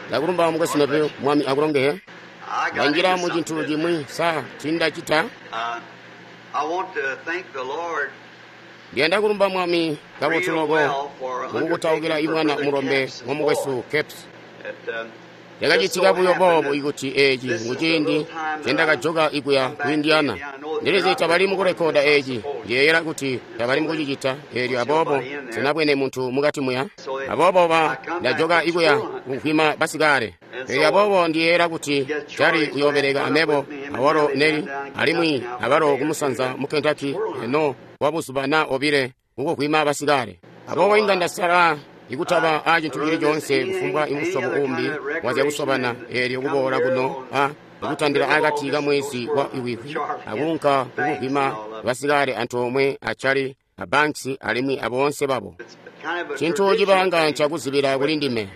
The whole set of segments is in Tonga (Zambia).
Ndakulumba mukwesu Neville, Mwami akulongezye. Ndanjila mu cintu cimwi sa cindacita. Ndiyanda kulumba Mwami kabotu loko mukukutaukila imwana mulombe wa mukwesu Capps. Cakacitika buyo boobo ikuti eeci nguciindi ncendakajoka ikuya ku Indiana. Ndilizi tabali mukurekoda eeci, ndiyeeyela kuti tabali mukucicita eelyo aboobo sinabwene muntu mukati muya. Aboobo ba ndajoka ikuya kuvwima basikale. Eelyo aboobo ndiyeeyela kuti Charlie uyoobeleka amebo awalo Nelly alimwi abalo kumusanza mu Kentucky eno kwabuzuba naa obile kukuvwima basikale. Aboobo inga ndasala ikutaba a cintu cili coonse kufumbwa imusyobo uumbi wazyakusobana eelyo kuboola kuno a ikutandila akati ka mwezi wa iwikwi akuunka kukuvwima basikale antoomwe a Charlie a Banks alimwi aboonse babo. Cintu cibanga ncakuzibila kuli ndime.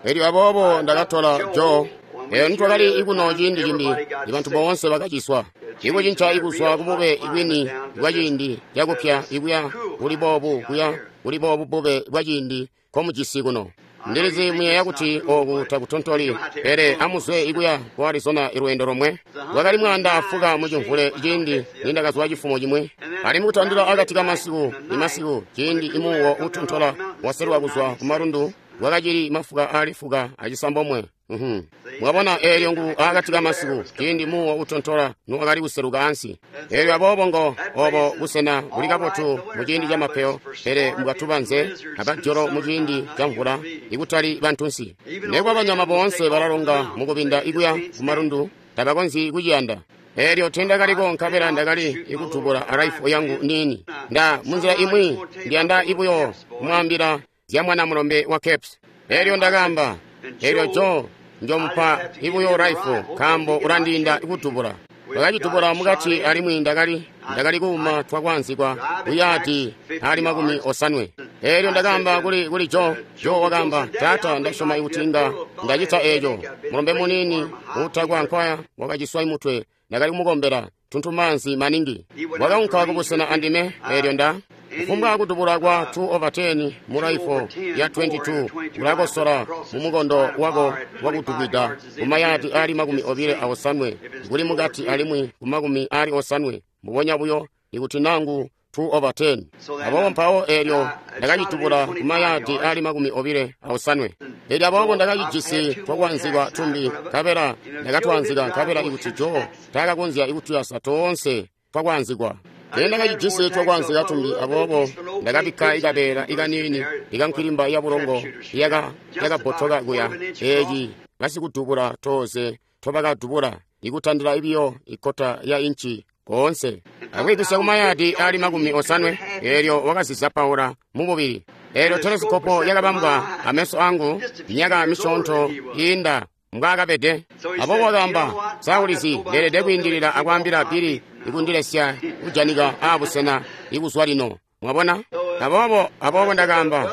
Elyo aboobo ndakatola Joe. Eyo nitwakali ikuno ciindi cimbi, ibantu boonse bakaciswa. Ikucinca ikuzwa kubube ibwini bwa ciindi cakupya ikuya kuli boobu kuya kuli boobu bube bwa ciindi nkomujisi kuno. Ndilizi muyeeya kuti ooku takutontoli, pele amuzwe ikuya ku Arizona ilweendo lomwe. Lwakali mwaanda afuka mucimvule ciindi nindakazwa cifumo cimwi. Alimwi kutandila akati kamasiku imasiku ciindi imuuwo uutontola waselwa kuzwa kumalundu lwakacili mafuka aali fuka acisambomwe. Mwabona eelyo ngu akati kamasiku ciindi muuwo utontola nuwakali kuseluka ansi. Eelyo aboobo ngo obo busena buli kabotu muciindi camapeyo, pele mukatubanze abadyolo muciindi ca mvula ikutali bantunsi. Nekuba banyama boonse balalonga mukubinda ikuya kumalundu tabakonzyi kuciyanda. Eelyo tiindakaliko nkabela ndakali ikudubula araifo yangu niini. Nda munzila imwi ndiyanda ibuyo kumwaambila zya mwana mulombe wa Capps. Eelyo ndakaamba, eelyo Joe njomupa ibuyo raifo nkaambo ulandiinda ikudubula. Ndakacitubula mukati alimwi ndakali kuuma twakwaanzikwa kuyaadi ali 50. Eelyo ndakaamba kuli Joe. Joe wakaamba, taata ndasyoma kuti inga ndacita eeco. Mulombe muniini uutakwa nkwaya wakaciswa imutwe. Ndakali kumukombela tuntumaanzi maningi. Wakaunka kubusena andime eelyo nda kufumbwa kudubula kwa 2/10 mu raifo ya 22 ulakosola mumukondo wako wakudubwida kumayadi ali 28 kuli mukati alimwi ku 80 mbubonya buyo ikuti nangu 2/10. Aboobo mpawo eelyo ndakacitubula kumayadi ali 28. Eelyo aboobo ndakacijisi twakwaanzikwa tumbi nkabela ndakatwaanzika nkabela ikuti Joe taakakonzya ikutuyasa toonse twakwaanzikwa. Ndakacijisi twakwaanzika tumbi aboobo ndakabikka ikabeela ikaniini ikankwilimba yabulongo yakabbotoka kuya. Eeci basikudubula tooze tobakadubula ikutandila ibiyo ikkota ya inci koonse akwiipisya kumayadi ali 80. Eelyo wakazizapaula mububili. Eelyo telesikopo yakabambwa ameso angu myaka misyoonto iinda mbwaakabede. Aboobo wakaamba, sa ulizi ndeelede kwiindilila akwaambila Billy ikundilesya kujanika aabusena ikuzwa lino. Mwabona? Aboobo ndakaamba,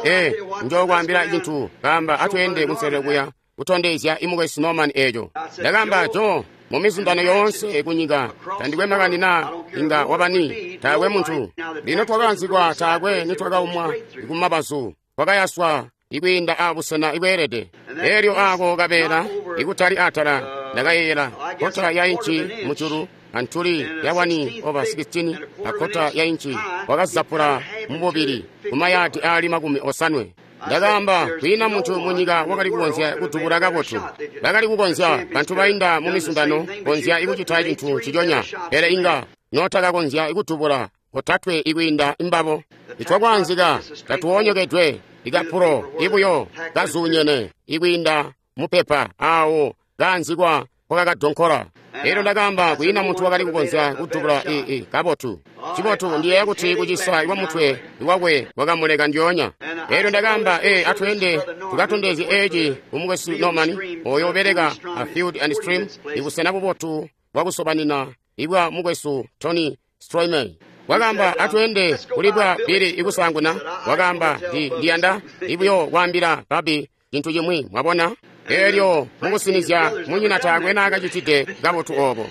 njokwaambila cintu. Kaamba atweende kunselelo kuya kutondezya imukwesu Norman eeco. Ndakaamba, Joe, mumizundano yoonse kunyika tandikwe makani naa inga wabani, taakwe muntu. Lino twakaanzikwa taakwe nitwakaumwa kumabazu, twakayaswa ikwiinda abusena ibweelede. Eelyo aako kabeela ikutali atala ndakayeeyela kota ya inci mujulu antuli ya 1/16 akota ya inci wakazapula mububili kumayadi ali 80. Ndakaamba kwiina muntu munyika wakali kukonzya kudubula kabotu. Bakali kukonzya bantu bainda mumizundano konzya ikucita cintu nciconya, pele inga notakakonzya ikudubula kotatwe ikwiinda imbabo. Itwakwaanzika tatuwonyokedwe ikapulo ibuyo kazuunyene ikwiinda mupepa aawo kaanzikwa kwakakadonkola. Eelyo ndakaamba kwiina muntu wakali kukonzya kudubula kabotu. Cibotu ndiyeeya kuti kucisa kwamutwe wakwe kwakamuleka ndyoonya. Eelyo ndakaamba, atweende tukatondezye eeci kumukwesu Norman oyo ubeleka a Field and Stream ibusena bubotu bwakusobanina ibwa mukwesu Tony Stroymey. Wakaamba atweende kuli bwa Billy ikusaanguna. Wakaamba ndiyanda ibuyo kwaambila Bobby cintu cimwi. Mwabona? Eelyo mukusinizya munyina taakwe naakacitide kabotu oobo.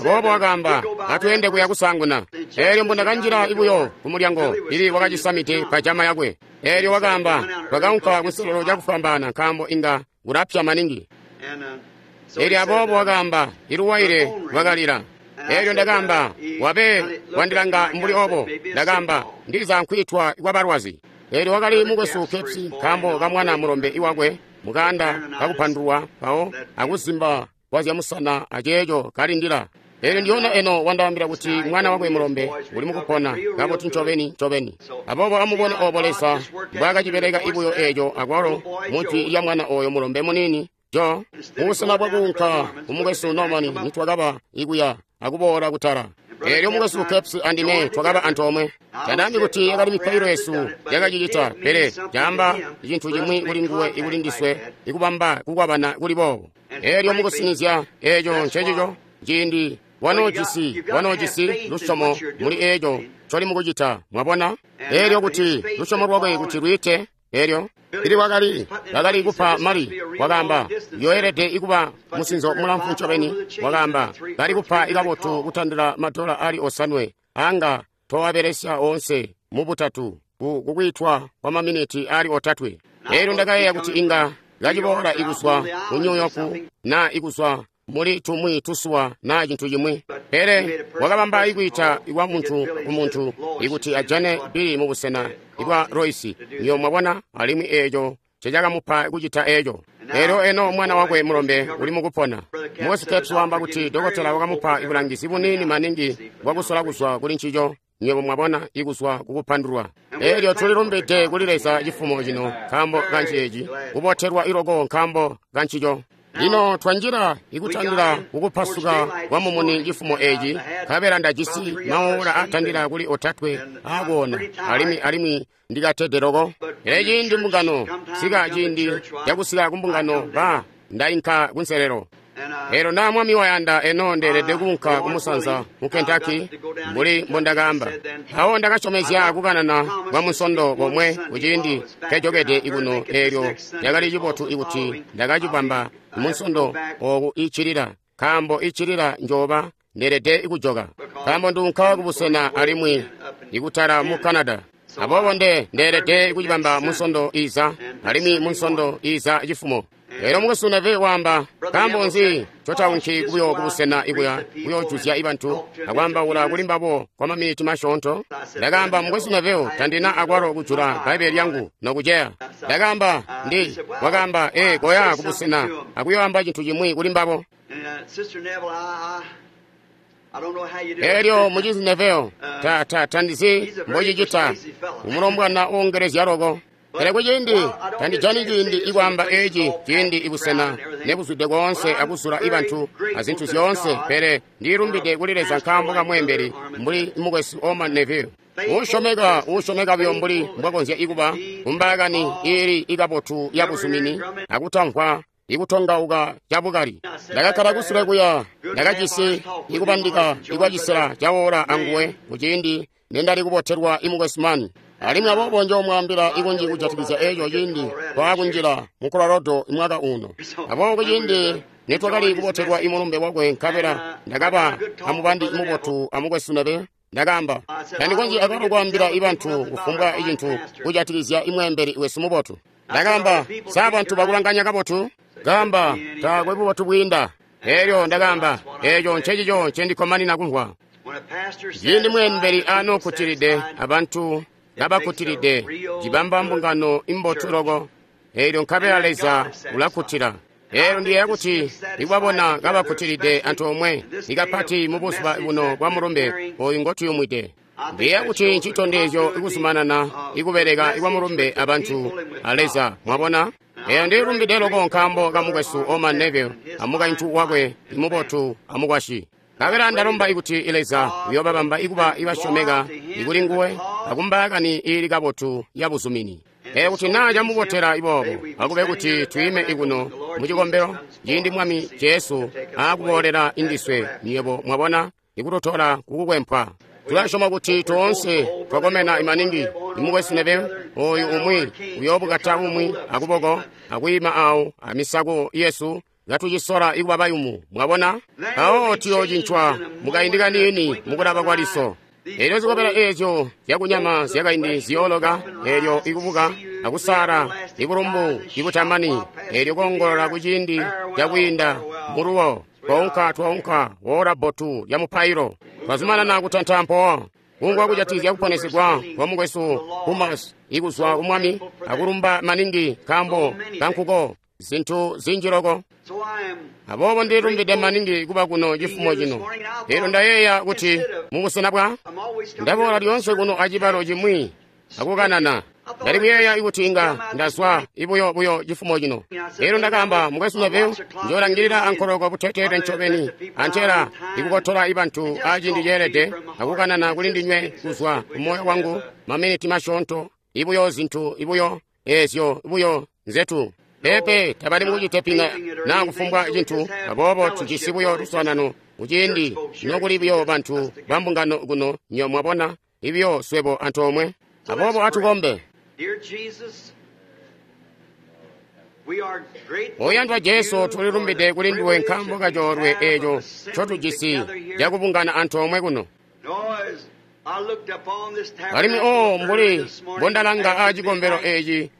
Aboobo wakaamba, atweende kuya kusaanguna. Eelyo mbundakanjila buyo kumulyango, Billy wakacisamide pajama yakwe. Eelyo wakaamba, twakaunka kunselelo cakufwambaana nkaambo inga kulapya maningi. Eelyo aboobo wakaamba, iluwaile lwakalila. Eelyo ndakaamba, wabe wandilanga mbuli obo. Ndakaamba, ndiza nkwiitwa kwabalwazi. Eelyo wakali mukwesu Capps nkaambo kamwana mulombe iwakwe mukaanda kakupandulwa mpawo akuzimba kwazyamusana aceeco kalindila. Eelyo ndiyona eno wandaambila kuti mwana wakwe mulombe uli mukupona kabotu ncobeni ncobeni. Aboobo amubone obo Leza mbwaakacibeleka ibuyo eeco akwalo mujwi lya mwana oyo mulombe muniini Jo, mubusena bwakuunka kumukwesu Norman nitwakaba ikuya akuboola kutala. Eelyo mukwesu Capps andime twakaba antoomwe. Tandaambi kuti yakali mipailo yesu yakacicita, pele caamba cintu cimwi kuli nguwe ikuli ndiswe ikubamba kukwabana kuli boobo. Eelyo mukusinizya eeco ncecico ciindi wanoojisi lusyomo muli eeco ncoli mukucita, mwabona? Eelyo kuti lusyomo lwakwe kuti lwiite, eelyo ili wakali kupa mali, wakaamba, yoelede ikuba musinzo mulamfu ncobeni, wakaamba, bali kupa ikabotu kutandila madola ali 5 anga towabelesya oonse mubutatu kukwiitwa kwa maminiti ali 3. Eelyo ndakayeeya kuti inga kaciboola ikuzwa ku New York na ikuzwa muli tumwi tusuwa na cintu cimwi, pele wakabamba ikwiita kwa muntu ku muntu ikuti ajane Billy mubusena ibwa Royce, niyo mwabona, alimwi eeco cecakamupa kucita eeco. Eelyo eno mwana wakwe mulombe uli mukupona. Mukwesu Capps waamba kuti dokotela wakamupa ibulangizi buniini maningi bwakusola kuzwa kuli ncico, nywebo mwabona, ikuzwa kukupandulwa. Eelyo tulilumbide kuli Leza cifumo cino nkaambo kanceeci, kubotelwa iloko nkaambo kancico. Lino twanjila ikutandila kukupasuka kwa mumuni cifumo eeci, nkabela ndajisi maola atandila kuli 3 aakuona, alimwi ndikatede loko. Pele ciindi mbungano sika ciindi cakusika kumbungano ba ndainka kunselelo. Eelyo naa Mwami wayanda eno ndeelede kuunka kumusanza mu Kentucky mbuli mbondakaamba. Mpawo ndakasyomezya kukanana kwa musondo bomwe kuciindi nkejokede ikuno. Eelyo cakali cibotu ikuti ndakacibamba munsondo ooku iccilila, nkaambo iccilila njooba ndeelede kujoka, nkaambo nduunka kubusena alimwi ikutala mu Canada. Aboobo ndeelede kucibamba munsondo iza, alimwi munsondo iza cifumo. Eelyo mukwesu Neville waamba, nkaambo nzi ncotaunki kubuyo kubusena ikuya kuyoojuzya ibantu akwaambaula kuli mbabo kwa maminiti masyoonto? Ndakaamba, mukwesu Neville, tandina akwalo kujula Bbaibbele lyangu nokuceya. Ndakaamba, wakaamba, koya kubusena akuyoamba cintu cimwi kuli mbabo. Eelyo mucizi Neville, tandizi mbocicita, umulombwana uongelezya loko. Pele kuciindi tandijani ciindi ikwaamba eeci ciindi ibusena nebuzwide koonse akuzula ibantu azintu zyoonse, pele ndilumbide kuli Leza nkaambo kamweembeli mbuli mukwesu Orman Neville. Uusyomeka buyo mbuli mbwakonzya ikuba kumbaakani iili ikabotu yabuzumini akutamvwa ikutongauka cabukali. Ndakakkala kusule kuya, ndakajisi ikubandika ikwacisela cawola anguwe kuciindi nendali kubotelwa imukwesu Mann. Alimwi aboobo njoomwaambila ikunji kujatikizya eeco ciindi twaakunjila mu Colorado mwaka uno. Aboobo kuciindi nitwakali kubotelwa imulumbe wakwe, nkabela ndakaba amubandi mubotu amukwesu Neville. Ndakaamba, tandikonzyi akwalo kwaambila ibantu kufumbwa icintu kujatikizya imweembeli wesu mubotu. Ndakaamba, sa bantu bakulanganya kabotu? Kaamba, taakwe bubotu bwiinda. Eelyo ndakaamba, eeco ncecico ncendikkomanina kumvwa. Ciindi mweembeli aanokkutilide abantu kabakkutilide, cibamba mbungano imbotu loko. Eelyo nkabela Leza ulakkutila. Eelyo ndiyeeya kuti ikubabona kabakkutilide antoomwe, ikapati mubuzuba buno bwa mulumbe oyu ngotuyumwide. Ndiyeeya kuti ncitondezyo ikuzumanana ikubeleka ikwa mulumbe abantu a Leza, mwabona? Eelyo ndilumbide loko nkaambo kamukwesu Orman Neville amukaintu wakwe imubotu amukwasyi. Nkabela ndalomba ikuti Leza uyoobabamba ikuba ibasyomeka ikuli nguwe akumbaakani iili kabotu yabuzumini. Eelyo kuti naa camubotela iboobo, akube kuti twiime ikuno mucikombelo ciindi Mwami Jesu aakuboolela indiswe, nywebo mwabona, ikututola kukukwempwa. Tula syoma kuti toonse twakomena maningi. Imukwesu Neville oyu umwi uyoobukata umwi akuboko akwiima awo amisako yesu katucisola ikuba bayumu. Mwabona? Awo tuyoocincwa mukaindi kaniini mukulaba kwa liso. Elyo zikobela eezyo zyakunyama zyakaindi ziyooloka, elyo ikubuka akusala ibulumbu ibutamani, elyo koongolola kuciindi cakwiinda muluwo. Twaunka, twaunka woola bbotu lya mupailo. Twazumanana kutanta mpowa. Kungwa kujatizya kuponesegwa kwa mukwesu Humas ikuzwa ku Mwami, akulumba maningi nkaambo kankuko zintu zinji loko. Aboobo ndilumbide maningi kuba kuno cifumo cino. Elyo ndayeeya kuti mubusena bwa ndaboola lyoonse kuno acibalo cimwi akukanana. Ndali kuyeeya kuti inga ndazwa ibuyo buyo cifumo cino. Elyo ndakaamba, mukwesu Neville, njoolangilila ankoloko buteteete ncobeni antela ikukotola ibantu aciindi ceelede akukanana kuli ndinywe kuzwa kumoyo wangu maminiti masyoonto, ibuyo zintu ibuyo eezyo buyo nzetu. Pepe tabali mukucitepinga naa kufumbwa cintu, aboobo tujisi buyo luswaanano kuciindi nokuli buyo bantu ba mbungano kuno, nyo mwabona, ibiyo swebo antoomwe. Aboobo atukombe. Oyandwa Jesu, tulilumbide kuli nduwe nkaambo kacoolwe eeco ncotujisi cakubungana antoomwe kuno. Alimwi o mbuli mbondalanga aacikombelo eeci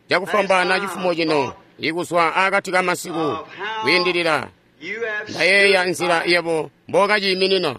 cakufwambaana cifumo cino ikuzwa akati kamasiku kwiindilila, ndayeeya nzila yebo mbookaciiminina.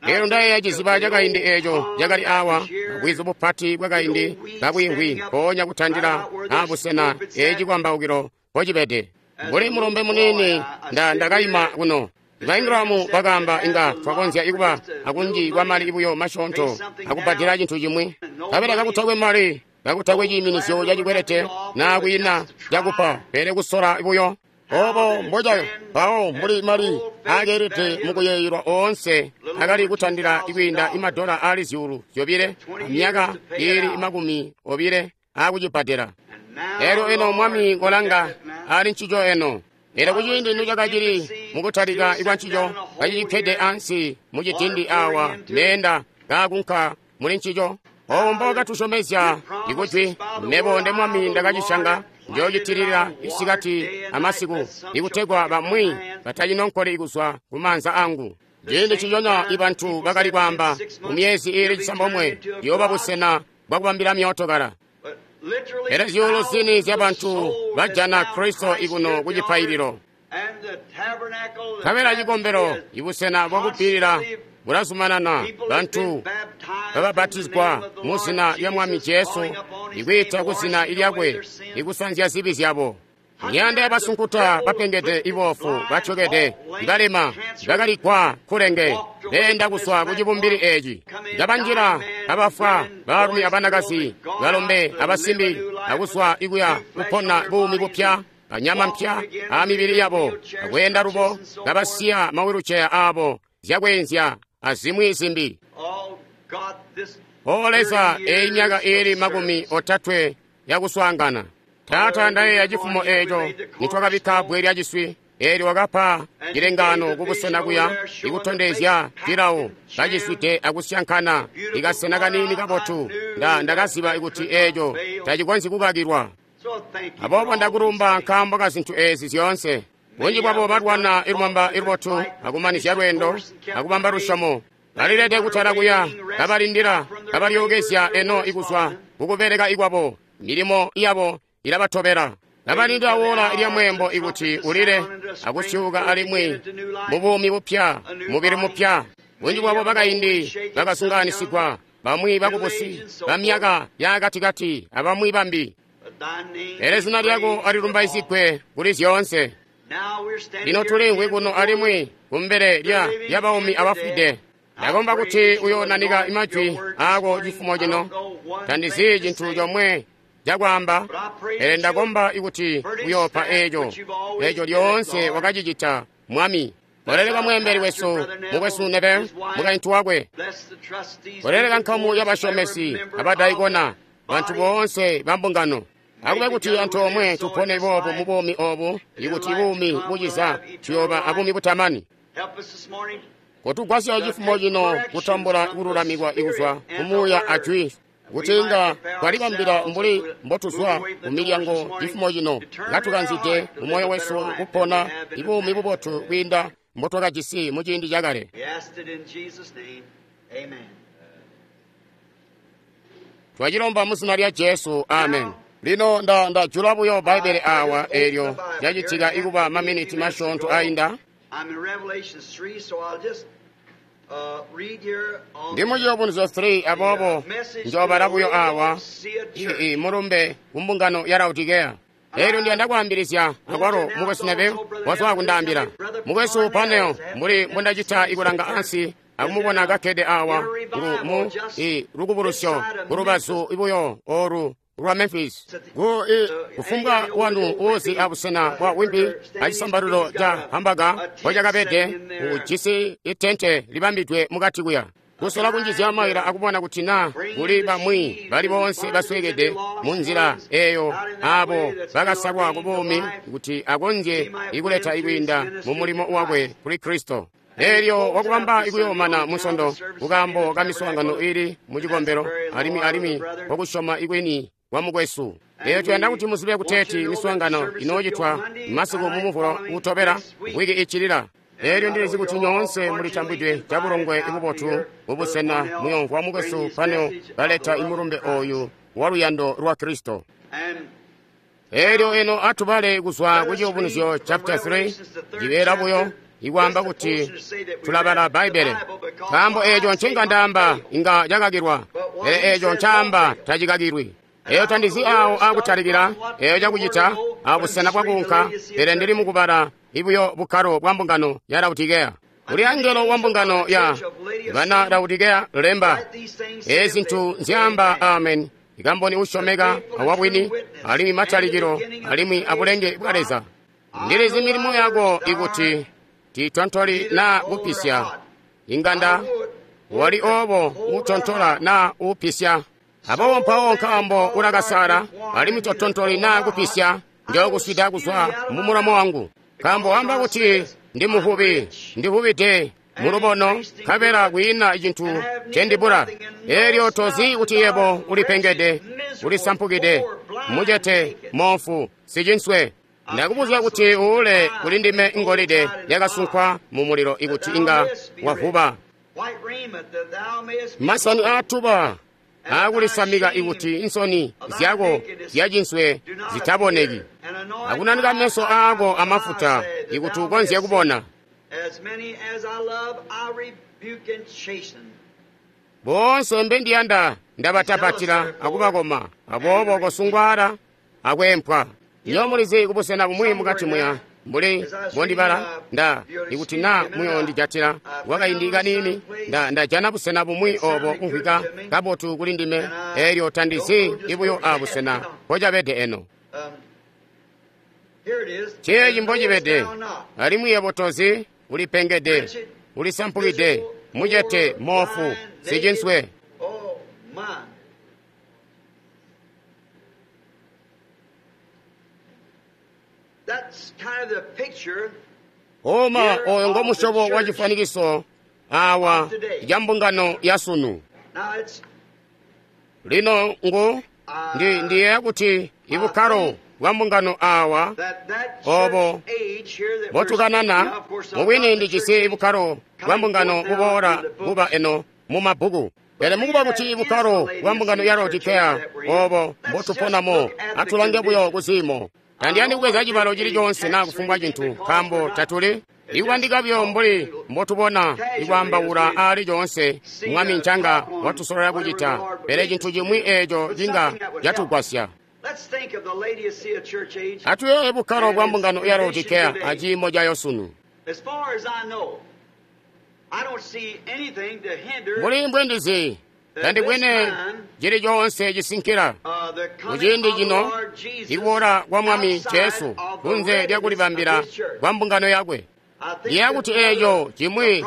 Elyo ndayeeya ciziba cakaindi eeco cakali awa, bwizu bupati bwakaindi kabwiimvwi mpoonya kutandila aabusena eeci kwambaukilo mpocibede. Mbuli mulombe muniini ndakaima kuno. Baingramu bakaamba inga twakonzya ikuba akunji kwa mali buyo masyoonto akubbadela cintu cimwi. Kabela kakutakwe mali, kakutakwe ciiminizyo cacikwelete naa kwiina cakupa, pele kusola buyo. Obo mboca mpawo mbuli mali aakeelede mukuyeeyelwa oonse akali kutandila kwiinda imadola aali 2,000 amyaka iili 20 aakucibbadela. Elyo eno Mwami kolanga ali ncico eno. Elyo kuciindi nocakacili mukutalika kwa ncico, kacicikkede ansi mucidindi awa meenda kaakunka muli ncico. Obo mbookatusyomezya ikujwi, mebo nde Mwami ndakacisyanga, njoocitilila isikati amasiku, ikutegwa bamwi batacinonkoli kuzwa kumaanza angu. Ciindi ciconya ibantu bakali kwaamba mu myezi iili 9 yooba busena bwakubambila myootokala. Pele zyuulu zini zyabantu bajana Kristo ikuno kucipaililo. Nkabela cikombelo ibusena bwakupilila bulazumanana, bantu bababatizwa mu zina lya Mwami Jesu, ikwiita ku zina lyakwe, ikusanzya zibi zyabo. Miyanda yabasunkuta bapengede, iboofu, batyokede, ibalema, bakaligwa kulenge, beenda kuzwa kucibumbili eeci. Kabanjila, kabafwa, baalumi abanakazi, balombe abasimbi, akuzwa ikuya kupona buumi bupya, anyama mpya amibili yabo, akweenda lubo, kabasiya mawiluceya aabo, zyakweenzya azimwi zimbi. O Leza, eyi myaka iili 30 yakuswaangana. Taata, ndayeeya cifumo eeco nitwakabikka bbwe lya ciswi, eelyo wakapa cilengaano kubusena kuya ikutondezya cilawo kaciswide akusyankana ikasena kaniini kabotu. Ndakaziba kuti eeco tacikonzyi kukakilwa. Aboobo ndakulumba nkaambo ka zintu eezi zyoonse. Bunji bwabo balwana ilumamba ilubotu akumanizya lweendo akubamba lusyomo. Balilede kutala kuya kabalindila kabalyookezya eno ikuzwa kukubeleka ikwabo. Milimo yabo ilabatobela. Kabalindila woola lya mweembo ikuti ulile akusyuuka alimwi mubuumi bupya, mubili mupya. Bunji bwabo bakaindi bakasunganisigwa, bamwi bakubusi bamyaka yaakatikati abamwi bambi. Pele zina lyako alilumbaizigwe kuli zyoonse. Lino tuliimvwi kuno alimwi kumbele lya baumi abafwide. Ndakomba kuti uyoonanika majwi aako cifumo cino. Tandizi cintu comwe cakwaamba, pele ndakomba kuti uyoopa eeco eeco lyoonse wakacicita, Mwami. Koleleka mweembeli wesu, mukwesu Neville, mukaintu wakwe. Koleleka nkamu yabasyomesi abadaikona, bantu boonse bambungano. Akube kuti antoomwe tupone boobu mubuumi oobu, ikuti buumi buciza tuyooba abuumi butamani. Kotugwasya cifumo cino kutambula kululamikwa ikuzwa kumuuya ajwi, kuti inga twalibambila mbuli mbotuzwa kumilyango cifumo cino, katukanzide mumoyo wesu kupona ibuumi bubotu kwiinda mbotwakajisi muciindi cakale. Twacilomba muzina lya Jesu, amen. Lino ndajula buyo Bbaibbele awa eelyo lyacitika ikuba maminiti masyoonto ainda. Ndi mu Ciyubunuzyo 3, aboobo njoobala buyo awa mulumbe kumbungano ya Laodikeya. Eelyo ndiyanda kwaambilizya akwalo mukwesu Neville wazwa kundaambila. Mukwesu Parnell, mbuli mbondacita ikulanga ansi akumubona kakkede awa mu lukubulusyo kulubazu buyo oolu lwa Memphis. Kufumbwa wanu uuzi abusena bwa wimbi acisambalilo ca hambaga mbocakabede, ujisi itente libambidwe mukati kuya. Kusola kunjizya maila akubona kuti naa kuli bamwi bali boonse basweekede mu nzila eeyo, aabo bakasalwa ku buumi kuti akonzye ikuleta ikwiinda mu mulimo wakwe kuli Kristo. Eelyo wakubamba ikuyoomana munsondo kukaambo ka miswaangano iili mucikombelo alimwi kwakusyoma ikwini kwa mukwesu. Eeyo tuyanda kuti muzibe kuteeti miswaangano inoocitwa masiku mu Muvulo uutobela wiki iccilila. Eelyo ndilizi kuti nyoonse mulitambwidwe cabulongwe bubotu mubusena muyomvwa mukwesu Parnell baleta imulumbe ooyu wa luyando lwa Kristo. Eelyo eno atubale kuzwa ku Ciyubunuzyo chapter 3, cibeela buyo ikwaamba kuti tulabala Bbaibbele, nkaambo eeco ncenga ndaamba inga cakakilwa, pele eeco ncaamba tacikakilwi. Eeyo tandizi aawo aakutalikila, eeyo cakucita abusena bwakuunka, pele ndili mukubala ibuyo bukkalo bwa mbungano ya Laodikeya. Kuli angelo wa mbungano ya bana Laodikeya lemba, eezi zintu nzyaamba Amen, ikamboni usyomeka awabwini, alimwi matalikilo alimwi abulenge bwa Leza. Ndilizi milimo yako ikuti tiitontoli naa kupisya, inganda wali oobo utontola naa upisya. Aboobo mpawo nkaambo ulakasala alimwi totontoli naa kupisya, njookuswida kuzwa mumulomo wangu. Nkaambo wamba kuti ndi muvubi, ndivubide mulubono, nkabela kwiina cintu ncendibula. Eelyo tozi kuti yebo ulipengede, ulisampukide, mucete, moofu, sicinswe. Ndakubuzya kuti uule kuli ndime ngolide yakasunkwa mumulilo ikuti inga wavuba. Masani aatuba aakulisamika ikuti insoni zyako zyacinswe zitaboneki, akunanika meso aako amafuta ikuti ukonzye kubona. Boonse mbendiyanda ndabatapatila akubakoma, aboobo kosungwala akweempwa. Nyo mulizi kubusena bumwi mukati muya mbuli mbondibala nda ikuti naa muyondijatila kwakaindi kaniini, ndajana busena bumwi oobo kumvwika kabotu kuli ndime, eelyo tandizi ibuyo abusena mbocabede eno. Ceeci mbocibede, alimwi yebo tozi, ulipengede, ulisampukide, mucete, moofu, sicinswe. Oma oyo ngomusyobo wa cifwanikiso awa ca mbungano ya sunu. Lino ngu ndiyeeya kuti ibukkalo bwa mbungano awa obo botukanana mubwini ndijisi ibukkalo bwa mbungano buboola buba eno mu mabbuku. Pele mukuba kuti ibukkalo bwa mbungano ya Laodikeya obo mbotuponamo, atulange buyo kuziimo. Tandiyandi kubweza cibalo cili coonse naa kufumbwa cintu, nkaambo tatuli ikubandika buyo mbuli mbotubona ikwaambaula aali coonse Mwami ncanga watusolola kucita, pele cintu cimwi eeco cinga catugwasya. Atuyeeye bukkalo bwa mbungano ya Laodikeya aciimo cayo sunu. Mbuli mbwendizi, tandibwene cili coonse cisinkila kuciindi cino ikuboola kwa Mwami Jesu kunze lyakulibambila kwa mbungano yakwe. Ndiyeeya kuti eeco cimwi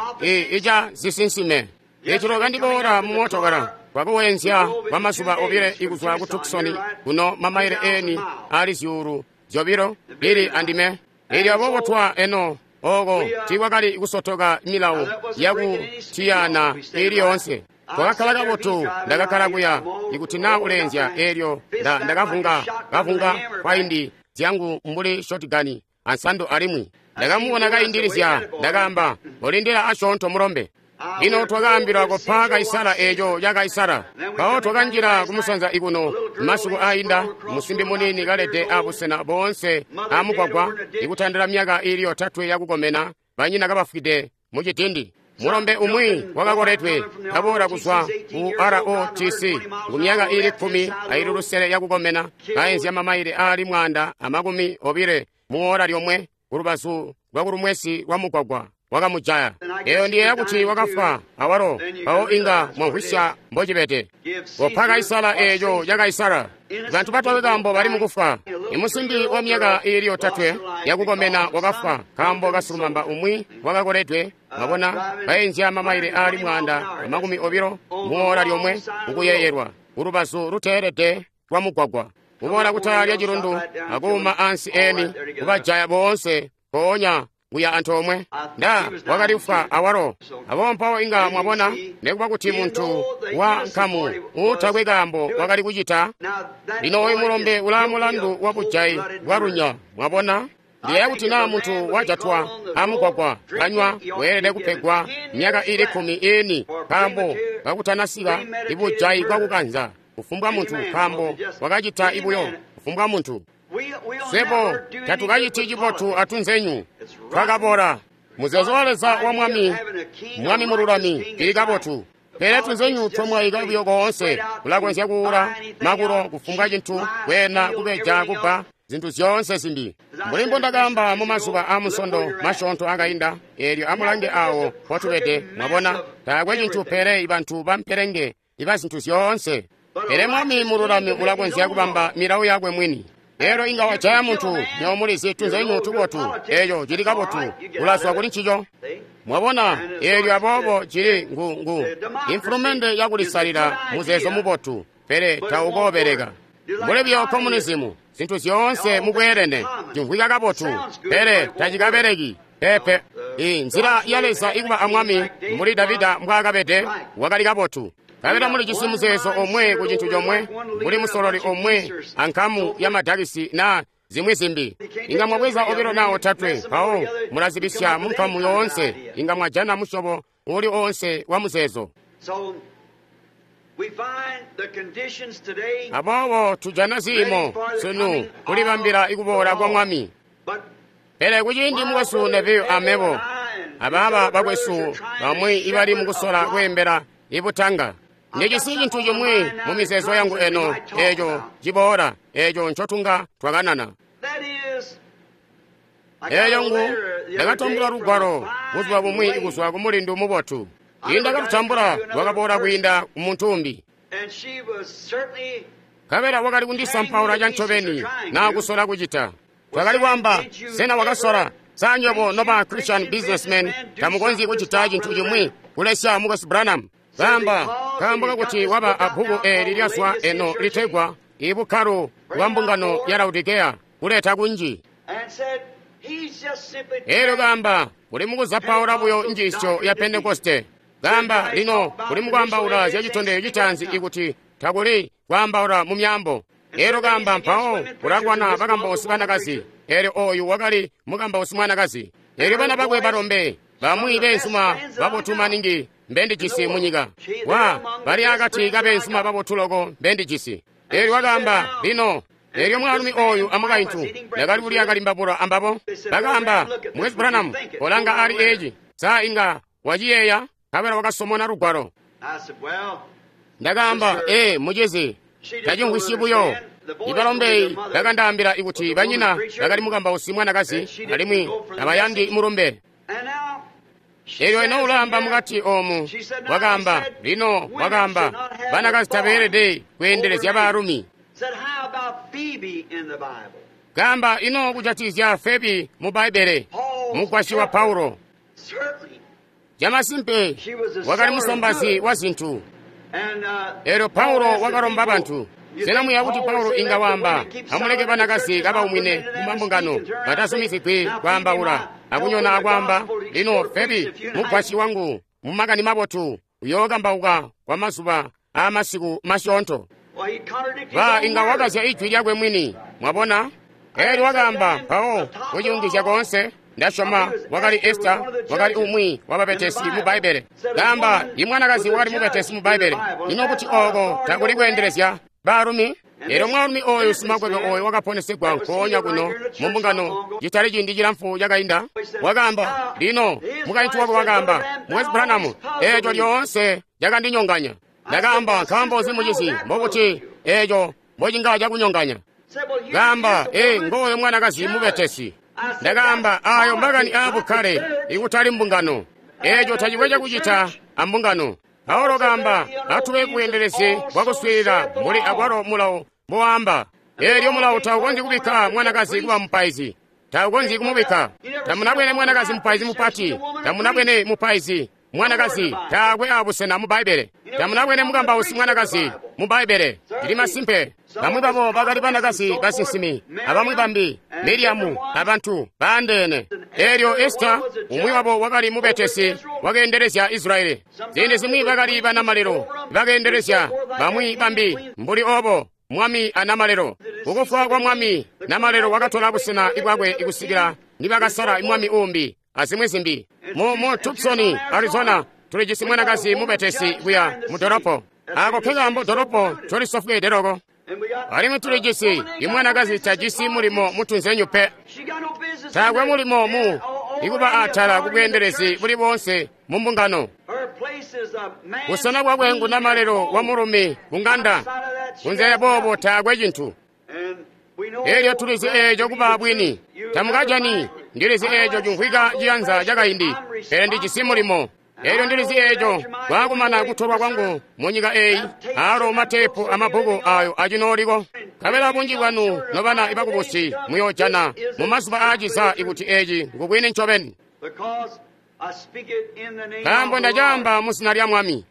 ica zisinsime. Ecilo kandiboola mumootokala kwakuwenzya kwa mazuba obile ikuzwa ku Tucson kuno mamaile eni ali zyuulu zyobilo ili andime. Eelyo aboobo twa eno Oko tiikwakali kusotoka milawo yakutiyana ili yoonse. Twakakkala kabotu, ndakakkala kuya ikuti naa uleenzya eelyo ndakavunga kavunga kwaindi zyangu mbuli shotgani ansando alimwi ndakamubona kaindilizya. Ndakaamba, olindila asyoonto mulombe. Lino twakaambilwa kopa Kaisara eeco ca Kaisara. Mpawo twakanjila kumusanza ikuno masiku ainda, musimbi muniini kalede abusena boonse amugwagwa ikutandila myaka iili 3 yakukomena, banyina kabafwide mucidindi. Mulombe umwi wakakoledwe kaboola kuzwa ku ROTC ku myaka iili 16 yakukomena, kaenzya mamaile aali 120 muwola lyomwe kulubazu lwakulumwesi lwa mugwagwa. Wakamujaya. Eyo ndiyeeya kuti wakafwa awalo. Mpawo inga mwamvwisya mbocibede. Kopa Kaisara eeco ca Kaisara. Bantu batakwe kaambo bali mukufwa. Imusimbi wa myaka iili 3 yakukomena wakafwa nkaambo kasilumamba umwi wakakoledwe. Mwabona, baenzya mamaile aali 120 muwola lyomwe kukuyeeyelwa kulubazu luteelede lwa mugwagwa, kuboola kutala lya cilundu akuuma ansi eni kubajaya boonse mpoonya kuya antoomwe. Nda wakali kufwa awalo. Aboobo mpawo inga mwabona, nekuba kuti muntu wa nkamu uutakwe kaambo wakali kucita. Lino oyu mulombe ulaa mulandu wa bujayi bwalunya. Mwabona, ndiyeeya kuti naa muntu wajatwa amugwagwa kanywa weelede kupegwa myaka iili 10 iini nkaambo kakutanasika ibujayi bwakukanza kufumbwa muntu, nkaambo wakacita ibuyo kufumbwa muntu. Swebo tatukaciti cibotu atunzenyu twakabola. Muzeezo wa Leza wa mwami, mwami mululami, ili kabotu. Pele tunzenyu twamwaika buyo koonse, kulakonzya kuula makulo kufumbwa cintu, kweena, kubeja, kubba, zintu zyoonse zimbi. Mbuli mbondakaamba mu mazuba aamusondo masyoonto akainda, eelyo amulange awo mpotubede. Mwabona, taakwe cintu pele bantu bampelenge iba zintu zyoonse. Pele mwami mululami ulakonzya kubamba milawo yakwe mwini. Lero inga wajaya muntu, nywebo mulizi tunzenyu tubotu, eeco cili kabotu, ulazwa kuli ncico. Mwabona, eelyo aboobo cili ngu imfulumende yakulisalila muzeezo mubotu, pele taukoobeleka. Mbuli buyo komunizimu, zintu zyoonse mubweelene, cimvwika kabotu, pele tacikabeleki. Pepe, inzila ya Leza ikuba amwami mbuli Davida mbwaakabede wakali kabotu. Kabela mulijisi muzeezo omwe ku cintu comwe, mbuli musololi omwe ankamu ya madakisi na zimwi zimbi. Inga mwabweza 2 na 3, mpawo mulazibisya mu nkamu yoonse. Inga mwajana musyobo uli oonse wa muzeezo. Aboobo tujana ziimo sunu kulibambila ikuboola kwa Mwami. Pele kuciindi mukwesu Neville amebo abaaba bakwesu bamwi ibali mukusola kweembela ibutanga, ndijisi cintu cimwi mu mizeezo yangu eno eeco ciboola, eeco ncotunga twakanana. Eeyo ngu ndakatambula lugwalo buzuba bumwi kuzwa ku mulindu mubotu. Indakatutambula lwakaboola kwiinda ku muntu umbi. Nkabela wakali kundisampaula cancobeni naa kusola kucita. Twakali kwaamba, sena wakasola? Sa nywebo noba Christian businessmen tamukonzyi kucita cintu cimwi kulesya mukwesu Branham? Kaamba, kaambo kakuti waba abbuku eeli lyazwa eno litegwa Ibukkalo bwa Mbungano ya Laodikeya kuleta kunji. Eelyo kaamba, uli mukuzapaula buyo njiisyo ya Pentekoste. Kaamba, lino uli mukwaambaula zya citondezyo citaanzi ikuti takuli kwaambaula mu myaambo. Eelyo kaamba, mpawo ulakwana bakambausi banakazi. Eelyo oyu wakali mukambausi mwanakazi. Eelyo bana bakwe balombe bamwi beenzuma babotu maningi mbendijisi munyika. Wa bali akati kabeenzuma babotu loko mbendijisi. Eelyo wakaamba, lino eelyo mwaalumi oyu amukaintu ndakali kulya kalimbabula ambabo. Bakaamba, Mukwesu Branham, kolanga ali eeci, sa inga waciyeeya? Nkabela wakasomona lugwalo. Ndakaamba, mucizi, tacimvwisyi buyo. Ibalombe bakandaambila ikuti banyina bakali mukambausi mwanakazi alimwi tabayandi mulumbe. Eelyo eno ulaamba mukati oomu, wakaamba, lino wakaamba, banakazi tabeelede kweendelezya baalumi. Kaamba ino kujatikizya Febi mu Bbaibbele, mugwasyi wa Paulo. Camasimpe wakali musombazi wa zintu. Eelyo Paulo wakalomba bantu. Sena muyeeya kuti Paulo inga waamba, amuleke banakazi kabaumwine mu mambungano, batazumizigwi kwaambaula, akunyona akwaamba, lino Febi, mugwasyi wangu, mu makani mabotu, uyookambauka kwa mazuba aamasiku masyoonto. Ba inga wakazya ijwi lyakwe mwini, mwabona? Elyo wakaamba, mpawo, kuciyungizya koonse, ndasyoma wakali Esta, wakali umwi wa babetesi mu Bbaibbele. Kaamba, i mwanakazi wakali mubetesi mu Bbaibbele. Ino kuti ooko takuli kweendelezya baalumi? Elyo mwaalumi oyu simakwebo oyo wakaponesegwa nkoonya kuno mu mbungano citali ciindi cilamfu cakainda, wakaamba, lino, mukaintu wakwe wakaamba, Mukwesu Branham, eeco lyoonse cakandinyonganya. Ndakaamba, nkaambo nzi mucizi, mbokuti eeco mbocinga cakunyonganya? Kaamba, ee, ngooyo mwanakazi mubetesi. Ndakaamba, ayo makani aabukkale, ikutali mbungano. Eeco tacikwe cakucita ambungano. Paulo kaamba, atube kubweendelezi bwakuswiilila mbuli akwalo mulawo mbowaamba. Eelyo mulawo taukonzyi kubikka mwanakazi kuba mupaizi. Taukonzyi kumubikka. Tamunabwene mwanakazi mupaizi mupati. Tamunabwene mupaizi mwanakazi taakwe abusena mu Bbaibbele. Tamunabwene mukambausi mwanakazi mu Bbaibbele. Ndili masimpe. Bamwi babo bakali banakazi basinsimi, abamwi bambi, Miriamu, abantu baandeene. Eelyo Esita, umwi wabo wakali mubetesi, wakeendelezya Israyeli. Ziindi zimwi bakali banamalelo, bakeendelezya bamwi bambi mbuli obo, mwami anamalelo. Kukufwa kwa mwami, namalelo wakatola busena bwakwe kusikila nibakasala mwami uumbi, azimwi zimbi. Mu Tucson, Arizona, tulijisi mwanakazi mubetesi kuya mu dolopo. Ako nkekaambo dolopo ncolisofweede loko. Alimwi tulijisi imwanakazi tajisi mulimo mutunzenyu pe. Taakwe mulimo mu ikuba atala kubweendelezi buli boonse mu mbungano. Busena bwakwe ngu namalelo wa mulumi ku ng'anda. Kunze boobo taakwe cintu. Elyo tulizi eeco kuba bwini. Tamukajani, ndilizi eeco cimvwika ciyanza cakaindi, pele ndijisi mulimo. Elyo ndilizi eeco kwaakumana kutolwa kwangu mu nyika eeyi, aalo mateepu amabbuku ayo acinooliko. Nkabela bunji bwanu nobana ibakubusi muyoojana mu mazuba aaciza ikuti eeci ngubwini ncobeni. Nkaambo ndacaamba mu zina lya Mwami.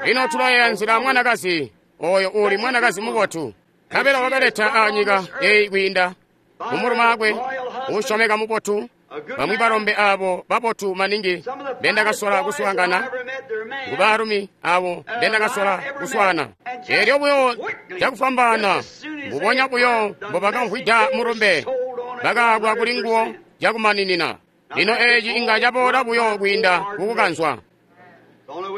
Lino tulayeeya nzila mwanakazi oyo uuli mwanakazi mubotu. Nkabela wakaleta aanyika eeyi kwiinda mumulumaakwe uusyomeka mubotu. Bamwi balombe aabo babotu maningi mbendakasola kuswaangana, ngu baalumi aabo mbendakasola kuswaana. Eelyo buyo cakufwambaana, mbubonya buyo mbobakamvwida mulumbe, bakaabwa kuli nguwo cakumaninina. Lino eeci inga caboola buyo kwiinda kukukanzwa.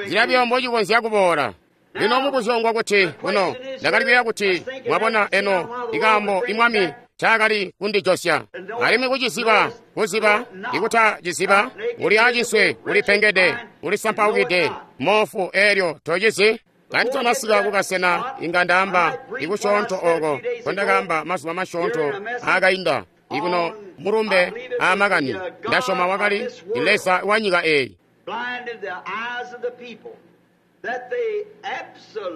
Nzila buyo mbocikonzya kuboola. Lino mubuzyo ngwa kuti kuno ndakali kuyeeya kuti mwabona eno ikaambo imwami ncaakali kundijosya. Alimwi kuciziba, kuziba, ikutaciziba, uli acinswe, ulipengede, ulisampaukide, moofu eelyo tocizi. Kanditanasika kukasena inga ndaamba ikusyoonto ooko nkondakaamba mazuba masyoonto aakainda ikuno mulumbe aamakani. Ndasyoma wakali Leza wa nyika eeyi.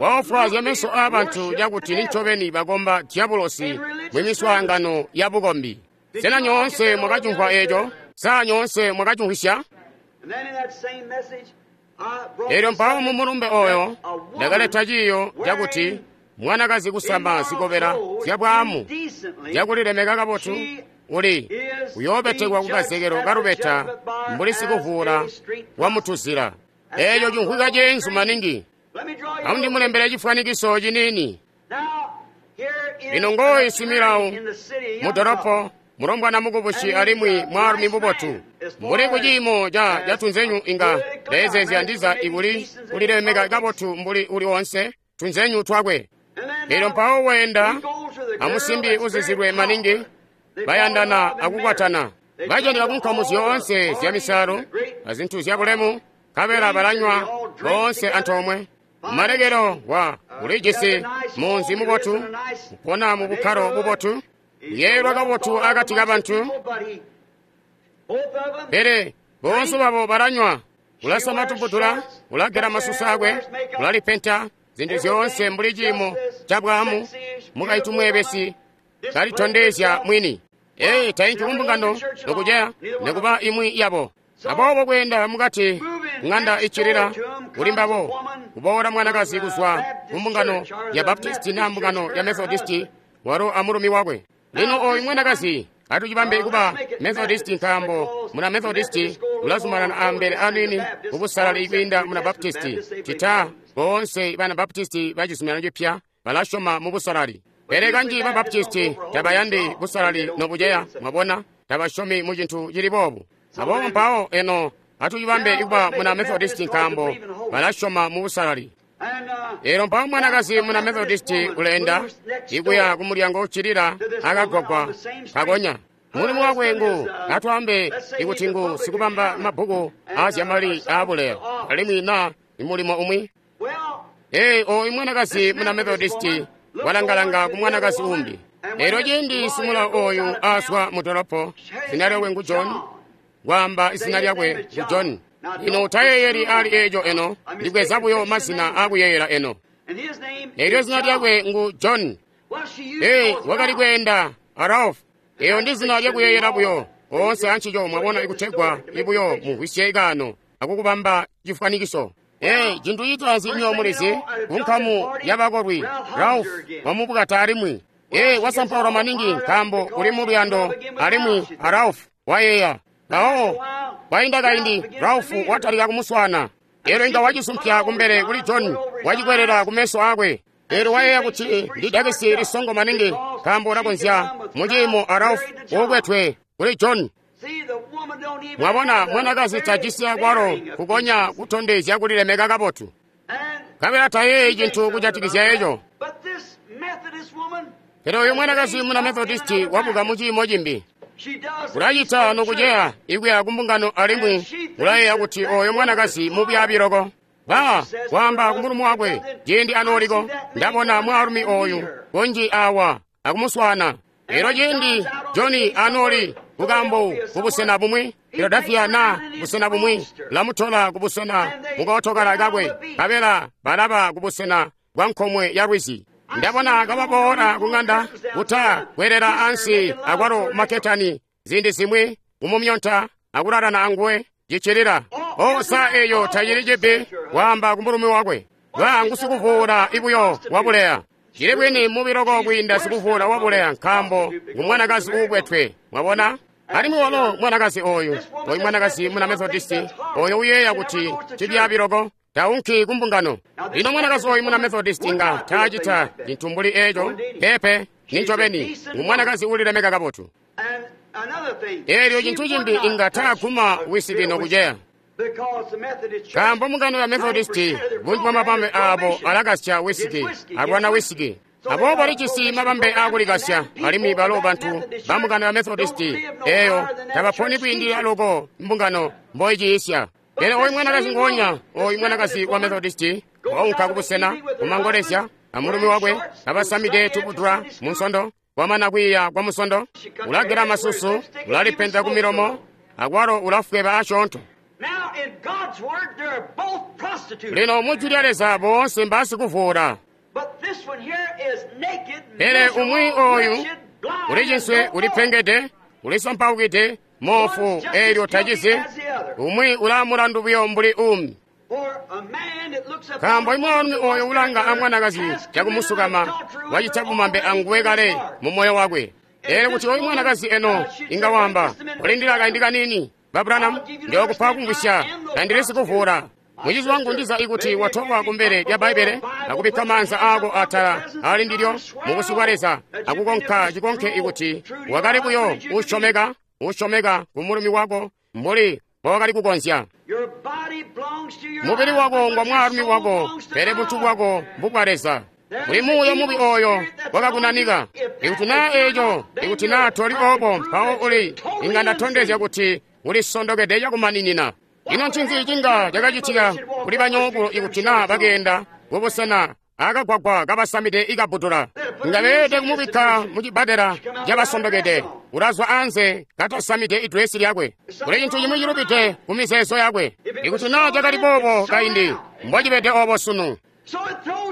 Waofwaazya meso aabantu cakuti nincobeni bakomba diabolosi mumiswaangano ya bukombi. Sena nyoonse mwakacimvwa eeco? Sa nyoonse mwakacimvwisya? Elyo mpawo mu mulumbe oyo ndakaleta ciiyo cakuti mwanakazi kusama zikobela zyabwaamu zyakulilemeka kabotu uli uyoobetekwa kukazekelo kalubeta mbuli sikuvuula wamutuzila. Eeco cimvwika ceenzu maningi. Amundimulembele cifwanikiso ciniini. Lino ngooyu similawo mu dolopo, mulombwana mukubusi alimwi mwaalumi mubotu. Mbuli kuciimo ca tunzenyu inga ndeezeezya ndiza ikuli kulilemeka kabotu mbuli uli onse tunzenyu twakwe. Elyo mpawo weenda amusimbi uzizilwe maningi, bayandana akukwatana. Bajanika kunkamu zyoonse zya misalo azintu zyabulemu, nkabela balanywa boonse antoomwe. Malekelo wa ulijisi munzi mubotu, upona mu bukkalo bubotu, uyeeyelwa kabotu akati kabantu. Pele boonse babo balanywa, ulasama tubudula, ulagela masusu akwe, ulalipenta zintu zyoonse mbuli ciimo ca bwaamu, mukaintu mweebesi kalitondezya mwini. Ee, tainki kumbungano nokuceya nikuba imwi yabo. Aboobo kweenda mukati Ng'anda iccilila kuli mbabo kuboola mwanakazi kuzwa ku mbungano ya Baptisti na mbungano ya Methodisti, walo amulumi wakwe. Lino oyu mwanakazi atucibambe kuba Methodisti, nkaambo muna Methodisti ulazumanana ambele anini kubusalali kwiinda muna Baptisti. Cita boonse bana Baptisti ba Cizuminano Cipya balasyoma mu busalali, pele kanji ba Baptisti tabayandi busalali nobuceya. Mwabona, tabasyomi mu cintu cili boobu. Aboobo mpawo eno atucibambe kuba muna Methodisti, nkaambo balasyoma mu busalali. Elo mpawo mwanakazi muna Methodisti uleenda ikuya kumulyango uccilila akagwagwa kakonya. Mulimu wakwe ngu, atwaambe ikuti ngu sikubamba mabbuku aazyamali aabuleya, alimwi na imulimo umwi. Ee, oyu mwanakazi muna Methodisti walangalanga ku mwanakazi umbi. Elyo ciindi simulawo oyu azwa mu dolopo, zina lyakwe ngu John, kwaamba izina lyakwe ngu John. Lino utayeeyeli ali eco eno, ndibweza buyo mazina akuyeeyela eno. Elyo zina lyakwe ngu John. Ee, wakali kweenda a Ralph. Eyo ndi zina lyakuyeeyela buyo oonse ancico, mwabona, ikutegwa ibuyo mumvwisye kaano akukubamba cifwanikiso. Ee, cintu citaanzi nyo mulizi, ku nkamu yabakolwi, Ralph wamubukata alimwi. Ee, wasampaulwa maningi nkaambo uli mu luyando alimwi a Ralph wayeeya. Mpawo kwainda kaindi Ralph watalika kumuswaana. Elyo inga wacisumpya kumbele kuli John, wacikwelela kumeso akwe. Elyo wayeeya kuti ndi dakisi lisongo maningi nkaambo ulakonzya muciimo a Ralph uukwetwe kuli John. Mwabona, mwanakazi tajisi akwalo kukonya kutondezya kulilemeka kabotu, nkabela tayeeyi cintu kujatikizya eco. Pele oyu mwanakazi muna Methodisti wabuka muciimo cimbi. Ulacita nokuceya ikuya kumbungano alimwi ulayeeya kuti oyo mwanakazi mubyaabi loko. Ba waamba kumulumi wakwe ciindi anooliko, ndabona mwaalumi oyu kunji awa akumuswaana. Elyo ciindi John anooli kukambo kubusena bumwi, Philadelphia na busena bumwi, lamutola kubusena mukootokala kakwe, nkabela balaba kubusena bwa nkomwe ya lwizi. Ndabona kababoola kung'anda kuta kwelela ansi akwalo maketani ziindi zimwi kumumyonta akulalana anguwe cicilila. O, sa eyo tacili cibi waamba kumulumi wakwe. Ba ngusikuvuula ibuyo wabuleya. Cili bwini mubi loko kwiinda sikuvuula wabuleya, nkaambo ngumwanakazi uukwetwe. Mwabona? Alimwi walo mwanakazi oyu, oyu mwanakazi muna Methodisti, oyo uyeeya kuti cibyaabi loko, taunki kumbungano. Lino mwanakazi oyu muna Methodisti nga taacita cintu mbuli eco, peepe, nincobeni, ngumwanakazi ulilemeka kabotu. Elyo cintu cimbi inga taaguma wisiki nokuceya, nkaambo mbungano ya Methodisti bunji bwa mabambe aabo alakasya wisiki, alwana wisiki. Aboobo balijisi mabambe aakulikasya, alimwi balo bantu ba mbungano ya Methodisti eyo tabaponi kwiindilila loko mbungano mboiciisya. Pele oyu mwanakazi ngoonya, oyu mwanakazi wa Methodisti waunka kubusena kumangolezya amulumi wakwe abasamide tuputula munsondo. Kwamana kwiiya kwa musondo, ulagela masusu, ulalipenta ku milomo, akwalo ulafweba asyoonto. Lino mu Jwi lya Leza boonse mbaasikuvuula. Pele umwi oyu uliciswe, ulipengede, ulisampaukide, moofu, eelyo tacizi. Umwi ulaamulandu buyo mbuli uumi. Nkaambo imwaalumi oyo ulanga amwanakazi cakumusukama wacita bumambe anguwe kale mu moyo wakwe. Eelyo kuti oyu mwanakazi eno inga wamba, ulindila kaindi kaniini, Ba Branham, ndiyookupa kumvwisya, tandili sikuvuula. Mucizi wangu ndiza ikuti watolwa kumbele lya Bbaibbele akubikka maanza aako atala ali ndilyo mubusyu bwa Leza akukonka cikonke ikuti wakali buyo usyomeka, usyomeka ku mulumi wako mbuli mbowakali kukonzya. Mubili wako ngwa mwaalumi wako, pele buntu bwako mbubwa Leza. Kuli muuya mubi oyo wakakunanika. Ikuti naa eco, ikuti naa toli obo, mpawo uli inga ndatondezya kuti ulisondokede cakumaninina. Ino ncinzi cinga cakacitika kuli banyoko ikuti naa bakeenda kubusena akagwagwa kabasamide ikabutula? Nga beelede kumubikka mu cibbadela cabasondokede. Ulazwa anze katasamide idresi lyakwe. Kuli cintu cimwi cilubide ku mizeezo yakwe. Ikuti naa cakali boobo kaindi, mbocibede obo sunu.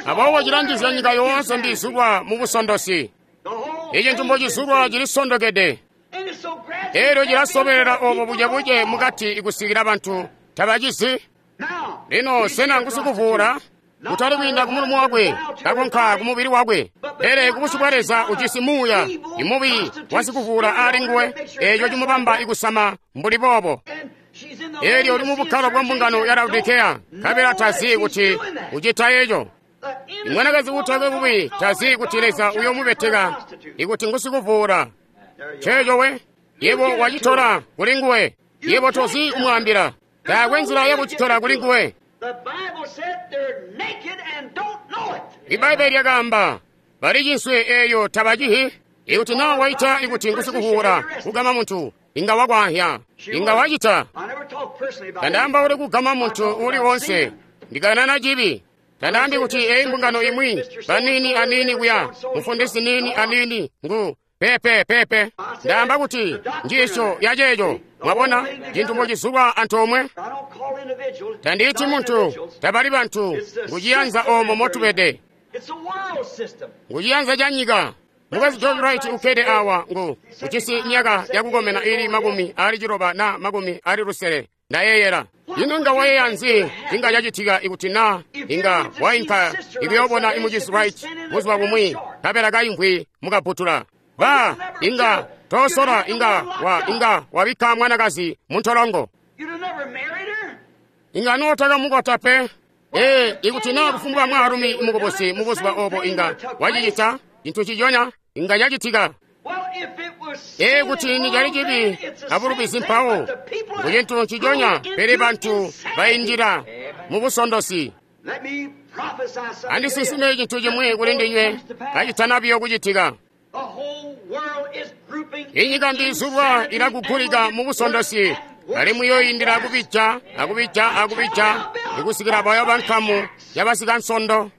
Aboobo cilanjizya nyika yoonse mbizulwa mu busondosi. Icintu mbocizulwa cilisondokede. Elyo cilasobelela obo bucebuce mukati ikusikila bantu tabacizi. Lino sena ngusikuvuula? Kutali kwiinda ku mulomo wakwe, kakonka ku mubili wakwe, pele ku busyu bwa Leza ujisi muuya imubi wasikuvuula aali nguwe, eeco cimubamba ikusama mbuli boobo. Eelyo uli mu bukkalo bwa mbungano ya Laodikeya, nkabela tazi kuti ucita eco. Imwanakazi uutakwe bubi tazi kuti Leza uyomubeteka ikuti ngusikuvuula. Nceeco we, yebo wacitola kuli nguwe, yebo tozi kumwaambila. Taakwe nzila yakucitola kuli nguwe. Ibbaibbele lyakaamba, bali cinswe eeyo tabacihi. Ikuti naa waita ikuti ngusikuvuula kugama muntu, inga wakwahya, inga wacita. Tandaambauli kugama muntu uuli woonse, ndikanana cibi. Tandaambi kuti eyi mbungano imwi, baniini aniini kuya, mufundisi niini aniini ngu pepe pepe. Ndaamba kuti njiisyo ya ceeco, mwabona, cintu mbocizulwa antoomwe. Tandiiti muntu, tabali bantu, nguciyanza oomo motubede, nguciyanza ca nyika. Mukazi George Wright ukkede awa ngu ujisi myaka yakukomena ili 90 na 60 ndayeeyela. Ino inga wayeeya nzi inga cacitika ikuti na inga wainka ikuyoobona imucizi Wright buzuba bumwi nkabela kaimvwi mukabutula? Ba inga tosola inga wa inga wabikka mwanakazi muntolongo. Inga nootakamukwata pe. Ee, ikuti na kufumbwa mwaalumi mukubusi mubuzuba obo inga wacicita cintu ciconya inga cacitika. Ee, kuti nicali cibi abulubizi mpawo ngu cintu ciconya, pele bantu baindila mu busondosi. Andisinsime cintu cimwi kuli ndinywe kacitana biyo kucitika. Inyika mbiizulwa ilakugulika mu busondosi, alimwi yoyindila kubija akubija akubija ikusikila bayo bankamu yabasikansondo.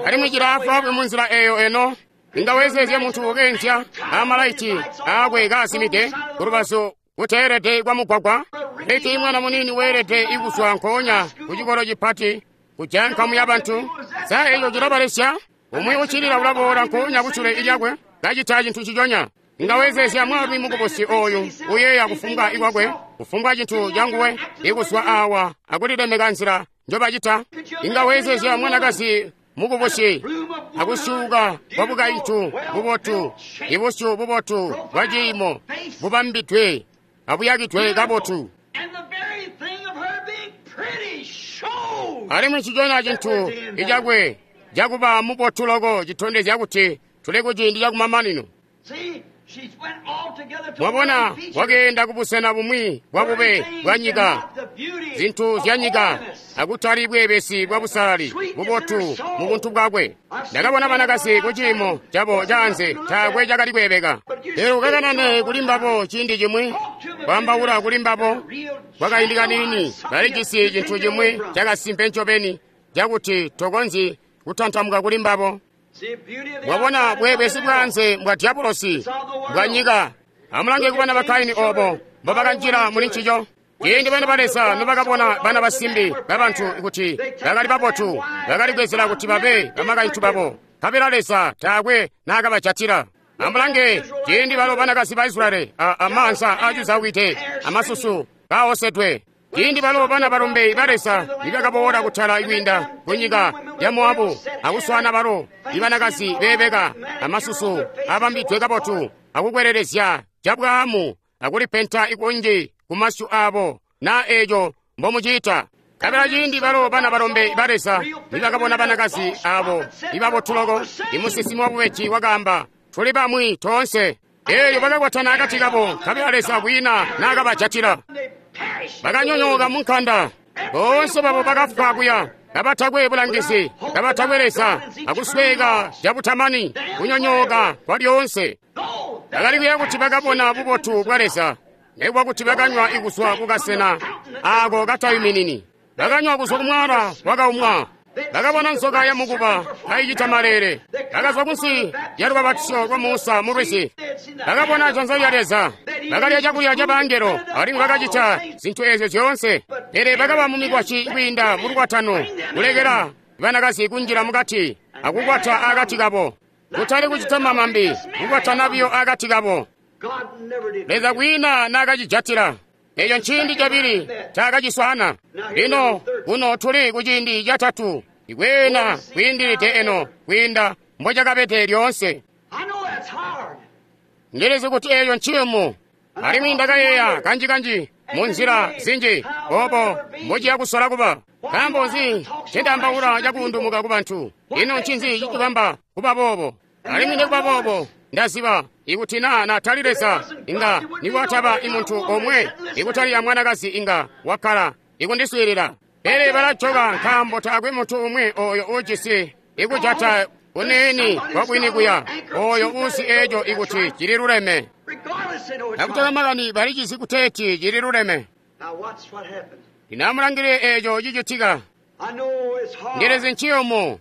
Alimwi cilaafwaafwi munzila eeyo eno. Inga wezeezya muntu ukeenzya amalaiti aakwe kaasimide kulubazu kuteelede kwa mugwagwa. Leki mwana muniini weelede ikuzwa nkoonya ku cikolo cipati kujaya nkamu ya bantu. Sa eco cilabalesya? Umwi uccilila ulaboola nkoonya kusule lyakwe kacita cintu ciconya. Inga wezeezya mwaalumi mukubusi ooyu uyeeya kufumbwa ikwakwe, kufumbwa cintu canguwe ikuzwa awa akulilemeka nzila njobacita. Inga wezeezya mwanakazi mukubusi akusyuuka kwa bukaintu bubotu, ibusyu bubotu bwa ciimo bubambidwe abuyakidwe kabotu. Alimwi nciconya cintu icakwe cakuba mubotu loko citondezya kuti tuli kuciindi cakumamanino. Mwabona, wakeenda kubusena bumwi bwa bube bwa nyika, zintu zya nyika, akutali bweebesi bwa busalali bubotu mu buntu bwakwe. Ndakabona banakazi ku ciimo cabo caanze taakwe cakali kweebeka. Pele ukakanane kuli mbabo ciindi cimwi, kwaambaula kuli mbabo kwakaindi kaniini, balijisi cintu cimwi cakasimpe ncobeni cakuti tokonzyi kutantamuka kuli mbabo. Mwabona, bweebesi bwaanze mbwa dyabulosi bwa nyika. Amulange kubana ba Kaini obo mbobakanjila muli ncico. Ciindi bana ba Leza nobakabona bana basimbi babantu kuti bakali babotu, bakali kwezela kuti babe bamakaintu babo, nkabela Leza taakwe naakabajatila. Amulange ciindi balo banakazi ba Israyeli amaanza aacuzawide amasusu kaosedwe. Ciindi balo bana balombe ba Leza nibakaboola kutala kwiinda kunyika ya Moabu akuswaana balo ibanakazi beebeka amasusu abambidwe kabotu akukwelelezya cabwaamu akulipenta ikunji kumasyu aabo na eeco mbomuciita. Nkabela ciindi balo bana balombe ba Leza nibakabona banakazi aabo ibabotu loko, imusinsimi wabubeji wakaamba, tuli bamwi toonse. Eelyo bakakwatana akati kabo, nkabela Leza kwiina naakabajatila. Bakanyonyooka munkanda, boonse babo bakafwa kuya, kabatakwe bulangizi, kabatakwe Leza, akusweeka cabutamani, kunyonyooka kwa lyoonse. Bakali kuya kuti bakabona bubotu bwa Leza, nekuba kuti bakanywa ikuzwa kukasena aako katayuminini. Bakanywa kuzwa kumwala wakaumwa. Bakabona nzoka ya mukuba kaicita maleele. Bakazwa kunsi ya lubabatisyo lwa Musa mu lwizi. Bakabona janza lya Leza. Bakalya cakulya ca bangelo alimwi bakacita zintu eezyo zyoonse. Pele bakaba mu mikwasyi kwiinda mu lukwatano, kulekela banakazi kunjila mukati akukwata akati kabo. Kutali kucita mamambi, kukwatana biyo akati kabo. Leza kwiina naakacijatila. Eco nciindi cabili cakaciswaana. Lino kuno tuli kuciindi catatu, ikweena kwiindilide eno kwiinda mbocakabede lyoonse. Ndilizi kuti eyo nciyumu, alimwi ndakayeeya kanji-kanji mu nzila zinji obo mbociya kusola kuba. Nkaambo nzi ncendaambaula cakuundumuka ku bantu? Ino ncinzi cicibamba kuba boobo? Alimwi nikuba boobo ndaziba ikuti naa natali Leza inga nikwataba imuntu omwe ikutali ya mwanakazi inga wakkala ikundiswiilila. Pele balajoka nkaambo taakwe muntu umwi oyo uujisi ikujata kuniini kwabwini kuya oyo uusi eco ikuti cililuleme. Akutala makani balicizi kuteeti cililuleme. Lino amulangilile eco cicitika. Ndilizi nciyumu.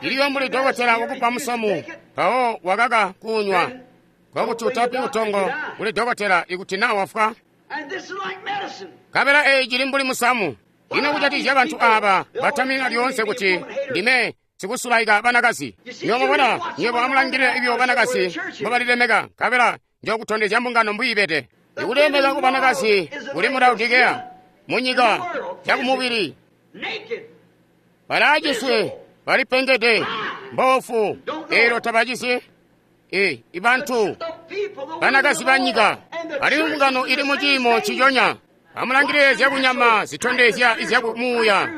Iliyo mbuli dokotela wakupa musamu mpawo wakaka kunywa kwakuti utapi utongo kuli dokotela ikuti naa wafwa. Nkabela eyi cili mbuli musamu. Ino kujatikizya bantu aaba batamina lyoonse kuti ndime sikusulaika banakazi. Nywebo mwabona, nywebo amulangilile ibyo banakazi mbobalilemeka, nkabela njokutondezya mbungano mbwiibede. Ikulemeka ku banakazi kuli mu Laodikeya, mu nyika yakumubili. Balaciswe, balipengede, mboofu, eelyo tabacisi. Ibantu banakazi ba nyika alimwi mbungano ili mu ciimo nciconya. Amulangilile zyakunyama zitondezya izyakumuuya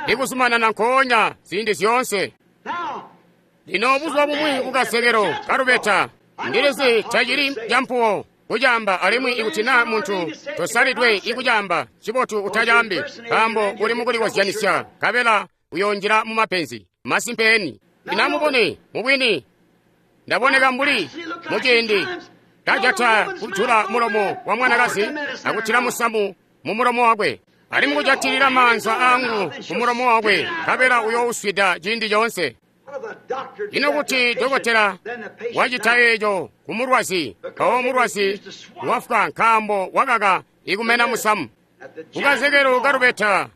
ikuzumanana nkoonya ziindi zyoonse. Lino buzuba bumwi kukazekelo kalubeta, ndilizi tacili campuwo kucaamba, alimwi ikuti naa muntu tosalidwe ikucaamba, cibotu utacaambi, nkaambo uli mukulikozyanisya, nkabela uyoonjila mu mapenzi. Masimpe. Lino amubone, mubwini ndaboneka mbuli muciindi kajata kujula mulomo wa mwanakazi akutila musamu mu mulomo wakwe, alimwi kujatilila maanza aangu mu mulomo wakwe, nkabela uyouswida ciindi coonse. Ino kuti dokotela wacita eco ku mulwazi, mpawo mulwazi wafwa nkaambo wakaka ikumena musamu. Kukazekelo kalubeta,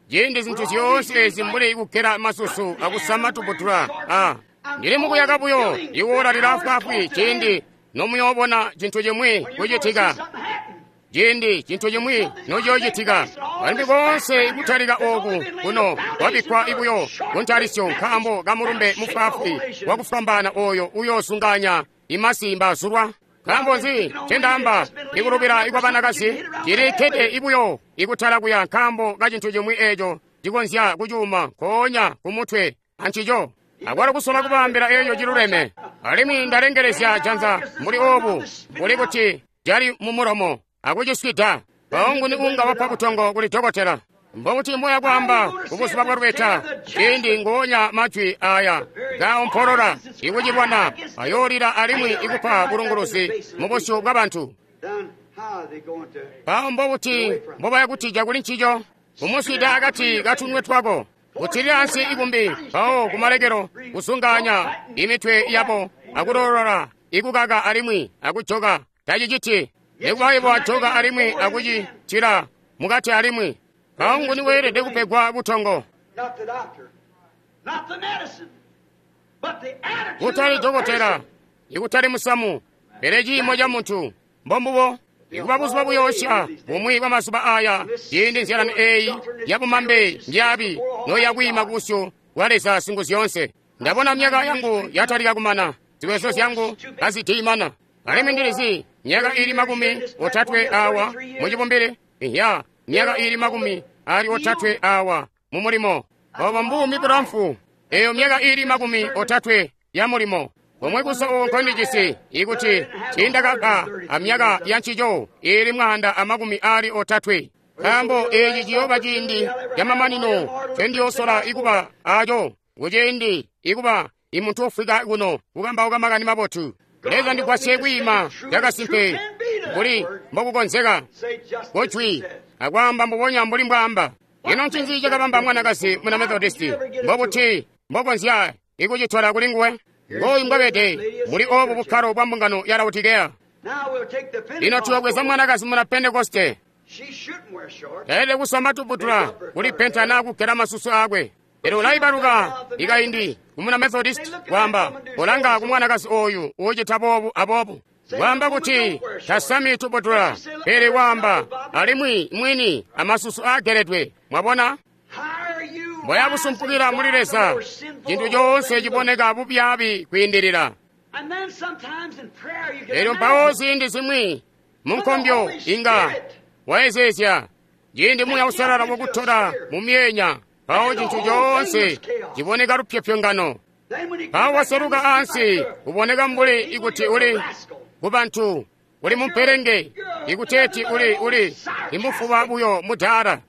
ciindi zintu zyoonse ezi mbuli kugela masusu akusama tubutula, ndili mukuyaka buyo iwoola lilaafwaafwi ciindi nomuyoobona cintu cimwi kucitika. Ciindi cintu cimwi nociyoocitika, alimwi koonse kutalika ooku kuno kwabikkwa ibuyo kuntalisyo nkaambo kamulumbe mufwaafwi wakufwambaana oyo uyoosunganya imasi mbaazulwa. Nkaambo nzi ncendaamba ikulubila ikwa banakazi cilikkede ibuyo ikutala kuya nkaambo kacintu cimwi eeco cikonzya kucuuma nkoonya kumutwe ancico. Akwalo kusola kubaambila eeco ciluleme. Alimwi ndalengelezya janza mbuli oobu, mbuli kuti cali mu mulomo akuciswida. Mpawo nguni unga wapa butongo kuli dokotela? Mbobuti mboya kwaamba kubuzuba bwa lubeta, ciindi ngoonya majwi aya kaompolola ikucilwana ayoolila alimwi ikupa bulunguluzi mu busyu bwa bantu. Mpawo mbobuti mbobaya kutija kuli ncico? Kumuswida akati katunwe twako, kutilila ansi ikumbi, mpawo kumalekelo kusunganya imitwe yabo akulolola ikukaka alimwi akujoka. Taciciti nikuba ibo ajoka alimwi akucitila mukati alimwi. Mpawo nguni weelede kupegwa butongo? Kutali dokotela, ikutali musamu, pele ciimo ca muntu. Mbombubo. Ikuba buzuba buyoosya bumwi bwa mazuba aya, ciindi nzyalano eeyi yabumambe mbyaabi noyakwiima kubusyu bwa Leza Singuzyoonse. Ndabona myaka yangu yatalika kumana, ziwezo zyangu kazitiimana. Alimwi ndilizi myaka iili 30 awa mucibumbili, iya myaka iili 33 awa mu mulimo. Obo mbuumi bulamfu, eyo myaka iili 30 ya mulimo. Omwe kusa uko ndijisi ikuti tiindakaba amyaka ya ncico iili 130. Nkaambo eeci ciyooba ciindi camamanino ncendiyoosola ikuba aco, kuciindi ikuba imuntu ufwika kuno kukambauka makani mabotu. Leza ndigwasye kwiima cakasimpe mbuli mbokukonzeka kujwi akwaamba mbubonya mbuli mbwaamba. Ino ncinzi cakabamba mwanakazi muna Methodisti? Mbobuti mbokonzya ikucitola kuli nguwe? Ngooyu mbwabede muli obu bukkalo bwa mbungano ya Laodikeya. Lino tuyobweza mwanakazi muna Pentekoste. Taelede kusama tubutula, kulipenta naa kugela masusu aakwe. Pele ulaibaluka ikaindi kumuna Methodist kwaamba, kolanga ku mwanakazi ooyu uucita boobu aboobu. Waamba kuti tasami tubudula, pele waamba alimwi mwini amasusu aageledwe. Mwabona? Mboya busumpukila muli Leza, cintu coonse ciboneka bubyaabi kwiindilila. Elyo mpawo ziindi zimwi munkombyo inga waezeezya ciindi Muuya Uusalala wakutola mu myeenya, mpawo cintu coonse ciboneka lupyopyongano. Mpawo waseluka ansi uboneka mbuli ikuti uli kubantu uli mumpelenge, ikuteeti uli imufuba buyo mudaala.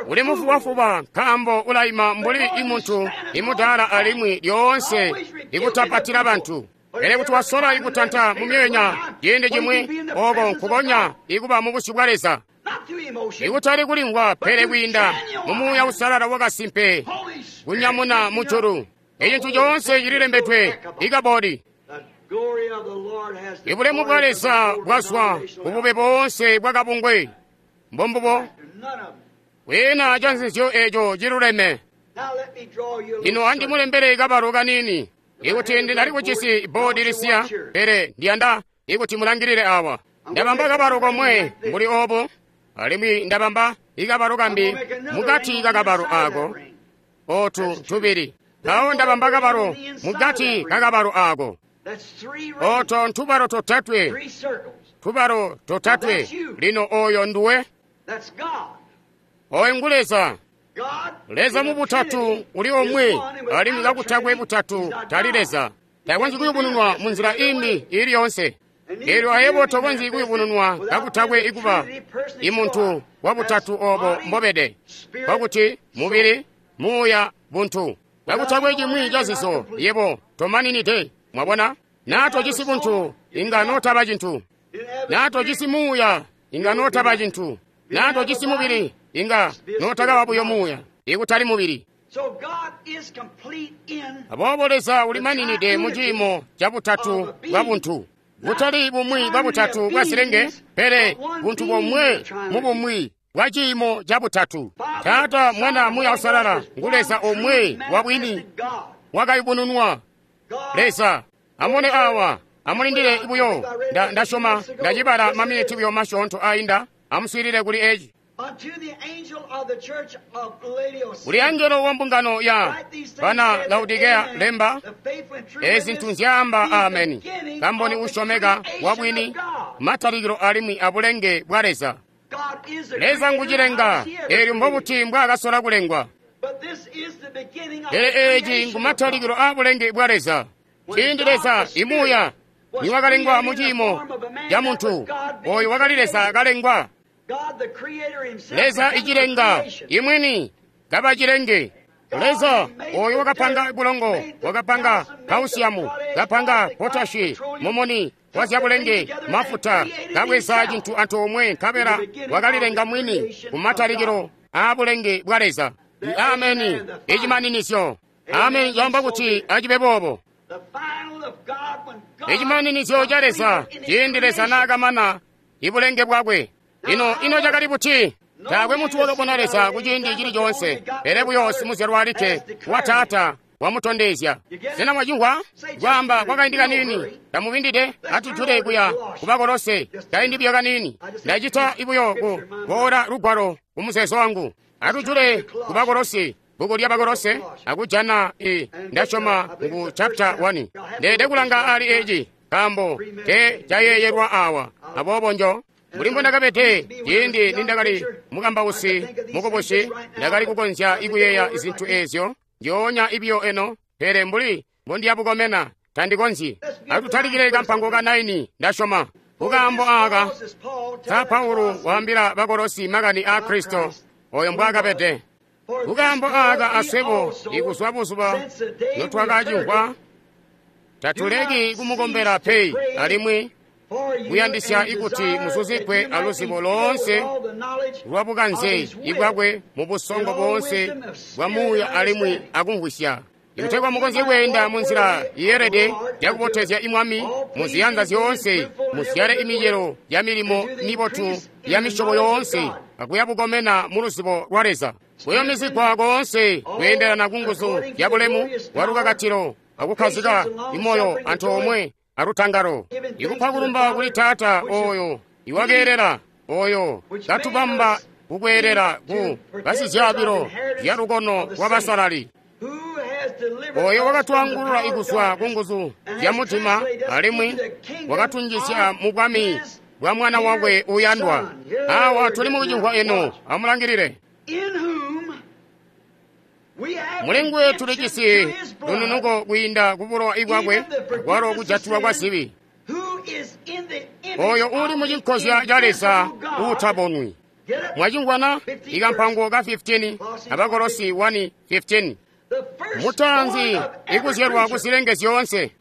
Uli mufubafuba nkaambo ulaima mbuli imuntu imudaala alimwi lyoonse ikutapatila bantu. Pele kuti wasola ikutanta mu myeenya ciindi cimwi, oko nkukonya ikuba mu busyu bwa Leza. Ikutali kulimvwa, pele kwiinda mu Muuya Uusalala wakasimpe kunyamuna mujulu. Ecintu coonse cililembedwe ikabodi. Ibulemu bwa Leza bwazwa kubube boonse bwakabungwe. Mbombubo. Kwiina canzizyo eco ciluleme. Lino andimulembele kabalo kaniini. Ikuti ndinali kujisi bboodi lisiya, pele ndiyanda ikuti mulangilile awa. Ndabamba kabalo komwe mbuli obo, alimwi ndabamba ikabalo kambi mukati kakabalo ako, otu tubili. Mpawo ndabamba kabalo mukati kakabalo ako. Oto ntubalo totatwe, tubalo totatwe. Lino oyo nduwe. Oyo ngu Leza. Leza mu butatu uli omwe, alimwi kakutakwe butatu tali Leza. Takonzyi kuyubununwa mu nzila imbi ili yoonse. Elyo ayebo tokonzyi kuyubununwa kakutakwe ikuba imuntu wa butatu obo mbobede, kwakuti mubili, muuya, buntu. Kakutakwe cimwi cazizo, yebo tomaninide. Mwabona? Naa tojisi buntu, inga notaba cintu. Naa tojisi muuya, inga notaba cintu. Naa tojisi mubili, inga notakaba buyo muuya, ikutali mubili. Aboobo Leza ulimaninide mu ciimo ca butatu bwa buntu. Butali bumwi bwa butatu bwa zilenge, pele buntu bomwe mu bumwi bwa ciimo ca butatu. Taata, Mwana, Muuya Uusalala ngu Leza omwe wa bwini wakayubununwa. Leza, amubone awa, amulindile buyo. Ndasyoma ndacibala maminiti buyo masyoonto ainda. Amuswiilile kuli eci. Kuli angelo wa mbungano ya bana Laodikeya lemba, ezi zintu nzyaamba Ameni, kamboni usyomeka wa bwini, matalikilo alimwi abulenge bwa Leza. Leza ngucilenga, eelyo mbobuti mbwaakasola kulengwa. Pele eeci ngumatalikilo aabulenge bwa Leza. Ciindi Leza imuuya niwakalengwa mu ciimo ca muntu, oyo wakali Leza kalengwa. Leza icilenga imwini kaba cilenge. Leza oyo wakapanga bulongo, wakapanga kausiamu, kapanga potashi, mumuni wa zyabulenge, mafuta, kabweza cintu antoomwe nkabela wakalilenga mwini kumatalikilo aabulenge bwa Leza. Ameni, icimaninizyo. Ameni caamba kuti acibe boobo. Icimaninizyo ca Leza ciindi Leza naakamana ibulenge bwakwe. Ino cakali buti? Taakwe muntu wakabona Leza kuciindi cili coonse, pele buyo simuzyalwa alikke wa Taata wamutondezya. Sena mwacimvwa? Kwaamba kwakaindi kaniini, tamubindide atujule kuya ku Bakolose kaindi buyo kaniini. Ndacita buyo ku boola lugwalo ku muzeezo wangu. Atujule ku Bakolose, bbuku lya Bakolose, akujana ndasyoma ngu chapter 1. Ndeede kulanga ali eci, nkaambo te cayeeyelwa awa. Aboobo njo mbuli mbondakabede ciindi nindakali mukambausi mukubusi, ndakali kukonzya ikuyeeya zintu eezyo njoonya ibiyo eno, pele mbuli mbondiyabukomena tandikonzyi. Atutalikile kampango ka 9 ndasyoma. Kukaambo aaka, sa Paulo waambila Bakolosi makani aa Kristo oyo mbwaakabede. Kukaambo aaka aswebo ikuzwa buzuba notwakacimvwa, tatuleki kumukombela pe, alimwi kuyandisya ikuti muzuzigwe aluzibo loonse lwabukanze ibwakwe mu busongo boonse bwa muuya alimwi akumvwisya, ikutegwa mukonzye kweenda munzila yeelede yakubotezya imwami muziyanza zyoonse, muzyale imicelo ya milimo mibotu ya misyobo yoonse, akuya bukomena mu luzibo lwa Leza. Kuyumizigwa koonse kweendelana ku nguzu ya bulemu bwa lukakatilo akukkazika imoyo antoomwe alutangalo. Ikupa kulumba kuli Taata oyo iwakeelela, oyo katubamba kukweelela ku basizyaabilo zya lukono lwa basalali, oyo wakatwaangulula ikuzwa ku nguzu zya mudima alimwi wakatunjizya mu bwami bwa Mwana wakwe uyandwa. Awa tuli mukucimvwa eno, amulangilile. Muli nguwe tulijisi lununuko kwiinda ku bulowa bwakwe, kwalo kujatilwa kwa zibi. Oyo uli mu cinkozya ca Leza uutabonwi. Mwacimvwana? Ikampango ka 15, Abakolosi 1:15. Mutaanzi ikuzyalwa ku zilenge zyoonse.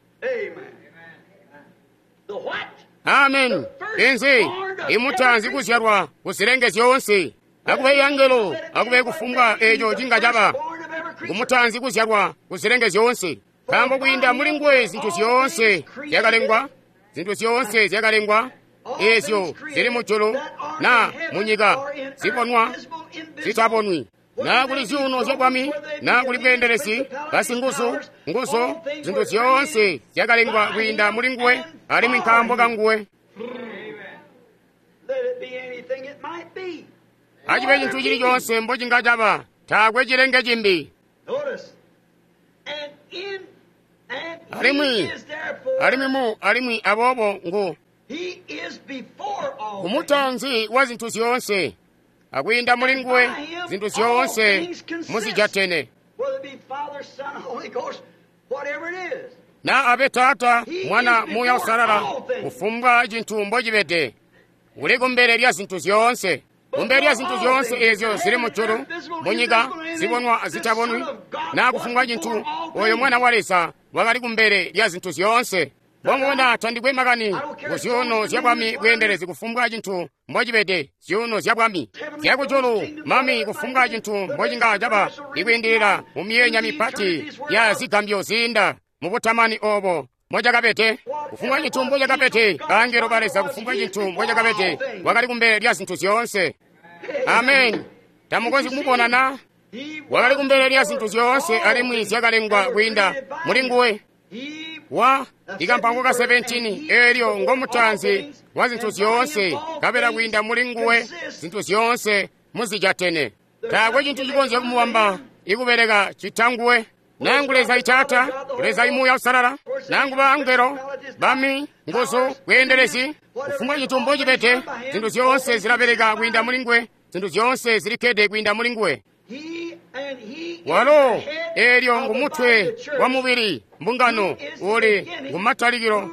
Amen. Inzi imutaanzi kuzyalwa ku zilenge zyoonse. Akube yangelo, akube kufumbwa eco cinga caba. Ngumutaanzi kuzyalwa ku zilenge zyoonse. Nkaambo kwiinda muli nguwe zintu zyoonse zyakalengwa, zintu zyoonse zyakalengwa, ezyo zili mujulu na munyika, zibonwa, zitabonwi. Na kuli zyuuno zya bwami, na kuli bweendelezi, basinguzu, nguzu, zintu zyoonse zyakalengwa kwiinda muli nguwe, alimwi nkaambo ka nguwe. Acibe cintu cili coonse mbocinga caba, taakwe cilenge cimbi. Alimwi, alimwi mu, alimwi aboobo ngu kumutaanzi wa zintu zyoonse, akwiinda muli nguwe zintu zyoonse muzijatene. Na abe Taata, Mwana, Muuya Uusalala, kufumbwa cintu mbocibede, uli kumbele lya zintu zyoonse. Kumbele lya zintu zyoonse ezyo zili mujulu, munyika, zibonwa azitabonwi, na kufumbwa cintu, oyo Mwana wa Leza wakali kumbele lya zintu zyoonse. Mbongona tandikwe makani ku zyuuno zya bwami bweendelezi kufumbwa cintu mbocibede, zyuuno zya bwami zyakujulu, mami, kufumbwa cintu mbocinga caba, ikwiindilila mu myeenya mipati ya zigambyo ziinda mubutamani obo mbocakabede, kufumbwa cintu mbocakabede, bangelo ba Leza, kufumbwa cintu mbocakabede, wakali kumbele lya zintu zyoonse. Amen. Tamukonzyi kumubona na? Wakali kumbele lya zintu zyoonse alimwi zyakalengwa kwiinda muli nguwe. Wa ikampango ka 17, eelyo ngomutaanzi wa zintu zyoonse, kabela kwiinda muli nguwe zintu zyoonse muzijatene. Taakwe cintu cikonzya kumubamba ikubeleka cita nguwe. Nangu Leza Itaata, Leza Imuuya Uusalala, nangu bangelo, bami, nguzu, bweendelezi, kufumbwa cintu mbocibede, zintu zyoonse zilabeleka kwiinda muli nguwe, zintu zyoonse zilikkede kwiinda muli nguwe. Walo eelyo ngumutwe wa mubili, mbungano, uli ngumatalikilo,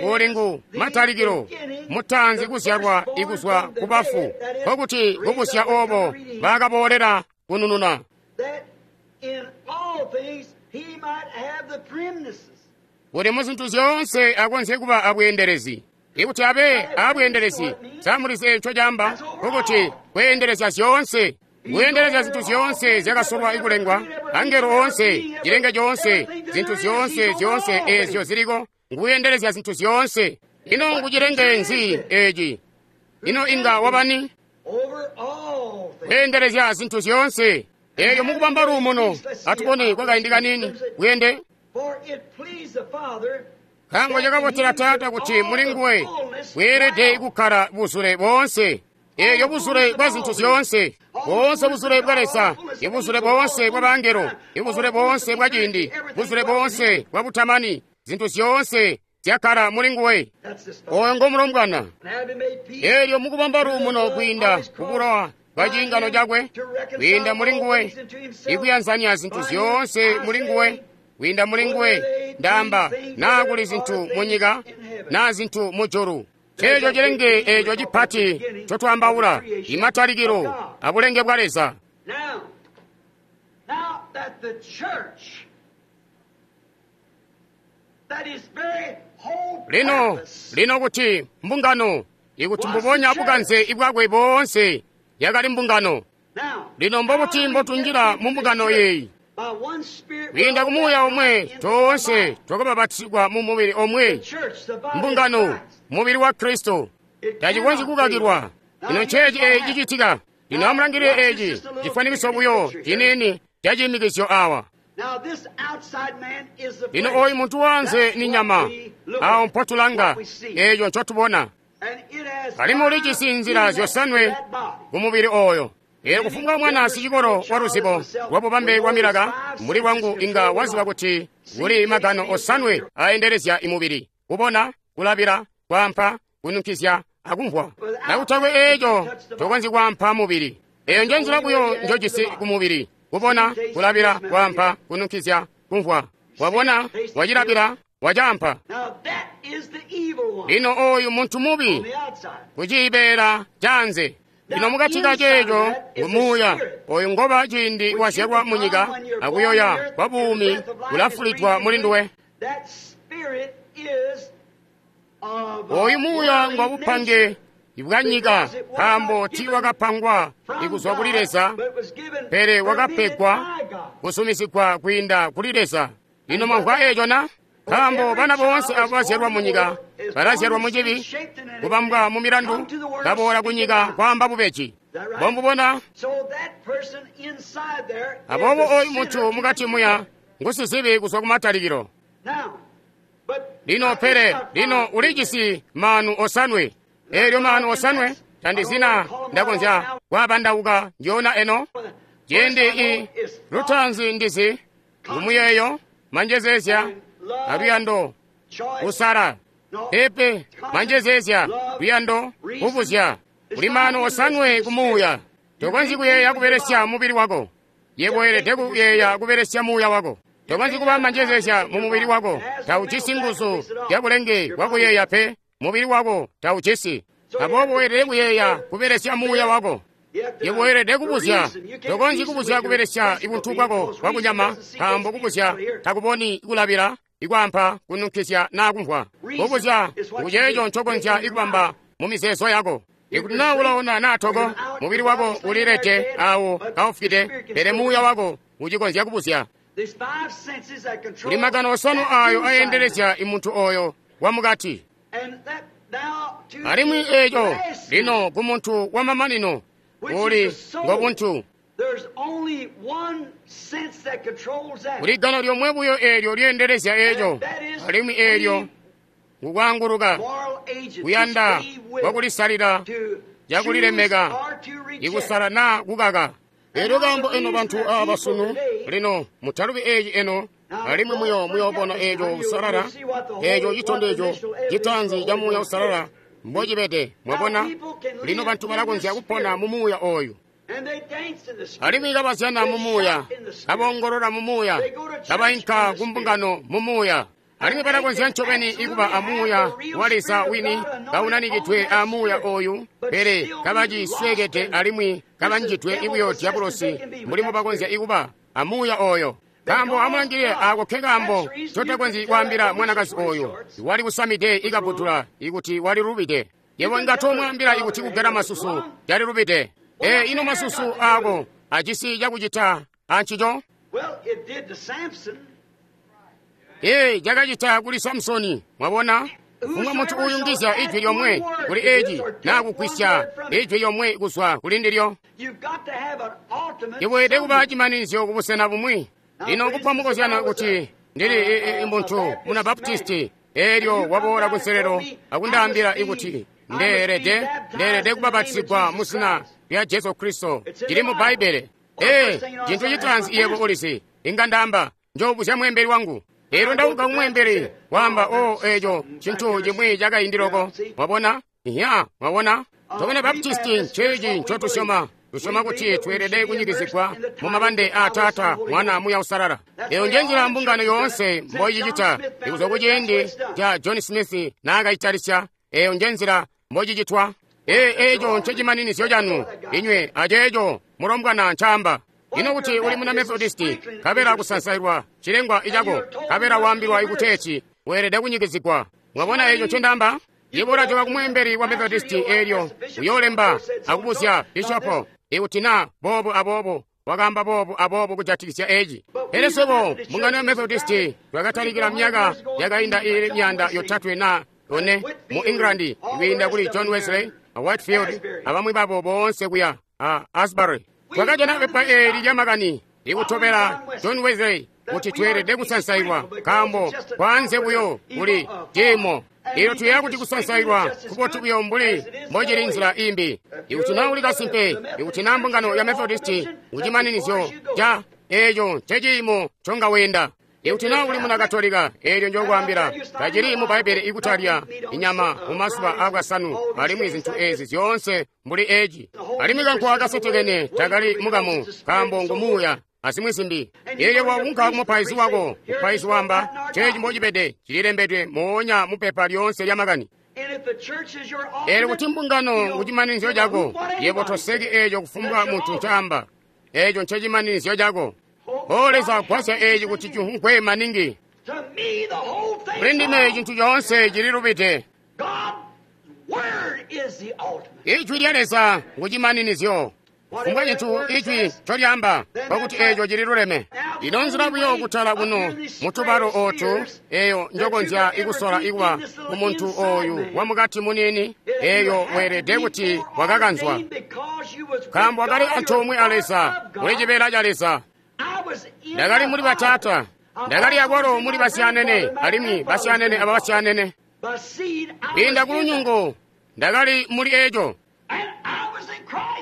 uli ngu matalikilo, mutaanzi kuzyalwa ikuzwa ku bafu, nkokuti kubusya obo bakaboolela kunununa. Kuti mu zintu zyoonse akonzye kuba abweendelezi. Ikuti abe abweendelezi, samulizi eco caamba, nkokuti kweendelezya zyoonse. Kuendelezya zintu zyoonse zyakasolwa ikulengwa, angelo oonse, cilenge coonse, zintu zyoonse zyoonse ezyo ziliko, nguyendelezya zintu zyoonse. Ino ngucilenge nzi eci? Ino inga wabani? Kuendelezya zintu zyoonse. Eyo mukubamba luumuno, atubone kwakaindi kanini, kuyende. Nkaambo cakabotela Taata kuti muli nguwe bweelede kukkala buzule boonse. Eyo buzule bwa zintu zyoonse, boonse buzule bwa Leza, ibuzule boonse bwa bangelo, ibuzule boonse bwa ciindi, buzule boonse bwa butamani, zintu zyoonse zyakkala muli nguwe. Oyo ngo mulombwana. Elyo mukubamba luumuno kwiinda ku bulowa bwa ciingano cakwe, kwiinda muli nguwe, ikuyanzanya zintu zyoonse muli nguwe, kwiinda muli nguwe, ndaamba, naa kuli zintu munyika, naa zintu mujulu. Ceeco cilenge eco cipati ncotwaambaula, imatalikilo abulenge bwa Leza. Lino, lino kuti mbungano, ikuti mbubonya bukanze ibwakwe boonse yakali mbungano. Lino mbobuti mbotunjila mu mbungano eyi? Kwiinda ku Muuya omwe toonse twakababatizigwa mu mubili omwe, mbungano, mubili wa Kristo. Tacikonzyi kukakilwa. Ino nceeci eeci cicitika. Lino amulangilile eeci cifwanikiso buyo ciniini ca ciimikizyo awa. Lino oyu muntu waanze ni nyama, awo mpotulanga, eeco ncotubona. Alimwi ulijisi nzila zyosanwe kumubili oyo. Eelyo kufumbwa mwana sicikolo wa luzibo lwa bubambe bwa milaka mbuli lwangu inga waziba kuti kuli magano osanwe aendelezya imubili: kubona, kulabila, kwaampa, kununkizya akumvwa. Nakutakwe eeco tokonzyi kwaampa mubili. Eeyo njenzila buyo njojisi kumubili: kubona, kulabila, kwaampa, kununkizya, kumvwa. Wabona, wacilabila, wacaampa. Lino oyu muntu mubi kucibeela canze. Lino mukati kaceeco ngumuuya oyu ngoba ciindi wazyalwa munyika akuyoya kwa buumi kulafulidwa muli nduwe. Oyu muuya ngwa bupange bwa nyika, nkaambo tiiwakapangwa ikuzwa kuli Leza, pele wakapegwa kusumisigwa kwiinda kuli Leza. Lino mwamvwa eeco na? Nkaambo bana boonse abo bazyalwa munyika balazyalwa mucibi, kubambwa mu milandu, baboola kunyika kwaamba bubeji. Bombubona? Aboobo oyu muntu mukati muya ngusizibi kuzwa kumatalikilo. Lino pele lino ulijisi maanu osanwe. Eelyo maanu osanwe tandizina ndakonzya kwaabandauka njoona eno. Ciindi i lutaanzi ndizi ngumuyeeyo, manjezeezya aluyando, kusala. Pepe, manjezeezya, luyando, kubuzya. Kuli maanu osanwe kumuuya. Tokonzyi kuyeeya kubelesya mubili wako. Yebo weelede kuyeeya kubelesya muuya wako. Tokonzyi kuba manjezeezya mu mubili wako. Taujisi nguzu zya bulenge bwa kuyeeya pe. Mubili wako taujisi. Aboobo weelede kuyeeya kubelesya muuya wako. Yebo weelede kubuzya. Tokonzyi kubuzya kubelesya ibuntu bwako bwakunyama, nkaambo kubuzya takuboni kulabila, ikwaampa, kununkizya naa kumvwa. Kubuzya nguceeco ncokonzya ikubamba mu mizeezo yako. Ikuti naa ulaona naa toko, mubili wako ulilede awo kaufwide, pele muuya wako ucikonzya kubuzya. Kuli magano osanu ayo ayendelezya imuntu oyo wamukati. Alimwi eeco lino kumuntu wamamanino uli ngobuntu. Kuli gano lyomwe buyo eelyo lyeendelezya eeco, alimwi eelyo ngukwaanguluka, kuyanda kwakulisalila, cakulilemeka, ikusala naa kukaka. Eelyo kaambo eno bantu aaba sunu, lino mutalubi eeci eno, alimwi muyoobona eeco usalala, eeco citondezyo citaanzi ca muuya usalala mbocibede. Mwabona, lino bantu balakonzya kupona mu muuya oyu. Alimwi kabazyana mu muuya, kaboongolola mu muuya, kabainka kumbungano mu muuya. Alimwi balakonzya ncobeni ikuba amuuya wa Leza wini kaunanikidwe amuuya oyu, pele kabacisweekede alimwi kabanjidwe ibuyo dyabulosi mbuli mbobakonzya ikuba amuuya oyo. Nkaambo amulangilile aako ke kaambo ncotakonzyi kwaambila mwanakazi oyo wali kusamide ikabutula ikuti walilubide. Yebo inga toomwaambila ikuti kugela masusu calilubide. Ee, ino masusu aako ajisi cakucita ancico? Ee, cakacita kuli Samusoni. Mwabona? Kufumbwa muntu uuyungizya ijwi lyomwe kuli eci naa kugwisya ijwi lyomwe kuzwa kuli ndilyo. Iweelede kuba cimaninizyo kubusena bumwi. Lino kupa mukozyano kuti ndili muntu muna Baptisti, eelyo waboola kunselelo akundaambila ikuti ndeelede kubapatizigwa mu zina lya Jesu Kristo. Cili mu Bbaibbele. Ee, cintu citaanzi yebo ulizi, inga ndaamba, njoobuzya mweembeli wangu. Eelyo ndaunka kumweembeli, waamba, o eeco cintu cimwi cakaindi loko. Mwabona? Iya, mwabona? Tobana Baptisti nceeci ncotusyoma. Tusyoma kuti tweelede kunyikizigwa mu mabande aa Taata, Mwana, Muuya Uusalala. Eyo njenzila mbungano yoonse mboicicita ikuzwa kuciindi ca John Smith naakaitalisya. Eyo njenzila mbocicitwa. Ee, eeco ncecimaninizyo canu inywe aceeco mulombwana ncaamba. Ino kuti uli muna Methodisti, nkabela kusansailwa cilengwa icako, nkabela waambilwa ikuteeti weelede kunyikizigwa. Mwabona eeco ncendaamba? Yebo ulajoka kumweembeli wa Methodisti eelyo uyoolemba akubuzya bishopo ikuti naa boobu aboobo wakaamba boobu aboobo kujatikizya eci. Pele swebo mbungano ya Methodisti twakatalikila myaka yakainda iili 300 na 4 mu England kwiinda kuli John Wesley a Whitefield abamwi babo boonse kuya a Asbury. Twakajana pepa eeli lyamakani Ikutobela John Wesley, kuti tweelede kusansailwa, nkaambo kwanze buyo kuli ciimo. Elyo tuyeeya kuti kusansailwa kubotu buyo mbuli mbocili nzila imbi. Ikuti na uli kasimpe, ikuti na mbungano ya Methodisti ngucimaninizyo ca eeco nceciimo nconga weenda. Ikuti na uli muna Katolika, eelyo njokwaambila, tacili mu Bbaibbele ikutalya inyama mu mazuba aabwasanu alimwi zintu eezi zyoonse mbuli eci. Alimwi kankwa kasetekene takali mukamu, nkaambo ngu muuya, azimwi zimbi. Eelyo waunka kumupaizi wako, mupaizi wamba, ceeci mbocibede, cililembedwe moonya mupepa lyoonse lya makani. Eelyo kuti mbungano ngucimaninizyo cako, yebo toseki eeco kufumbwa muntu ncaamba. Eeco ncecimaninizyo cako. O Leza, gwasya eeci kuti cihungwe maningi. Kuli ndime cintu coonse cililubide. Ijwi lya Leza ngucimaninizyo. Kufumbwa cintu ijwi ncolyaamba, nkokuti eeco cililuleme. Ino nzila buyo kutala kuno mutubalo ootu, eeyo njokonzya ikusola ikuba kumuntu ooyu wamukati muniini, eeyo weelede kuti wakakanzwa. Nkaambo wakali antoomwe a Leza, muli cibeela ca Leza. Ndakali muli bataata, ndakali akwalo muli basyanene, alimwi basyanene aba basyanene. Kwiinda ku lunyungu, ndakali muli eco.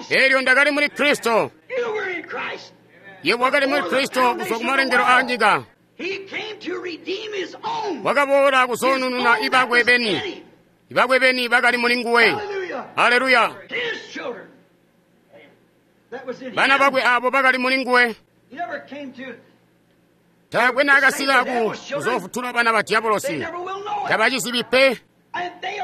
Eelyo ndakali muli Kristo. Yebo wakali muli Kristo kuzwa ku malengelo a nyika. Wakaboola kuzoonununa ibakwe beni. Ibakwe beni bakali muli nguwe. Haleluya. Bana bakwe abo bakali muli nguwe. Taakwe naakasika ku kuzoofutula bana ba diabolosi. Tabacizibi pe.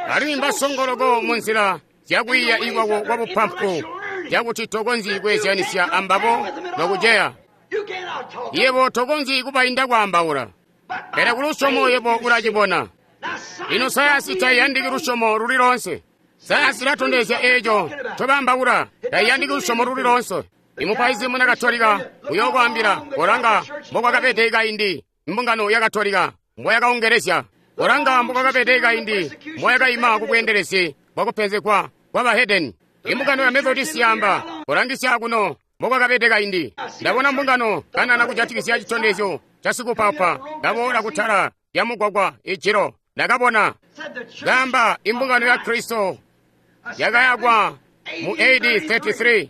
Alimwi mbasongoloko mu nzila zyakwiiya ikwako kwa bupampu, zyakuti tokonzyi kweezyanisya ambabo nokuceya. Yebo tokonzyi kubainda kwaambaula, pele ku lusyomo yebo ulacibona. Lino sayansi taiyandiki lusyomo luli loonse. Sayansi ilatondezya eeco ncobaambaula, taiyandiki lusyomo luli loonse. Imupaizi muna Katolika uyokwaambila kolanga mbokwakabede kaindi mbungano ya Katolika mboyakaongelezya, kolanga mbokwakabede kaindi mboyakaima kubweendelezi bwakupenzegwa kwa bahedeni. Imbungano ya Methodist yaamba, kolangisya kuno mbokwakabede kaindi. Ndabona mbungano kanana kujatikizya citondezyo ca sikupapa kaboola kutala lya mugwagwa ijilo. Ndakabona kaamba imbungano ya Kristo yakayakwa mu AD 33.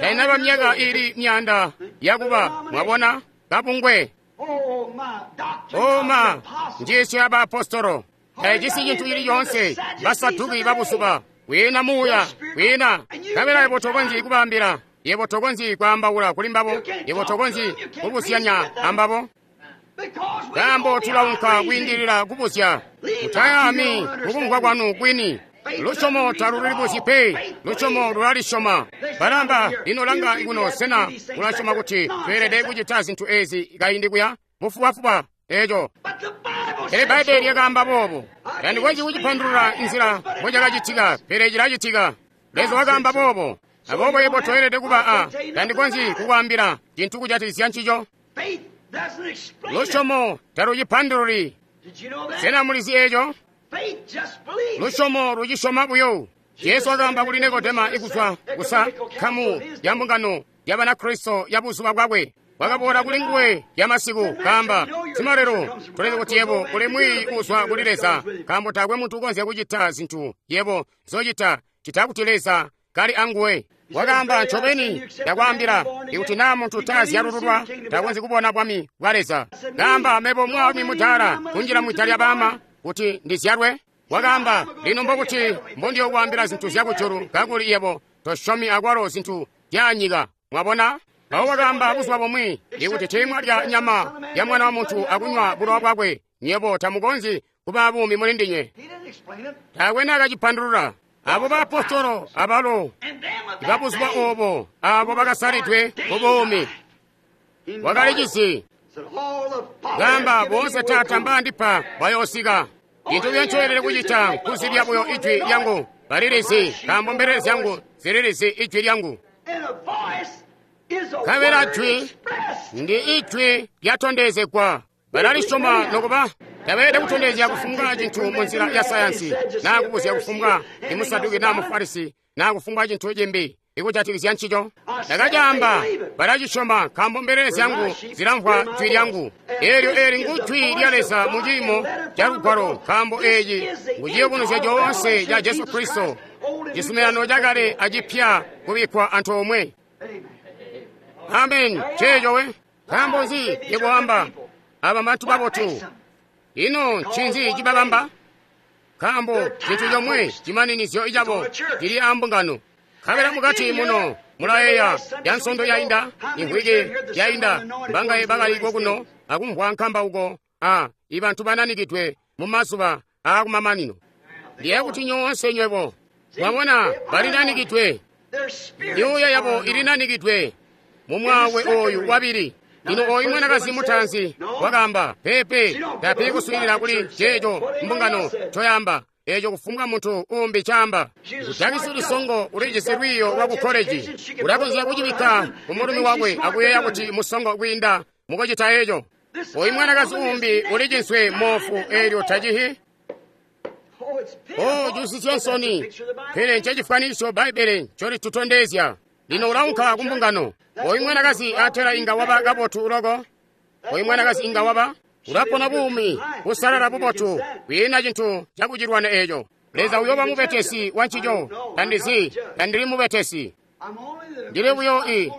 Tainaba myaka ili myanda yakuba, mwabona, kabungwe. Oma, njiisyo ya baapostolo taijisi cintu cili coonse. Basaduki babusuba kwiina muuya, kwiina nkabela. Yebo tokonzyi kubaambila, yebo tokonzyi kwaambaula kuli mbabo, yebo tokonzyi kubuzyanya ambabo, nkaambo tulaunka kwiindilila kubuzya. Mutayaami kukumvwa kwanu kwini. Lusyomo talulibuzyi pe, lusyomo lulalisyoma. Balamba, lino langa kuno, sena mulasyoma kuti tweelede kucita zintu eezi kaindi kuya? Bufubafuba eeco. Pele Bbaibbele lyakaamba boobo. Tandikonzyi kucipandulula nzila mbocakacitika, pele cilacitika. Leza wakaamba boobo. Aboobo yebo toyelede kuba a, tandikonzyi kukwaambila cintu kujatikizya ncico. Lusyomo talucipandululi. Sena mulizi eeco? Lusyomo lucisyoma buyo. Jesu wakaamba kuli Nikodema ikuzwa kusa nkamu ya mbungano ya Banakristo ya buzuba bwakwe. Wakaboola kuli nguwe yamasiku kaamba, simalelo, tuleke kuti yebo uli mwiiyi uuzwa kuli Leza, nkaambo taakwe muntu ukonzya kucita zintu yebo nzocita cita kuti Leza kali anguwe. Wakaamba, ncobeni ndakwaambila, ikuti naa muntu taazyalululwa takonzyi kubona bwami bwa Leza. Kaamba, mebo mwaalumi mudaala kunjila mwida lya baama kuti ndizyalwe. Wakaamba, lino mbokuti mbondiyokwaambila zintu zyakujulu kakuli yebo tosyomi akwalo zintu zyaanyika. Mwabona? Mpawo wakaamba buzuba bumwi, ikuti tiimwalya nyama ya Mwana wa Muntu akunywa bulowa bwakwe, nywebo tamukonzyi kuba buumi muli ndinywe. Taakwe naakacipandulula. Abo baapostolo abalo ibabuzuba oobo, abo bakasalidwe mubuumi, wakalicisi. Kaamba, boonse Taata mbaandipa bayoosika. Cintu buyo ncoelede kucita nkuzibya buyo ijwi lyangu. Balilizi, nkaambo mbelele zyangu zililizi ijwi lyangu. Nkabela jwi ndi ijwi lyatondezegwa. Balalisyoma nokuba tabeelede kutondezya kufumbwa cintu munzila ya sayansi, naa kubuzya kufumbwa imusaduki naa mufarisi naa kufumbwa cintu cimbi. ikujatikizya ncico. Ndakacaamba, balacisyoma, nkaambo mbelele zyangu zilamvwa jwi lyangu. Eelyo eli ngu jwi lya Leza mu ciimo ca Lugwalo, nkaambo eeci ngu ciyubunuzyo coonse ca Jesu Kristo, cizuminano cakale acipya kubikkwa antoomwe. Amen. Ceeco we. Nkaambo nzi yebo wamba, aba mbantu babotu? Ino ncinzi cibabamba? Nkaambo cintu comwe cimaninizyo cabo cili ambungano. Nkabela mukati muno mulayeeya ya nsondo yainda, imvwiki yainda, mbangaye bakali kokuno akumvwa nkambauko a ibantu bananikidwe mu mazuba aakumamanino. Ndiye kuti nyoonse nywebo mwabona balinanikidwe, myuuya yabo ilinanikidwe mu mwawe oyu wabili. Lino oyu mwanakazi mutaanzi wakaamba, peepe, tapi kuswiilila kuli ceeco mbungano ncoyaamba, eeco kufumbwa muntu uumbi caamba. Kujakisi lisongo ulijisi lwiiyo lwa ku koleji, ulakonzya kucibikka ku mulumi wakwe akuyeeya kuti musongo kwiinda mukucita eeco. Oyu mwanakazi uumbi ulijinswe moofu eelyo tacihi. Oh, cusisya nsoni, pele ncecifwanisyo Bbaibbele ncolitutondezya. Lino ulaunka ku mbungano. Oyu mwanakazi atela inga waba kabotu loko. Oyu mwanakazi inga waba ulapona buumi busalala bubotu, kwiina cintu cakucilwana eeco. Leza uyooba mubetesi wa ncico. Tandizi, tandili mubetesi. Ndili buyo i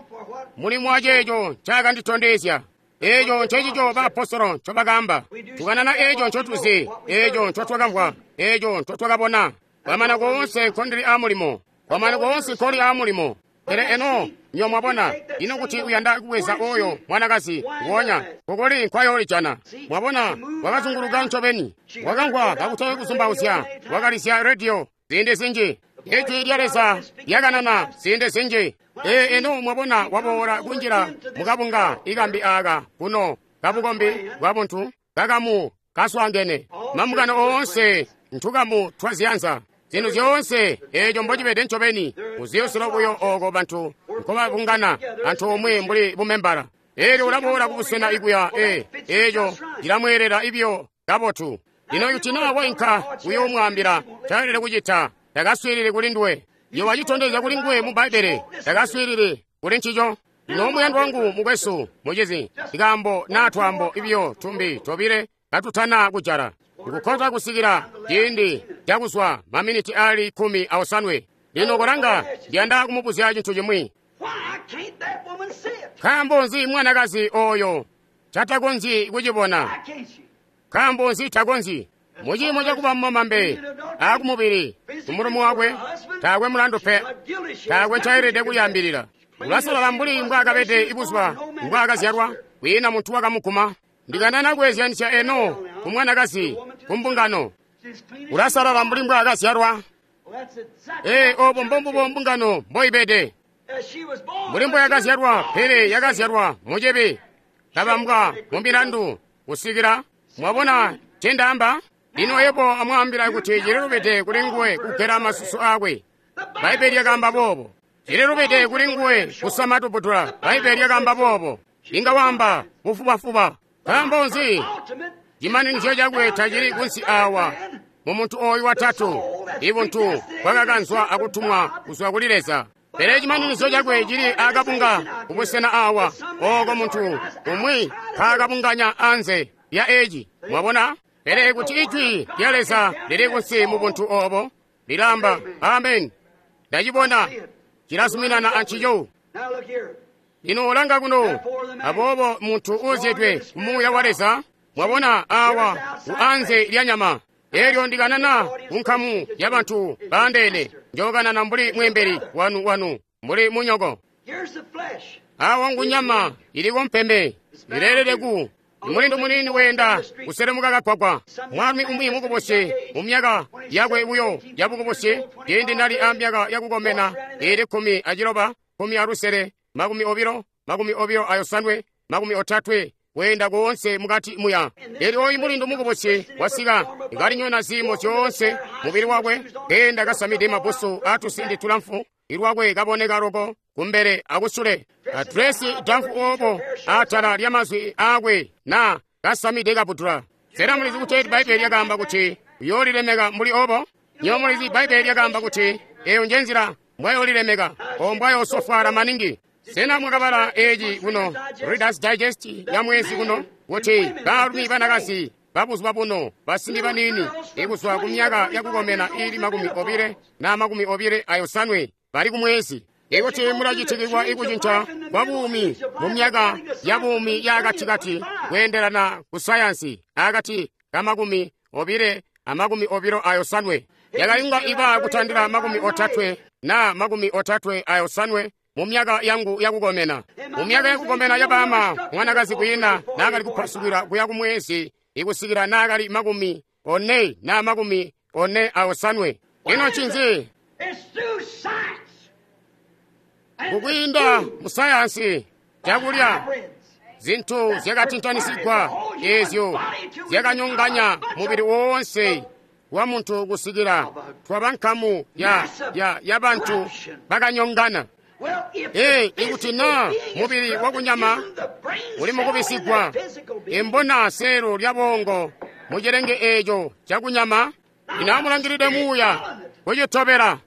mulimo wa ceeco ncakanditondezya. Eeco ncecico baapostolo ncobakaamba. Tukanana eeco ncotuzi, eeco ncotwakamvwa, eeco ncotwakabona. Kwamana koonse nkondili aamulimo. Kwamana koonse nkoli aamulimo. Pele eno nyo mwabona, ino kuti uyanda kubweza oyo mwanakazi nguonya, kukuli nkwayolijana. Mwabona, wakazunguluka ncobeni, wakamvwa kakutali kuzumbauzya, wakalizya rediyo ziindi zinji. Ijwi lya Leza lyakanana ziindi zinji. Ee, eno mwabona waboola kunjila mukabunga ikambi aaka kuno kabukombi bwa buntu kakamu kaswaangene. Mambungano oonse ntukamu twaziyanza. Zintu zyoonse eeco mbocibede ncobeni muziyoselo buyo ooko bantu nkobabungana antoomwe mbuli bumembala. Eelyo ulaboola kubusena ikuya eeco cilamweelela ibyo kabotu. Lino kuti naa wainka uyoomwaambila ncaelele kucita, takaswiilili kuli nduwe. Iyo wacitondezya kuli nguwe mu Bbaibbele, takaswiilili kuli ncico. Lino muyandwa wangu mukwesu, mucizi, ikaambo naa twaambo ibyo tumbi tobile katutana kujala. Nkukhota kusikila ciindi cakuzwa maminiti ali 17. Lino kolanga, ndiyanda kumubuzya cintu cimwi. Nkaambo nzi mwanakazi oyo catakonzyi kucibona? Nkaambo nzi takonzyi? Muciimo cakuba mumambe aakumubili kumulomo wakwe taakwe mulandu pe, taakwe ncaelede kulyaambilila. Ulasalala mbuli mbwaakabede ibuzuba mbwaakazyalwa, kwiina muntu wakamuguma. Ndikanana kweezyanisya eno ku mwanakazi ku mbungano. Ulasalala mbuli mbwaakazyalwa. Ee, obo mbombubo mbungano mboibede. Mbuli mboyakazyalwa, pele yakazyalwa mucibi, kabambwa mu milandu kusikila mwabona ncendaamba. Lino yebo amwaambila kuti cililubide kuli nguwe kugela masusu aakwe. Bbaibbele lyakaamba boobo. Cililubide kuli nguwe kusama tuputula. Bbaibbele lyakaamba boobo. Inga waamba bufubafuba. Nkaambo nzi cimaninizyo cakwe tacili kunsi awa mu muntu ooyu watatu, ibuntu bwakakanzwa akutumwa kuzwa kuli Leza. Pele cimaninizyo cakwe cili akabunga kubusena awa, ooko muntu umwi nkaakabunganya anze lya eci. Mwabona? Pele kuti ijwi lya Leza lili kunsi mu buntu oobo, lilamba amen. Ndacibona, cilazuminana ancico. Lino ulanga kuno, aboobo muntu uuzyedwe ku Muuya wa Leza, mwabona awa ku anze lya nyama. Eelyo ndikanana ku nkamu ya bantu baandeene, njookanana mbuli mweembeli wanu mbuli munyoko. Awa ngu nyama iliko mpembe, ileelede ku mulindu muniini weenda kuselemuka kagwagwa. Mwaalumi umwi mukubusi mu myaka yakwe buyo yabukubusi, ciindi nali a myaka yakukomena iili 16, 16, 20, 28, 30, weenda koonse mukati muya. Eelyo oyu mulindu mukubusi wasika kalinyona ziimo zyoonse mubili wakwe, keenda kasamide mabusu atusindi tulamfu, ilwakwe kaboneka loko kumbele akusule, adresi damfu oobo atala lya mazwi aakwe na kasamide kaputula. Sena mulizi kuti Bbaibbele lyakaamba kuti uyoolilemeka mbuli oobo? Nyo mulizi Bbaibbele lyakaamba kuti eyo njenzila mbwayolilemeka o mbwayosofwaala maningi. Sena mwakabala eci kuno Reader's Digest ya mwezi kuno kuti baalumi banakazi babuzuba buno basimbi baniini ikuzwa ku myaka yakukomena ili 25 na 25 bali kumwezi? Ikuti mulacitikilwa ikucinca kwa buumi mu myaka ya buumi yaakatikati kweendelana ku sayansi akati ka 20 a 25 yakayunga iba kutandila 30 na 35 mu myaka yangu yakukomena. Mu myaka yakukomena yabama mwanakazi kwiina naakali kupasukila kuya kumwezi ikusikila naakali 40 na 45. Ino ncinzi? Kukwiinda mu sayansi cakulya zintu zyakatintanisigwa ezyo zyakanyonganya mubili woonse wa muntu kusikila twaba nkamu ya bantu bakanyongana. Ikuti na mubili wakunyama uli mukubisigwa, imbona seelo lya bongo mucilenge eco cakunyama inamulangilide muuya kucitobela.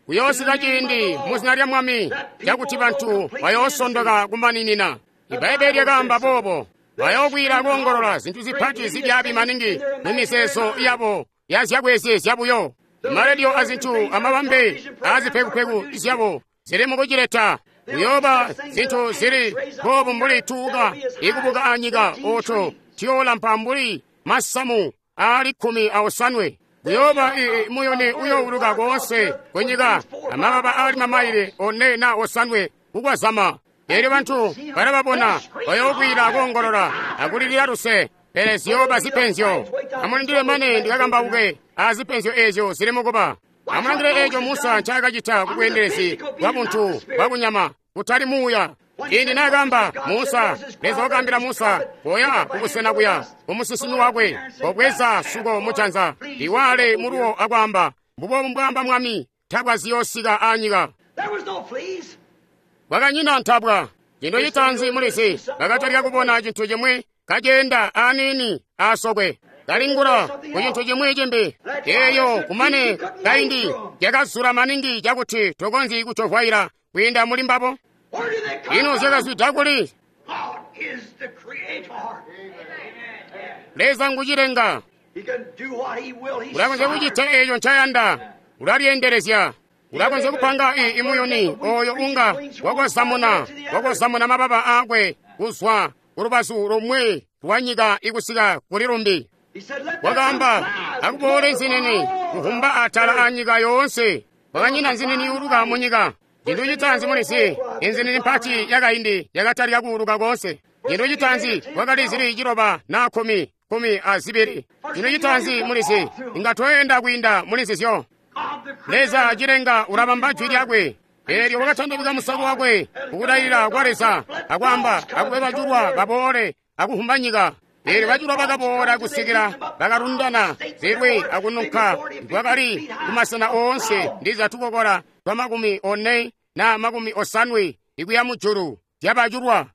Kuyoosika ciindi muzina lya Mwami cakuti bantu bayoosondoka kumaninina. Ibaibbele lyakaamba boobo, bayookwiila koongolola zintu zipati zibyaabi maningi mu mizeezo yabo ya zyakweezyezya buyo. Marediyo azintu amabambe aazipekupeku zyabo zili mukucileta. Kuyooba zintu zili boobu mbuli tuuka ikubuka anyika oto tiyoolampa mbuli masamu aali 15. Kuyooba muyuni uyoowuluka koonse kunyika amababa aali mamayile 4 na 5 kukwazama. Eelyo bantu balababona bayookwiila koongolola akulilila luse, pele ziyooba zipenzyo. Amulindile mane ndikakambauke azipenzyo ezyo zili mukuba. Amulangile eco Musa ncaakacita kubweendelezi bwa buntu bwakunyama kutali muuya. Ciindi naakaamba Musa, Leza wakaambila Musa koya kubusena kuya kumusinsimi wakwe, kobweza suko mujanza liwale muluwo akwaamba, mbubobu mbwaamba Mwami, ntabwa ziyoosika anyika. Kwakanyina ntabwa. Cintu citaanzi mulizi bakatalika kubona cintu cimwi kaceenda aniini asokwe, kalingula ku cintu cimwi cimbi. Eeyo kumane kaindi yakazula maningi cakuti tokonzyi kucovwaila kwiinda muli mbabo. Ino zyakazwida kuli? Leza ngucilenga. Ulakonzya kucita eeco ncayanda, ulalyeendelezya. Ulakonzya kupanga imuyuni oyo unga wakozamuna mababa aakwe kuzwa kulubazu lumwi lwa nyika ikusika kuli lumbi. Wakaamba akuboole nzinini kuhumba atala anyika yoonse. Kwakanyina nzinini iuluka munyika. Cintu citaanzi mulizi, inzinini mpati yakaindi yakatalika kuuluka koonse. Cintu citaanzi kwakali zili 9 na 10, 12. Cintu citaanzi mulizi, inga toyenda kwiinda muli nzizyo. Leza cilenga ulabamba jwi lyakwe. Eelyo wakatandabika musako wakwe kukudalila kwa Leza akwaamba akube bajulwa baboole akuhumba nyika. Eelyo bajulwa bakaboola kusikila bakalundana zilwi akununka kwakali kumasena oonse ndiza tukokola twa 40 na 50 ikuya mujulu zyabajulwa.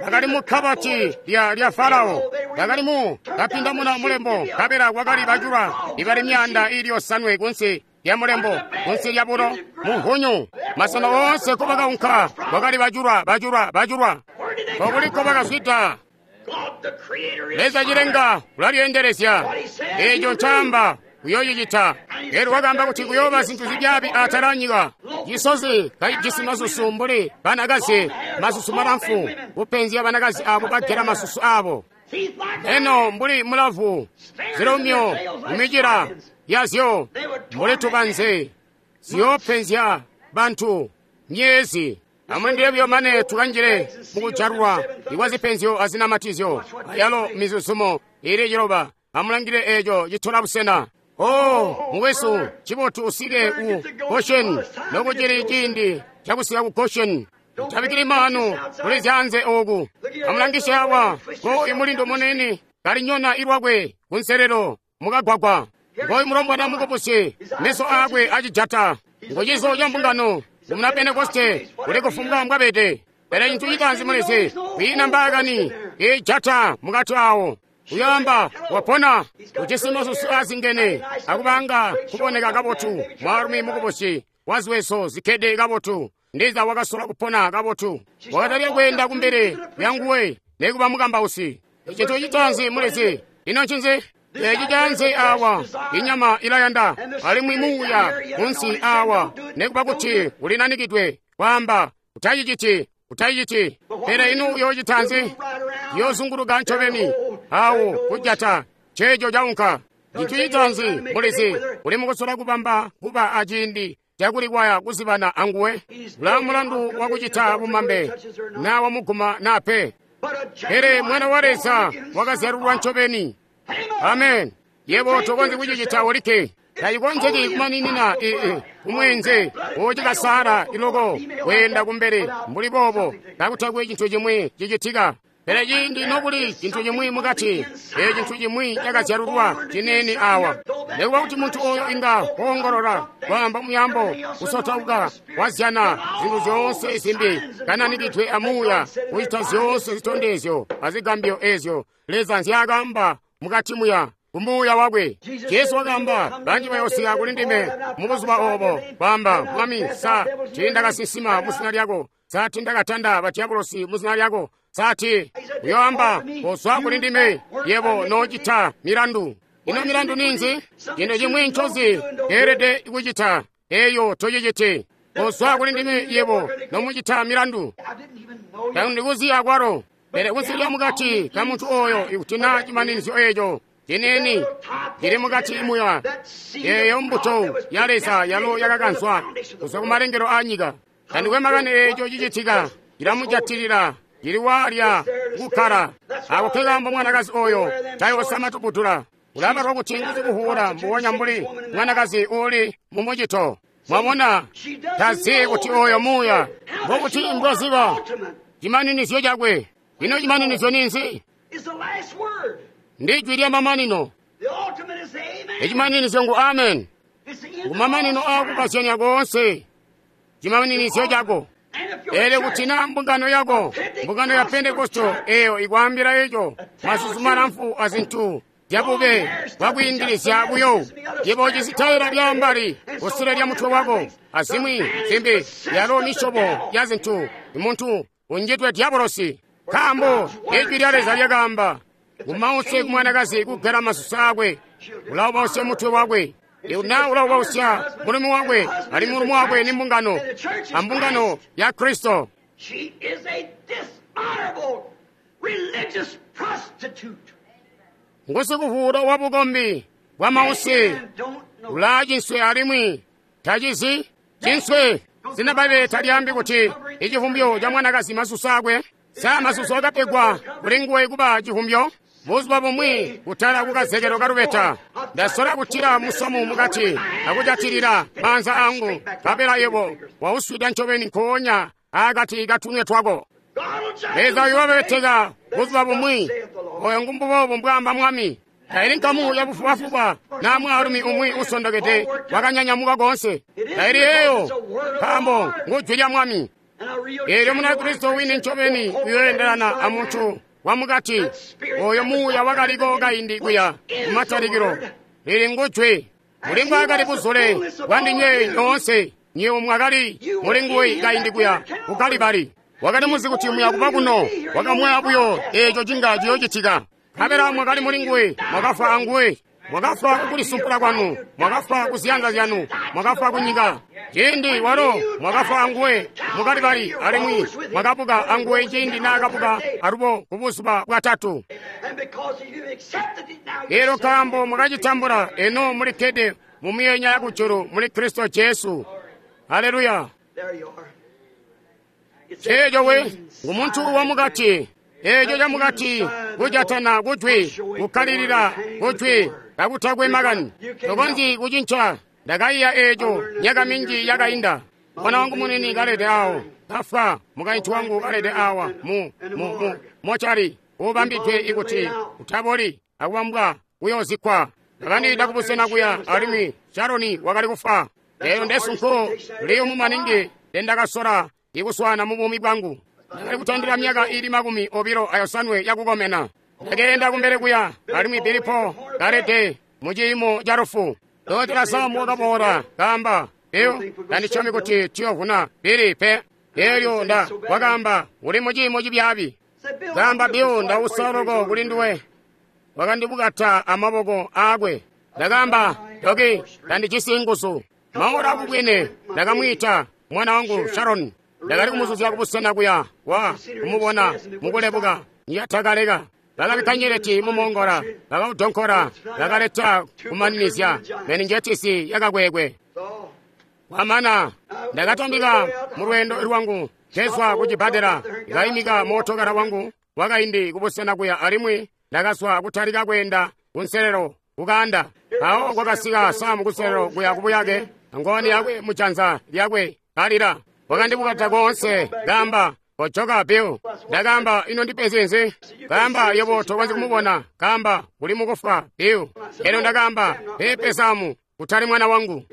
Bakali mu kabati lya Farao, bakali mu kapindamuna mulembo, kabela kwakali bajulwa ibali myanda ili 5 kunsi lya mulembo, kunsi lya bulo munhunyu. Masena oonse kobakaunka kwakali bajulwa, bajulwa, bajulwa. Kokuliko bakazwida. Leza cilenga ulalyeendelezya. Eeco ncaamba uyoocicita. Eelyo wakaamba kuti kuyooba zintu zibyaabi atala anyika. Cisozi kacijisi masusu mbuli banakazi, masusu malamfu, kupenzya banakazi abo bagela masusu abo. Eno mbuli mulavu, zilumyo mumicila yazyo mbuli tubanze, ziyoopenzya bantu myezi. Amulindile buyo mane tukanjile mukujalulwa ikwa zipenzyo azinamatizyo ayalo mizuzumo ili 9. Amulangile eeco citola busena. Oh, mukwesu, cibotu usike ku Goshen nokucili ciindi cakusika ku Goshen. Tabikili maanu kuli zyaanze ooku. Amulangisye awa ko imulindo munene kalinyona ilwakwe kunselelo mukagwagwa. Ngoyu mulombwana mukubusi, meso aakwe acijata. Ngucizo ca mbungano muna Pentekoste uli kufumbwa mbwabede. Pele cintu citaanzi mulizi, kwiina mbaakani ijata mukati awo. Uyoamba wapona. Ujisi masusu azingene akubanga kuboneka kabotu. Mwaalumi mukubusi waziweso zikkede kabotu. Ndiza wakasola kupona kabotu. Wakatalika kweenda kumbele lyanguwe nekuba mukambausi. Icintu citaanzi mulizi. Ino ncinzi? Eci canze awa inyama ilayanda alimwi muuya munsi awa nekuba kuti ulinanikidwe kwaamba utaciciti utaciciti. Pele ino uyoocitanzi? Yoozunguluka ncobeni awo kujata ceeco caunka. Cintu citaanzi mulizi uli mukusola kubamba kuba aciindi cakulikwaya kuzibana anguwe. Ula mulandu wakucita bumambe na wamuguma na pe. Pele mwana wa Leza wakazyalulwa ncobeni. Amen. Yebo tokonzyi kucicita olikke. Tacikonzeki kumaninina kumwenze wocikasala iloko kweenda kumbele mbuli boobo kakutakwe cintu cimwi cicitika. Pele ciindi nokuli cintu cimwi mukati, ee cintu cimwi cakazyalulwa ciniini awa. Nekuba kuti muntu oyo inga woongolola, kwaamba muyambo, kusotauka, wazyana zintu zyoonse zimbi, kananikidwe amuuya, kucita zyoonse zitondezyo azigambyo ezyo Leza nzyaakaamba mukati muya kumuuya wakwe. Jesu wakaamba, banji bayoosika kuli ndime mubuzuba obo, kwaamba, Mwami, sa tiindakasinsima muzina lyako? Sa tiindakatanda badyabulosi muzina lyako? Sati uyoamba, kozwa kuli ndime, yebo noocita milandu. Ino milandu ninzi? Cintu cimwi ncozi teelede kucita, eyo tociciti. Kozwa kuli ndime yebo nomucita milandu. Tandikuzi akwalo. Pele kunsi lya mukati ka muntu oyo ikuti na cimaninizyo eco ciniini cili mukati muya, eyo mbuto ya Leza yalo yakakanzwa kuzwa kumalengelo a nyika. Tandikwe makani eco cicitika, cilamujatilila, cili waalya kukkala. Ako nkekaambo mwanakazi oyo tayoosama tubudula. Ulabalwa kuti ngusikuvuula mbubonya mbuli mwanakazi uuli mumucito. Mwabona, tazi kuti oyo muuya mbokuti mbwaziba cimaninizyo cakwe. Ino cimaninizyo ninzi? Ndi jwi lya mamanino. Icimaninizyo ngu amen. Kumamanino aakukazyanya koonse, cimaninizyo cako. Pele kuti na mbungano yako, mbungano ya Pentekosto eyo ikwaambila eco, masusu malamfu azintu zyabube bwakwiindilizya buyo, yebo cisitaila lyambali kusule lya mutwe wako, azimwi zimbi yalo misyobo ya zintu, muntu unjidwe dyabolosi. Nkaambo ijwi lya Leza lyakaamba, umause kumwanakazi kugela masusu akwe, ulaubausya mutwe wakwe. Na ulaubausya mulumu wakwe, ali mulumu wakwe ni mbungano, ambungano ya Kristo. Ngusikuvuula wa bukombi bwa mause, ulaa cinswe alimwi tacizi cinswe. Zina Bbaibbele talyaambi kuti icivumbyo ca mwanakazi masusu akwe. Sa masusu akapegwa kuli nguwe kuba civumbyo? Buzuba bumwi kutala kukazekelo kalubeta, ndasola kutila musamu mukati akujatilila maanza angu, nkabela yebo wauswida ncobeni nkoonya akati katunwe twako. Leza uyoobeteka buzuba bumwi. Oyo ngumbuboobo mbwaamba Mwami. Taili nkamu yabufubafuba na mwaalumi umwi usondokede wakanyanyamuka koonse. Taili eyo, nkaambo ngujwi lya Mwami. Eelyo Munakristo wini ncobeni uyooendelana amuntu wamukati, oyo muuya wakaliko kaindi kuya kumatalikilo. Lili ngujwi. Muli mbwaakali buzule bwandinywe nyoonse, nywebo mwakali muli nguwe kaindi kuya ku Kalibali. Wakali muzi kuti muya kuba kuno, wakamwaya buyo eeco cinga ciyoocitika. Nkabela mwakali muli nguwe, mwakafwa anguwe. Mwakafwa kukulisumpula kwanu, mwakafwa kuziyanza zyanu, mwakafwa kunyika. Ciindi walo mwakafwa anguwe mukalibali, alimwi mwakabuka anguwe ciindi naakabuka alubo kubuzuba bwatatu. Eelyo nkaambo mwakacitambula, eno mulikkede mumyeenya yakujulu muli Kristo Jesu. Haleluya! Ceeco we ngumuntu wamukati. Eeco camukati kujatana kujwi, kukkalilila kujwi kakutakwe makani. Tokonzyi kucinca. Ndakaiya eeco myaka minji yakainda. Mwana wangu munini kalede awo kafwa, mukaintu wangu kalede awa mu mochari ubambidwe ikuti utaboli akubambwa kuyoozikwa. Ndakandiida kubusena kuya alimwi Sharoni wakali kufwa. Eeyo ndesunko liyumu maningi ndendakasola ikuswana mu buumi bwangu. Ndakali kutandila myaka iili 28 yakukomena. Ndakeenda kumbele kuya, alimwi Billy Paul kalede mu ciimo ca lufu. Dokotela Sam wakaboola, kaamba, Bill, tandisyomi kuti tuyovuna Billy pe. Elyo nda wakaamba, uli mu ciimo cibyaabi. Kaamba, Bill, ndausa loko kuli nduwe. Wakandibukata amaboko aakwe. Ndakaamba, Doki, tandijisi nguzu. Maora akubwene, ndakamwiita mwana wangu Sharon. Ndakali kumuzuzya kubusena kuya wa kumubona mukulebuka niyatakaleka. Bakabikka nyeleti mumongola, bakaudonkora, bakaleta kumaninizya meninjetisi yakakwekwe. Kwamana ndakatambika mu lweendo lwangu kezwa ku cibbadela, kaimika mootokala wangu wakaindi kubusena kuya alimwi ndakazwa kutalika kweenda kunselelo kukaanda. Mpawo kwakasika Samu kunselelo kuya kubuyake, ngowani yakwe mujanza lyakwe kalila. Wakandibukata koonse, kaamba, kojoka Bill. Ndakaamba, ino ndipenzi nzi? Kaamba, yebo tokonzyi kumubona. Kaamba, uli mukufwa Bill. Elyo ndakaamba, pepe Samu, kutali mwana wangu.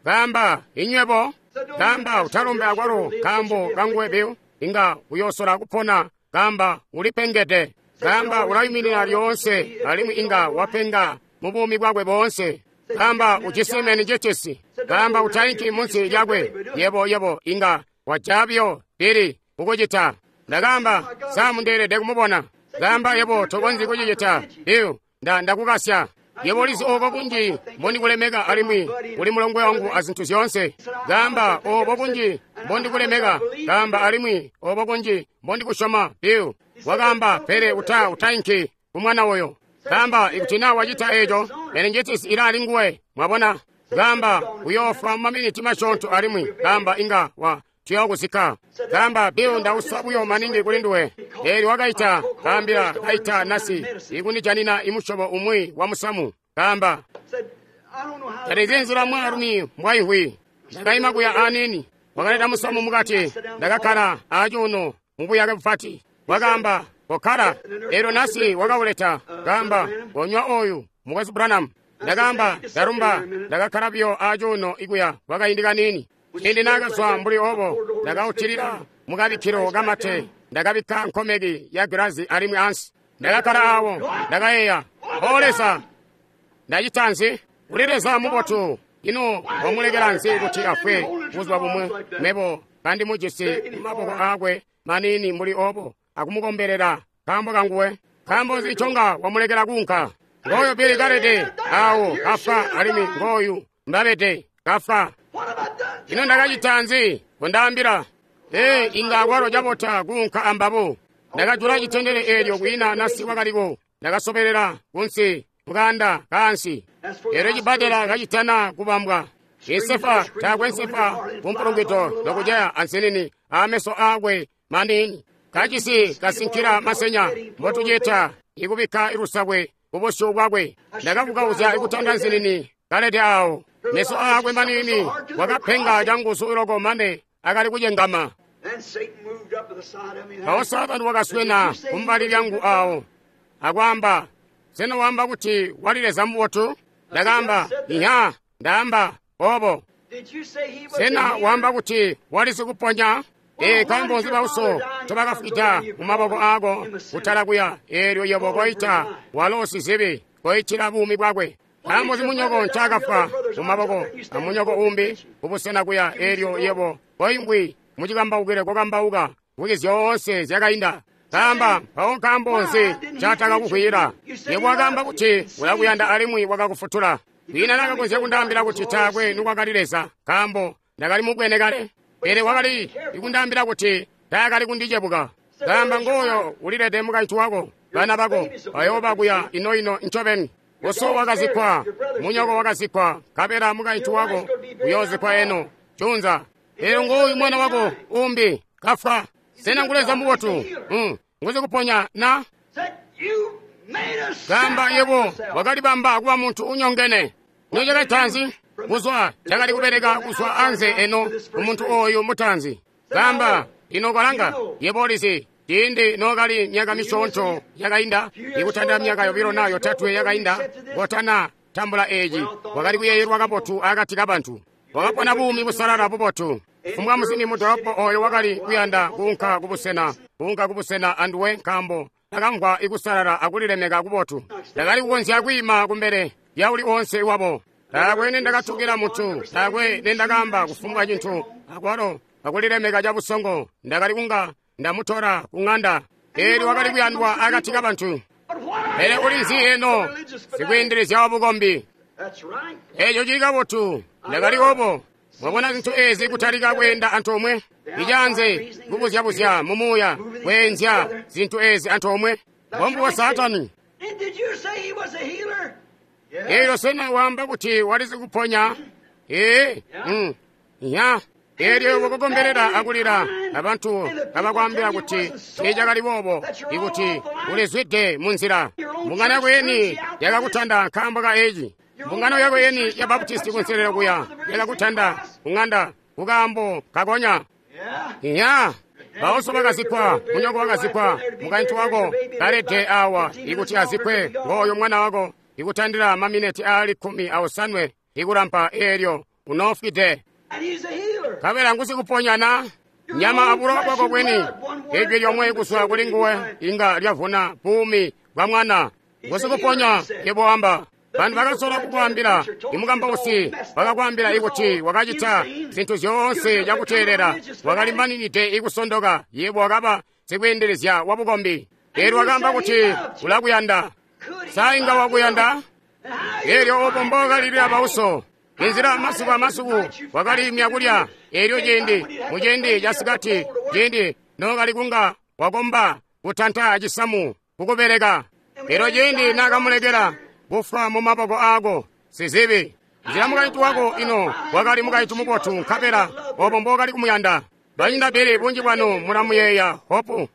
Kaamba, inywebo. Kaamba, utalombe akwalo kaambo kanguwe Bill. Inga uyosola kupona. Kaamba, ulipengede. Kaamba, ulayuminina lyoonse alimwi inga wapenga mu buumi bwakwe boonse. Kaamba, ujisi meningitis. Kaamba, utainki munsi lyakwe. Yebo, yebo, inga wajabyo Billy kukucita. Ndakaamba, Samu ndeelede kumubona. Kaamba, yebo tokonzyi kucicita Bill, ndakukasya. Yebo ulizi obo kunji mbondikulemeka alimwi uli mulongwe wangu azintu zyoonse. Kaamba, obo kunji mbondikulemeka. Kaamba, alimwi obo kunji mbondikusyoma Bill. Wakaamba, pele utainki kumwana oyo. Kaamba, ikuti naa wacita eco, meningitis ilaali nguwe. Mwabona? Kaamba, uyoofwa mu maminiti masyoonto alimwi. Kaamba, inga wa tuyokuzikka. Kaamba, Bill, ndausa buyo maningi kuli nduwe. Eelyo wakaita, kaambila, kaita nasi ikundijanina imusyobo umwi wa musamu. Kaamba, tandizyi nzila mwaalumi mbwaimvwi. Ndakaima kuya aniini. Wakaleta musamu mukati. Ndakakkala acuuno mubuyake bupati. Wakaamba, kokkala. Eelyo nasi wakauleta. Kaamba, konywa oyu, Mukwesu Branham. Ndakaamba, ndarumba. Ndakakkala buyo acuuno ikuya kwakaindi kaniini. Ciindi naakazwa mbuli obo, ndakautilila mukabikkilo kamate. Ndakabikka nkomeki ya gilazi alimwi ansi. Ndakakkala awo, ndakayeeya, O Leza, ndacita nzi? Uli Leza mubotu. Ino wamulekela nzi kuti afwe buzuba bumwe? Mebo kandimujisi mumaboko aakwe maniini mbuli obo, akumukombelela nkaambo kanguwe. Nkaambo nzi nconga wamulekela kuunka? Ngooyu Billy kalede awo kafwa alimwi ngooyu mbabede kafwa. Ino ndakacita nzi? Kondaambila. Ee, inga akwalo cabota kuunka ambabo. Ndakajula citendele eelyo kwiina nasi wakaliko. Ndakasobelela kunsi mukaanda kaansi. Eelyo cibbadela kacitana kubambwa. Insefa taakwe nsefa kumpulungwito lokuceya ansinini aameso aakwe maniini. Kajisi kasinkila masenya mbotucita ikubikka ilusakwe kubusyu bwakwe. Ndakavukauzya ikutanda nsinini kalede awo. Meso aakwe maniini wakapenga canguzu loko mane akali kucengama. Mpawo Saatani wakaswena kumbali lyangu awo akwaamba, sena waamba kuti wali Leza mubotu? Ndakaamba, iha, ndaamba obo. Sena waamba kuti wali sikuponya? Ee, nkaambo nzi bauso ncobakafwida mu maboko aako kutala kuya, eelyo yebo koita walo sizibi koitila buumi bwakwe? Nkaambo nzi munyoko ncaakafwa mu maboko amunyoko umbi kubusena kuya, eelyo yebo koimvwi mucikambaukile kokambauka mvwiki zyoonse zyakainda? Kaamba, mpawo nkaambo nzi ncaatakakukwiyila? Yebo wakaamba kuti ulakuyanda alimwi wakakufutula. Kwiina naakakonzya kundaambila kuti taakwe nikwakali Leza, nkaambo ndakali mubwene kale. Pele wakali kundaambila kuti taakali kundicebuka. Kaamba, ngooyo ulilede mukaintu wako, bana bako bayooba kuya ino-ino ncobeni. Uso wakazikkwa, munyoko wakazikkwa, nkabela mukaintu wako uyoozikkwa eno junza. Eelyo ngooyu mwana wako umbi kafwa. Sena ngu Leza mubotu? Nguzikuponya na? Kaamba, yebo wakalibamba kuba muntu unyongene. Ino cakacita nzi? Kuzwa cakali kubeleka kuzwa anze eno kumuntu oyu mutaanzi. Kaamba, ino kolanga, yebo ulizi, ciindi nookali myaka misyoonto yakainda, ikutandila myaka yobilo naa yotatwe yakainda, kotana tambula eeci, wakali kuyeeyelwa kabotu akati kabantu. Wakapona buumi busalala bubotu. Fumbwa musimbi mudolopo oyo wakali kuyanda kuunka kubusena anduwe nkaambo Ndakamvwa ikusalala akulilemeka kubotu. Ndakali kukonzya kwiima kumbele lya uli onse wabo. Taakwe nendakatukila muntu, taakwe nendakaamba kufumbwa cintu, akwalo akulilemeka cabusongo ndakali kunga ndamutola ku ŋanda. Eelyo wakali kuyandwa akati kabantu. Pele uli nzi eno, sikwiindilizya wabukombi? Eeco cili kabotu, ndakali obo. Mwabona zintu eezi kutalika kweenda antoomwe? Icaanze kubuzyabuzya mumuuya kweenzya zintu eezi antoomwe. Mbombubo Saatani. Eelyo sena waamba kuti wali sikuponya? Ee, ya. Eelyo wakukombelela akulila, abantu kabakwaambila kuti tiicakali boobo, ikuti ulizwide munzila. Mbungano yako yeni yakakutanda nkaambo ka eci. Mbungano yako yeni ya Baptisti kunselelo kuya yakakutanda kuŋanda kukaambo kakonya. Ya. Bauso bakazikkwa, munyoko wakazikkwa, mukaintu wako kalede awa ikuti azikkwe, ngooyo mwana wako ikutandila mamineti aali 18 ikulampa eelyo unoofwide. Nkabela ngusikuponyana nyama abulowa bwako bweni. Ijwi lyomwe kuzwa kuli nguwe inga lyavuna buumi bwa mwana. Ngusikuponya yebo wamba. Bantu bakasola kukwaambila, imukambausi bakakwaambila ikuti wakacita zintu zyoonse cakuteelela, wakali maninide ikusondoka, yebo wakaba sikweendelezya wabukombi. Eelyo wakaamba kuti ulakuyanda. Sa inga wakuyanda? Eelyo obo mbookalilila bauso. Inzila masiku amasiku wakaliimya kulya. Eelyo ciindi muciindi casikati, ciindi nookali kunga wakomba kutanta cisamu kukubeleka. Eelyo ciindi naakamulekela kufwa mumaboko aako sizibi. Nzila mukaintu wako ino wakali mukaintu mubotu, nkabela obo mbookali kumuyanda. Banyina Bili bunji bwanu mulamuyeeya Hopu.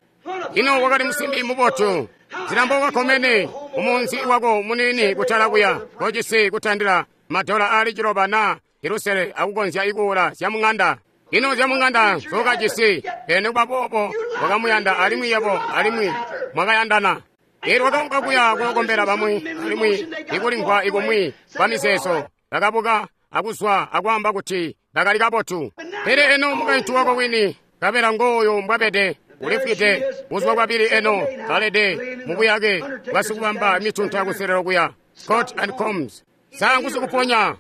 Ino wakali musimbi mubotu. Nzila mbokakomene umunzi wako muniini kutala kuya kocisi kutandila madola aali 9 na 6 akukonzya ikuula zyamuŋanda. Ino zyamuŋanda nzookajisi, pele nikuba boobo wakamuyanda alimwi yebo alimwi mwakayandana. Eelyo wakaunka kuya kuyokombela bamwi alimwi ikulimvwa ikumwi kwa mizeezo. Bakabuka akuzwa akwaamba kuti bakali kabotu. Pele eno mukaintu wako wini, nkabela ngooyo mbwabede, ulifwide buzuba bwabili eno kalede mubuyake bwasikubamba mitunta kuselelo kuya Scott and Combs. Sa ngusikuponya?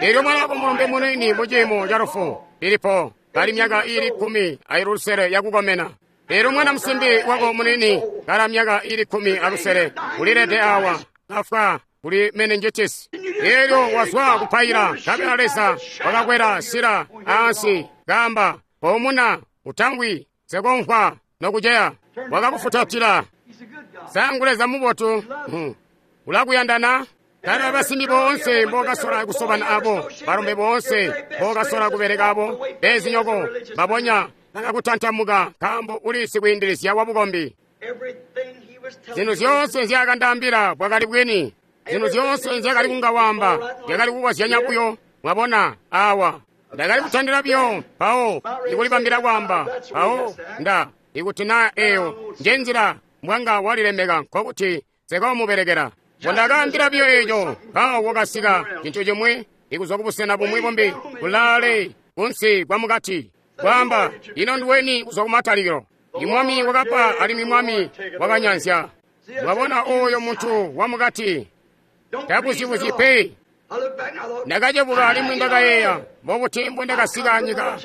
Eelyo mwana wako mulombe muniini muciimo ca lufu ilipo kali myaka iili 16 yakukomena. Eelyo mwana musimbi wako muniini kala myaka iili 16 ulilede awa kafwa kuli meningitis. Eelyo wazwa kupaila, nkabela Leza wakakwela sila aansi kaamba, "Poomuna, utangwi, sekomvwa nokuceya." Wakakufutatila. Sa ngu Leza mubotu? Ulakuyandana? Kale basimbi boonse mbokasola kusobana abo, balombe boonse mbokasola kubeleka abo, bezinyoko babonya bakakutantamuka nkaambo uli sikwiindilizya wabukombi. Zintu zyoonse nzyaakandaambila bwakali bwini. Zintu zyoonse nzyakali kunga waamba zyakali kukozyanya buyo. Mwabona awa ndakali kutandila buyo mpawo ikulibambila kwaamba mpawo nda ikuti na eyo njenzila mbwanga walilemeka nkokuti nsekoomubelekela. Mbondakaambila buyo eeco, mpawo kwakasika cintu cimwi ikuzwa kubusena bumwi bumbi kulaale kunsi kwamukati kwaamba, "Ino nduweni kuzwa kumatalikilo?" Imwami wakapa alimwi mwami wakanyanzya. Mwabona oyo muntu wamukati tabuzibuzyi pe. Ndakacebuka alimwi ndakayeeya, mbobuti mbondakasika anyika?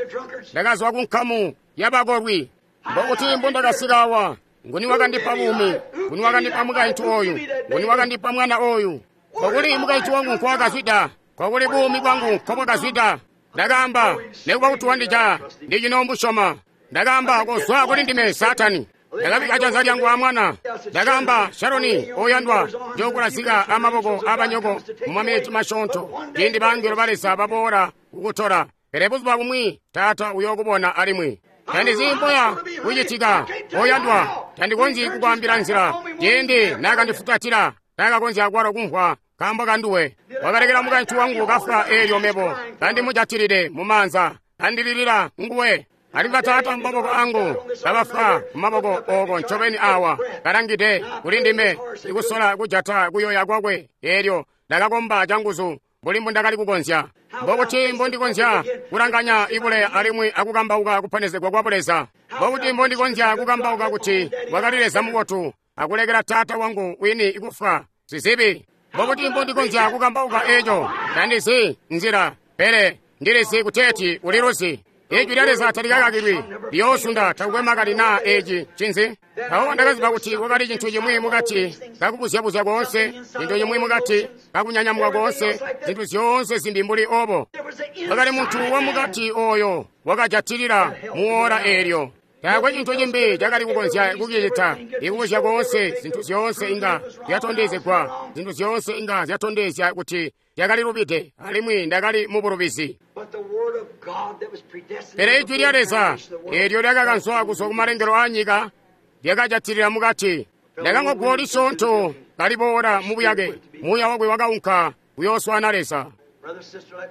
Ndakazwa kunkamu yabakolwi. Mbobuti mbondakasika awa? Nguni wakandipa buumi? Nguni wakandipa mukaintu oyu? Nguni wakandipa mwana oyu? Kokuli mukaintu wangu nkwakazwida? Kokuli buumi bwangu nkobwakazwida? Ndakaamba, nekuba kuti wandija, ndicinoombusyoma. Ndakaamba, kozwa kuli ndime Saatani. Ndakabika janza lyangu amwana. Ndakaamba, Sharoni oyandwa, njookulazika amaboko abanyoko mumaminiti masyoonto, ciindi bangelo ba Leza baboola kukutola. Pele buzuba bumwi Taata uyookubona alimwi. Tandizi mboya kucitika, oyandwa, tandikonzyi kukwaambila nzila. Ciindi naakandifutatila, taakakonzya akwalo kumvwa nkaambo kanduwe. Wakalekela mukaintu wangu kafwa eelyo mebo kandimujatilide mumaanza, kandililila nguwe. Alimwi bataata mumaboko angu kabafwa mumaboko ooko ncobeni awa kalangide kuli ndime ikusola kujata kuyoya kwakwe. Eelyo ndakakomba canguzu mbuli mbundakali kukonzya. Mbokuti mbondikonzya kulanganya ibuleya alimwi akukambauka kuponezegwa kwa Buleza? Mbokuti mbondikonzya kukambauka kuti wakali Leza mubotu akulekela taata wangu wini kufwa sizibi? Mbobuti mbondikonzya kukambauka eco? Tandizi nzila, pele ndilizi kuteeti uliluzi. Ijwi lya Leza talikakakilwi, liyoosunda takukwe makani naa eci ncinzi. Mpawo ndakaziba kuti kwakali cintu cimwi mukati kakubuzyabuzya koonse, cintu cimwi mukati kakunyanyamuka koonse, zintu zyoonse zimbi mbuli obo. Kwakali muntu wamukati oyo wakajatilila muora eelyo. Taakwe cintu cimbi cakali kukonzya kucicita. Ikubuzya koonse, zintu zyoonse inga zyatondezegwa, zintu zyoonse inga zyatondezya kuti lyakalilubide, alimwi ndakali mu bulubizi. Pele ijwi lya Leza eelyo lyakakanzwa kuzwa kumalengelo aanyika lyakajatilila mukati. Ndakamvwa guwo lisyoonto kaliboola mu buyake, muuya wakwe wakaunka kuyooswaana Leza.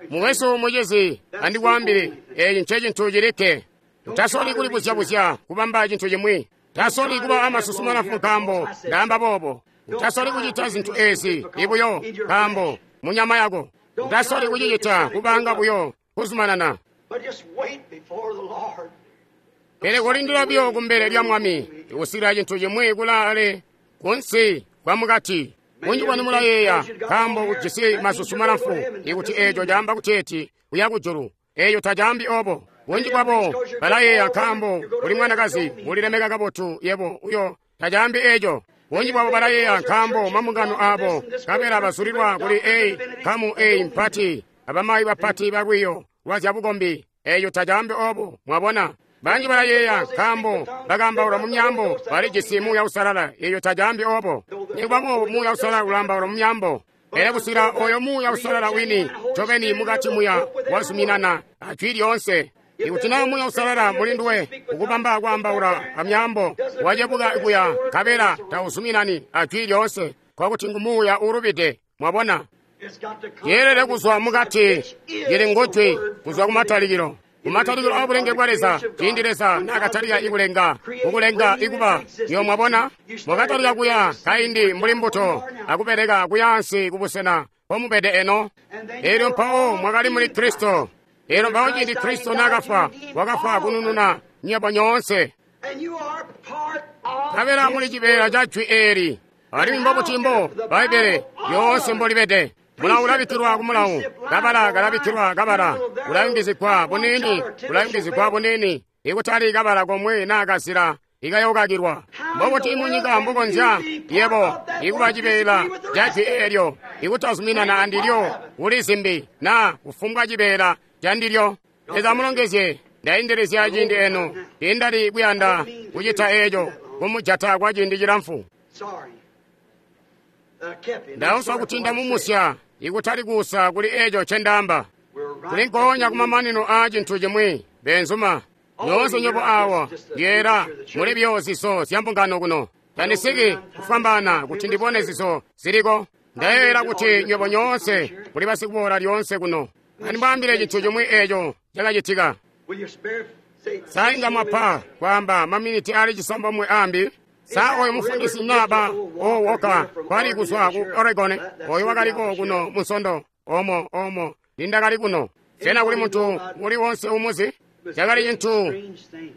Mukwesu, mucizi, andikwaambile, eeci ncecintu cilikke. Utasoli kulibuzya-buzya kubamba cintu cimwi. Tasoli kuba amasusu malamfu nkaambo ndaamba boobo. Utasoli kucita zintu eezi ibuyo nkaambo munyama yako. Utasoli kucicita kubanga buyo kuzumanana. Pele kolindila buyo kumbele lya Mwami ikusikila cintu cimwi kulaale kunsi kwa mukati. Bunji bwanu mulayeeya nkaambo ujisi masusu malamfu ikuti eeco caamba kuteeti uya kujulu. Eeco tacaambi obo. Bunji bwabo balayeeya nkaambo uli mwanakazi ulilemeka kabotu yebo uyo tacaambi eeco. Bunji bwabo balayeeya nkaambo mambungano aabo nkabela bazulilwa kuli eyi nkamu eyi mpati abamayi bapati balwiiyo lwa zyabukombi. Eeco tacaambi obo. Mwabona? Banji balayeeya nkaambo bakaambaula mu myaambo balijisi Muuya Uusalala. Eeco tacaambi obo. Nikuba boobo Muuya Uusalala ulaambaula mu myaambo. Pele kusikila oyo Muuya Uusalala wini ncobeni mukati muya wazuminana ajwi lyoonse. Ikuti naa Muuya Uusalala muli nduwe ukubamba kwaambaula amyaambo wacebuka kuya nkabela tauzuminani ajwi lyoonse, nkokuti ngu muuya uulubide. Mwabona? Yeelede kuzwa mukati, lili ngujwi kuzwa kumatalikilo. Kumatalikilo aabulenge bwa Leza, ciindi Leza naakatalika ikulenga, kukulenga ikuba, nyo mwabona? Mwakatalika kuya kaindi mbuli mbuto, akubeleka kuyaansi kubusena mpomubede eno. Eelyo mpawo mwakali muli Kristo. Eelyo mpawo ciindi Kristo naakafwa, wakafwa kunununa nywebo nyoonse. Nkabela muli cibeela ca jwi eeli. Alimwi mbobuti mbo Bbaibbele lyoonse mbolibede. Mulawu ulabikkilwa ku mulawu, kabala kalabikkilwa kabala, ulayungizigwa buniini, ulayungizigwa buniini, ikutali kabala komwe naa kazila ikayokakilwa. Mbobuti munyika mbukonzya yebo ikuba cibeela ca jwi eelyo ikutazuminana andilyo kuli zimbi naa kufumbwa cibeela candilyo? Leza amulongezye. Ndaindelezya ciindi eno, tiindali kuyanda kucita eeco kumujata kwa ciindi cilamfu. Ndausa kuti ndamumusya ikutali kuusa kuli eeco ncendaamba. Tuli nkoonya kumamanino aa cintu cimwi, beenzuma. Nyoonse nywebo awa lyeera muli buyo zizo zya mbungano kuno. Tandisiki kufwambaana kuti ndibone zizo ziliko. Ndayeeyela kuti nywebo nyoonse muli basikuboola lyoonse kuno. Andimwaambile cintu cimwi eeco cakacitika. Sa inga mwapa kwaamba maminiti aali cisambomwe aambi? Sa oyo mufundisi naba owoka kwali kuzwa ku Oregon oyo wakaliko kuno munsondo omo omo nindakali kuno. Sena kuli muntu uli wonse umuzi? Cakali cintu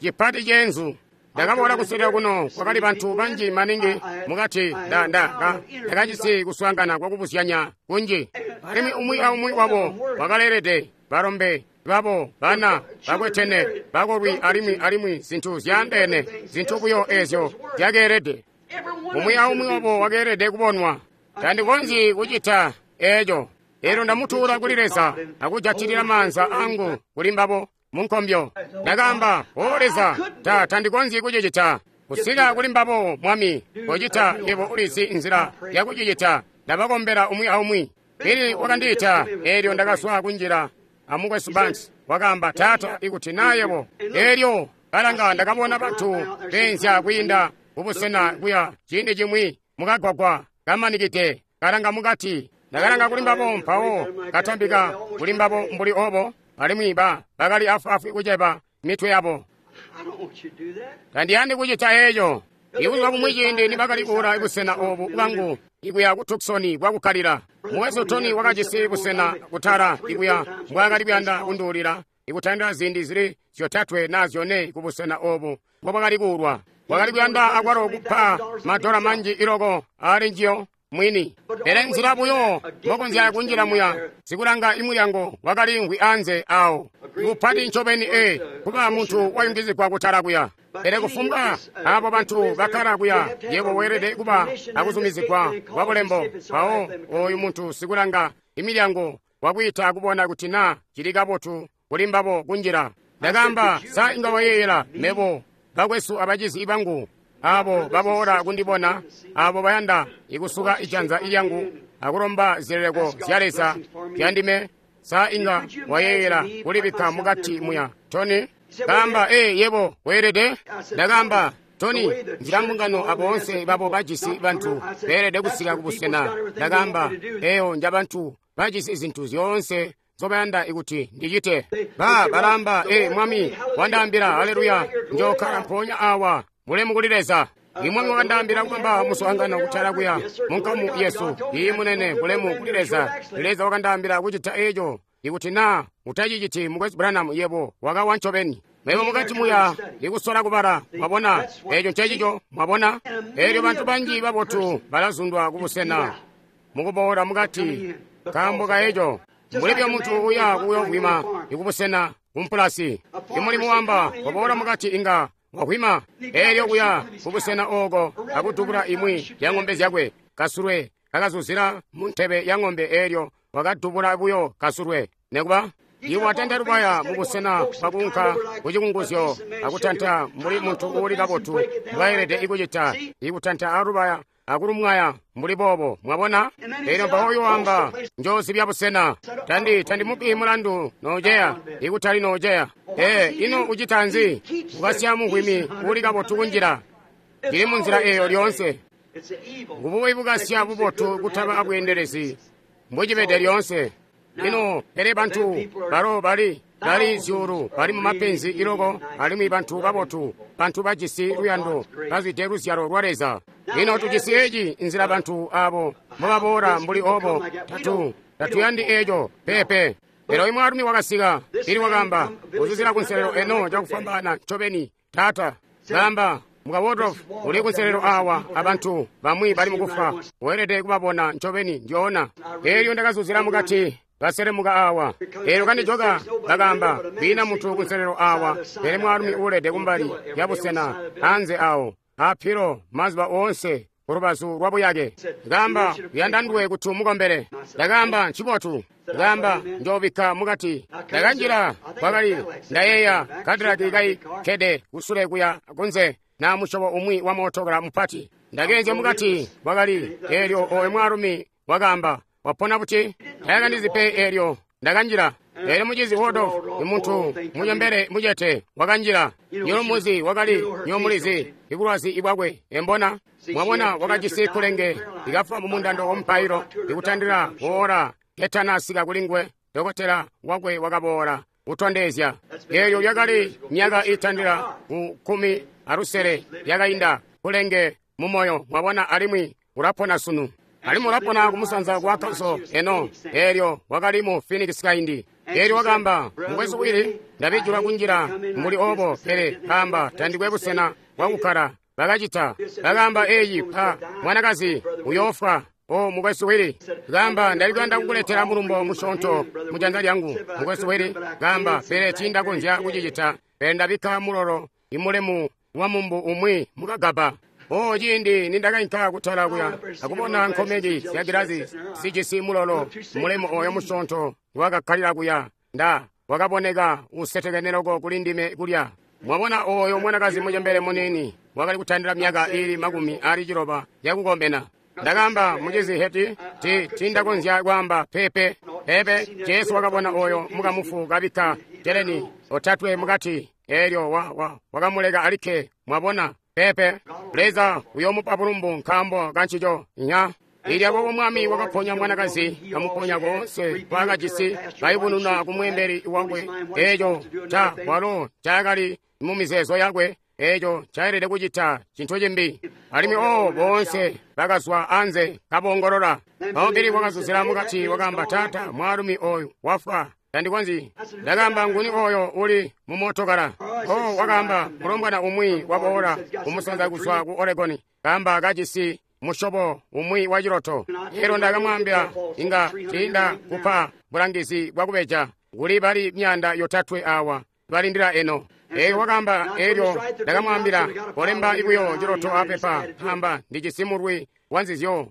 cipati ceenzu. Ndakaboola kuselera kuno kwakali bantu banji maningi mukati ndakajisi kuswaangana kwakubuzyanya kunji. Alimwi umwi aumwi wabo wakaleelede balombe babo bana bakwetene bakolwi alimwi zintu zyaandeene, zintu buyo eezyo zyakeelede. Umwi aumwi wabo wakeelede kubonwa. Tandikonzyi kucita eeco. Eelyo ndamutuula kuli Leza akujatilila maanza angu kuli mbabo munkombyo. Ndakaamba, O Leza, tandikonzyi kucicita. Kusika kuli mbabo, Mwami, kocita yebo ulizi nzila yakucicita. Ndabakombela umwi aumwi. Pili wakandiita, eelyo ndakazwa kunjila amukwesu Banks. Wakaamba, Taata, ikuti naa yebo. Eelyo kalanga ndakabona bantu beenzya kwiinda kubusena kuya ciindi cimwi mukagwagwa kamanikide kalanga mukati. Ndakalanga kuli mbabo mpawo katambika kuli mbabo mbuli obo, alimwi bakali afwaafwi kuceba mitwe yabo. Tandiyandi kucita eeco. Ibuzuba bumwi ciindi nibakali kuula busena obu bwangu ikuya ku Tucson kwakukkalila, mukwesu Tony wakajisi busena kutala ikuya mbwaakali kuyanda kunduulila ikutandila ziindi zili 3 naa 4 kubusena obu mbobwakali kuulwa. Wakali kuyanda akwalo kupa madola manji iloko ali njiyo mwini. Pele nzila buyo mokonzya kunjila muya, sikulanga imulyango wakaliimvwi anze awo. Kupati ncobeni kuba muntu wayungizigwa kutala kuya. Pele kufumbwa abo bantu bakkala kuya, yebo weelede kuba akuzumizigwa kwa bulembo. Mpawo oyu muntu sikulanga imilyango wakwiita kubona kuti na cili kabotu kuli mbabo kunjila. Ndakaamba, sa inga wayeeyela mebo bakwesu abacizi bangu abo baboola kundibona, abo bayanda ikusuka ijanza lyangu akulomba zileleko zya Leza zyandime, sa inga wayeeyela kulibikka mukati muya? Tony kaamba, yebo weelede. Ndakaamba, Tony, nzila mbungano aboonse babo bajisi bantu beelede kusika kubusena. Ndakaamba, eyo njabantu bajisi zintu zyoonse nzobayanda ikuti ndicite. Balamba, Mwami wandaambila, haleluya, njokkala mpoonya awa, mulemu kuli Leza. Imwami wakandaambila kubamba muswaangano kutala kuya munkamu yesu. Iyi munene, bulemu kuli Leza. Leza wakandaambila kucita eco. Ikuti na utaciciti, Mukwesu Branham, yebo wakawa ncobeni. Mebo mukati muya ikusola kubala, mwabona, eco ncecico, mwabona. Elyo bantu banji babotu balazundwa kubusena mukuboola mukati nkaambo ka eco. Mbuli byo muntu uya kuyovwima ikubusena kumpulasi. Imulimu wamba waboola mukati inga wahwima. Elyo kuya kubusena oko akudubula imwi ya ng'ombe zyakwe. Kasulwe kakazuzila mu ntebe ya ng'ombe, elyo wakadubula buyo kasulwe. Nekuba iwe watanta lubaya mubusena bwakuunka kucikunguzyo akutanta mbuli muntu uuli kabotu mbwaelede ikucita, ikutanta alubaya akulumwaya mbuli boobo, mwabona. Elyo mpawo uyoamba, njoozibya busena. Tandimupi mulandu noceya, ikutali noceya. Ino ucita nzi? Ukasya muhwimi uuli kabotu kunjila. Ndili munzila eyo lyoonse. Ngububi bukasya bubotu kutaba abweendelezi mbocibede lyoonse. Ino pele bantu balo bali zyuulu bali mumapenzi iloko, alimwi bantu babotu, bantu bajisi luyando, bazwide luzyalo lwa Leza. Ino tujisi eci nzila bantu abo mbobaboola mbuli obo. Tatuyandi eco pepe. Pele imwaalumi wakasika, ili wakaamba, uzuzila kunselelo eno cakufwambaana ncobeni, taata. Kaamba, muka Waldorf uli kunselelo awa abantu bamwi bali mukufa, weelede kubabona ncobeni njoona. Elyo ndakazuzila mukati, baselemuka awa. Elyo kandijoka, bakaamba, kwiina muntu kunselelo awa, pele mwaalumi uulede kumbali ya busena anze awo apilo mazuba oonse kulubazu lwabuyake. Kaamba, uyanda nduwe kuti umukombele. Ndakaamba, ncibotu. Kaamba, njoobikka mukati. Ndakanjila, kwakali ndayeeya kadiraki kaikkede kusule kuya kunze na musyobo umwi wa mootokala mupati. Ndakeenzya mukati, kwakali elyo oyo mwaalumi wakaamba, wapona buti? Tayakandizi pe. Elyo ndakanjila. Elyo mucizi Waldorf, imuntu munyembele mucete, wakanjila. Nyolomuzi wakali nyomulizi ibulwazi ibwakwe embona. Mwabona, wakajisi kulenge ikafa mumundando wamupailo ikutandila woora ketanasika kulinguwe. Dokotela wakwe wakaboola kutondezya. Elyo lyakali myaka itandila ku 16 yakainda, kulenge mumoyo, mwabona, alimwi ulapona sunu. Alimwi ulapona kumusanza kwa Arkansas eno. Elyo wakali mu Phoenix kaindi. Elyo wakaamba, mukwesu Willie, ndabijulwa kunjila mbuli obo, pele kaamba tandikwe busena bwakukkala. Bakacita. Bakaamba, eyi pa mwanakazi uyoofwa. O mukwesu Willie, kaamba ndali kuyanda kukuletela mulumbo musyoonto mujanza lyangu, mukwesu Willie. Kaamba, pele tiindakonzya kucicita, pele ndabikka mulolo imulemu wa mumbu umwi mukagaba. O ciindi nindakainka kutala kuya akubona nkomeki zya gilazi zijisi mulolo mulemu oyo musyoonto wakakkalila kuya, nda wakaboneka usetekene loko kuli ndime kulya. Mwabona, oyo mwanakazi mucembele muniini wakali kutandila myaka iili 90 yakukomena. Ndakaamba, mucizi Heti, tiindakonzya kwaamba pepe pepe. Jesu wakabona oyo mukamufu kabikka teleni otatwe mukati, elyo wakamuleka alikke. Mwabona, pepe. Leza uyomupa bulumbu nkaambo kancico. Nya. Ilya boobo Mwami wakaponya mwanakazi, kamuponya koonse kwakajisi, kayubununa kumweembeli wakwe eco ca walo cakali mumizeezo yakwe, eco caelede kucita cintu cimbi. Alimwi boonse bakazwa anze kabongolola. Mpawo Bili wakazuzila mukati, wakaamba, taata, mwaalumi oyu wafwa. Tandikonzyi. Ndakaamba, nguni oyo uli mu mootokala? Oh, wakaamba, mulombwana umwi waboola kumusanza kuzwa ku Oregon, kaamba kajisi musyobo umwi wa ciloto. Elyo ndakamwaambila, inga tiinda kupa bulangizi bwakubeja. Kuli bali 300 awa balindila eno. Elyo wakaamba, elyo ndakamwaambila, kolemba buyo ciloto apepa, amba ndijisi mulwi wanzizyo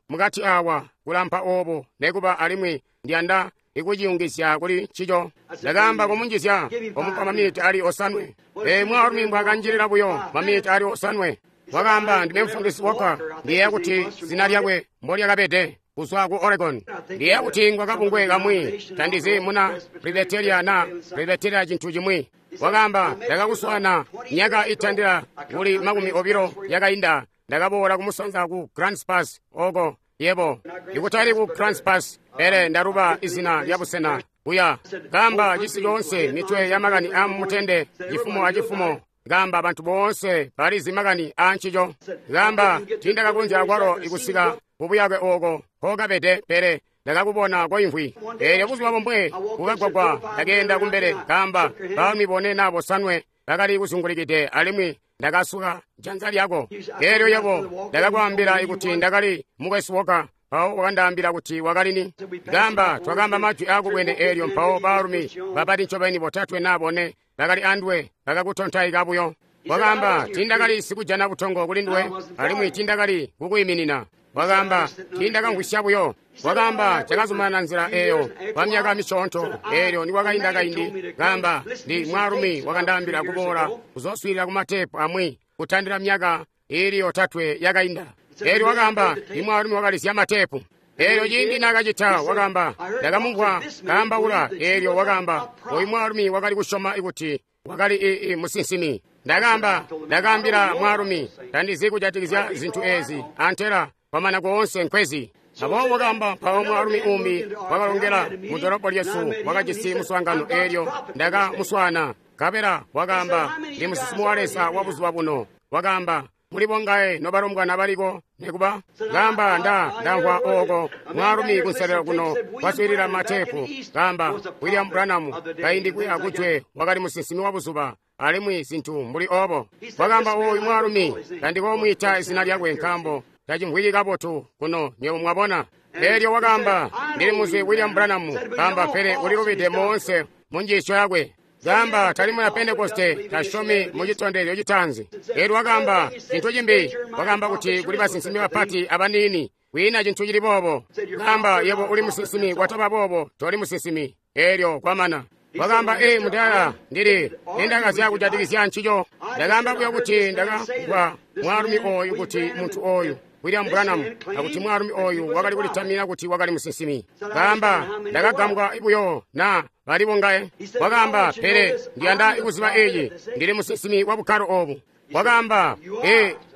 mukati awa kulampa obo nekuba, alimwi ndiyanda ikuciyungizya kuli ncico. Ndakaamba kumunjizya, komupa maminiti ali 7. Mwaalumi mbwakanjilila buyo maminiti ali 7. Wakaamba, ndime mufundisi Walker, ndiyeeya kuti zina lyakwe mbolyakabede, kuzwa ku Oregon. Ndiyeeya kuti ngwa kabungwe kamwi, tandizi muna Presbyteria na Presbyteria cintu cimwi. Wakaamba, ndakakuswaana myaka itandila kuli 20 yakainda. Ndakaboola kumusanza ku Grants Pass oko yebo ikutali ku Grants Pass, pele ndaluba izina lya busena kuya. Kaamba cisi coonse mitwe ya makani a mutende, cifumo a cifumo. Kaamba bantu boonse balizi makani a ncico. Kaamba tiindakakonzya kwalo ikusika kubuyake oko kokabede, pele ndakakubona koimvwi. Eelyo buzuba bomwe kukagwagwa ndakeenda kumbele. Kaamba baalumi bone na bosanwe bakali kuzungulikide, alimwi ndakasuka janza lyako. Eelyo yebo ndakakwaambila kuti ndakali mukwesu Walker, mpawo wakandaambila kuti wakali ni. Kaamba twakaamba majwi aakubwene eelyo, mpawo baalumi bapati ncobeni 3 na 4 bakali andwe bakakutontaika buyo. Wakaamba, tiindakali sikujana butongo kuli nduwe, alimwi tiindakali kukwiiminina. Wakaamba, tiindakamvwisya buyo. Wakaamba, cakazumanana nzila eyo kwa myaka misyoonto. Eelyo nikwakainda kaindi, kaamba, ndi mwaalumi wakandaambila kuboola kuzooswiilila kumateepu amwi kutandila myaka iili 3 yakainda. Eelyo wakaamba, ndi mwaalumi wakalizya mateepu. Eelyo ciindi naakacita, wakaamba, ndakamumvwa kaambaula. Eelyo wakaamba, oyu mwaalumi wakali kusyoma kuti wakali musinsimi. Ndakaamba, ndakaambila mwaalumi, tandizi kujatikizya zintu ezi, antela kwamana koonse nkwezi. Aboobo wakaamba, mpawo mwaalumi umbi wakalongela mu dolopo lyesu, wakajisi muswaangano. Eelyo ndakamuswaana, nkabela wakaamba, ndi musinsimi wa Leza wa buzuba buno. Wakaamba, muli bongaye nobalombwana baliko nekuba? Kaamba, ndamvwa oko mwaalumi kunselelo kuno waswiilila mateepu. Kaamba, William Branham kaindi kuya kujwe wakali musinsimi wa buzuba, alimwi zintu mbuli obo. Wakaamba, oyu mwaalumi tandikomwiita izina lyakwe nkaambo tacimvwiki kabotu kuno, nywebo mwabona. Eelyo wakaamba, ndili muzi William Branham. Kaamba, pele ulilubide moonse mu njiisyo yakwe. Kaamba, tali muna Pentekoste, tasyomi mu citondezyo citaanzi. Eelyo wakaamba cintu cimbi, wakaamba kuti kuli basinsimi bapati abaniini, kwiina cintu cili boobo. Kaamba, yebo uli musinsimi, kwataba boobo toli musinsimi. Eelyo kwamana. Wakaamba, mudala, ndili nindakazya kujatikizya ncico. Ndakaamba buyo kuti ndakamvwa mwaalumi oyu kuti muntu oyu William Branham, akuti mwaalumi oyu wakali kulitamina kuti wakali musinsimi. Kaamba, ndakagambwa buyo na bali bongaye. Wakaamba, pele ndiyanda kuziba eeci, ndili musinsimi wa bukkalo obu. Wakaamba,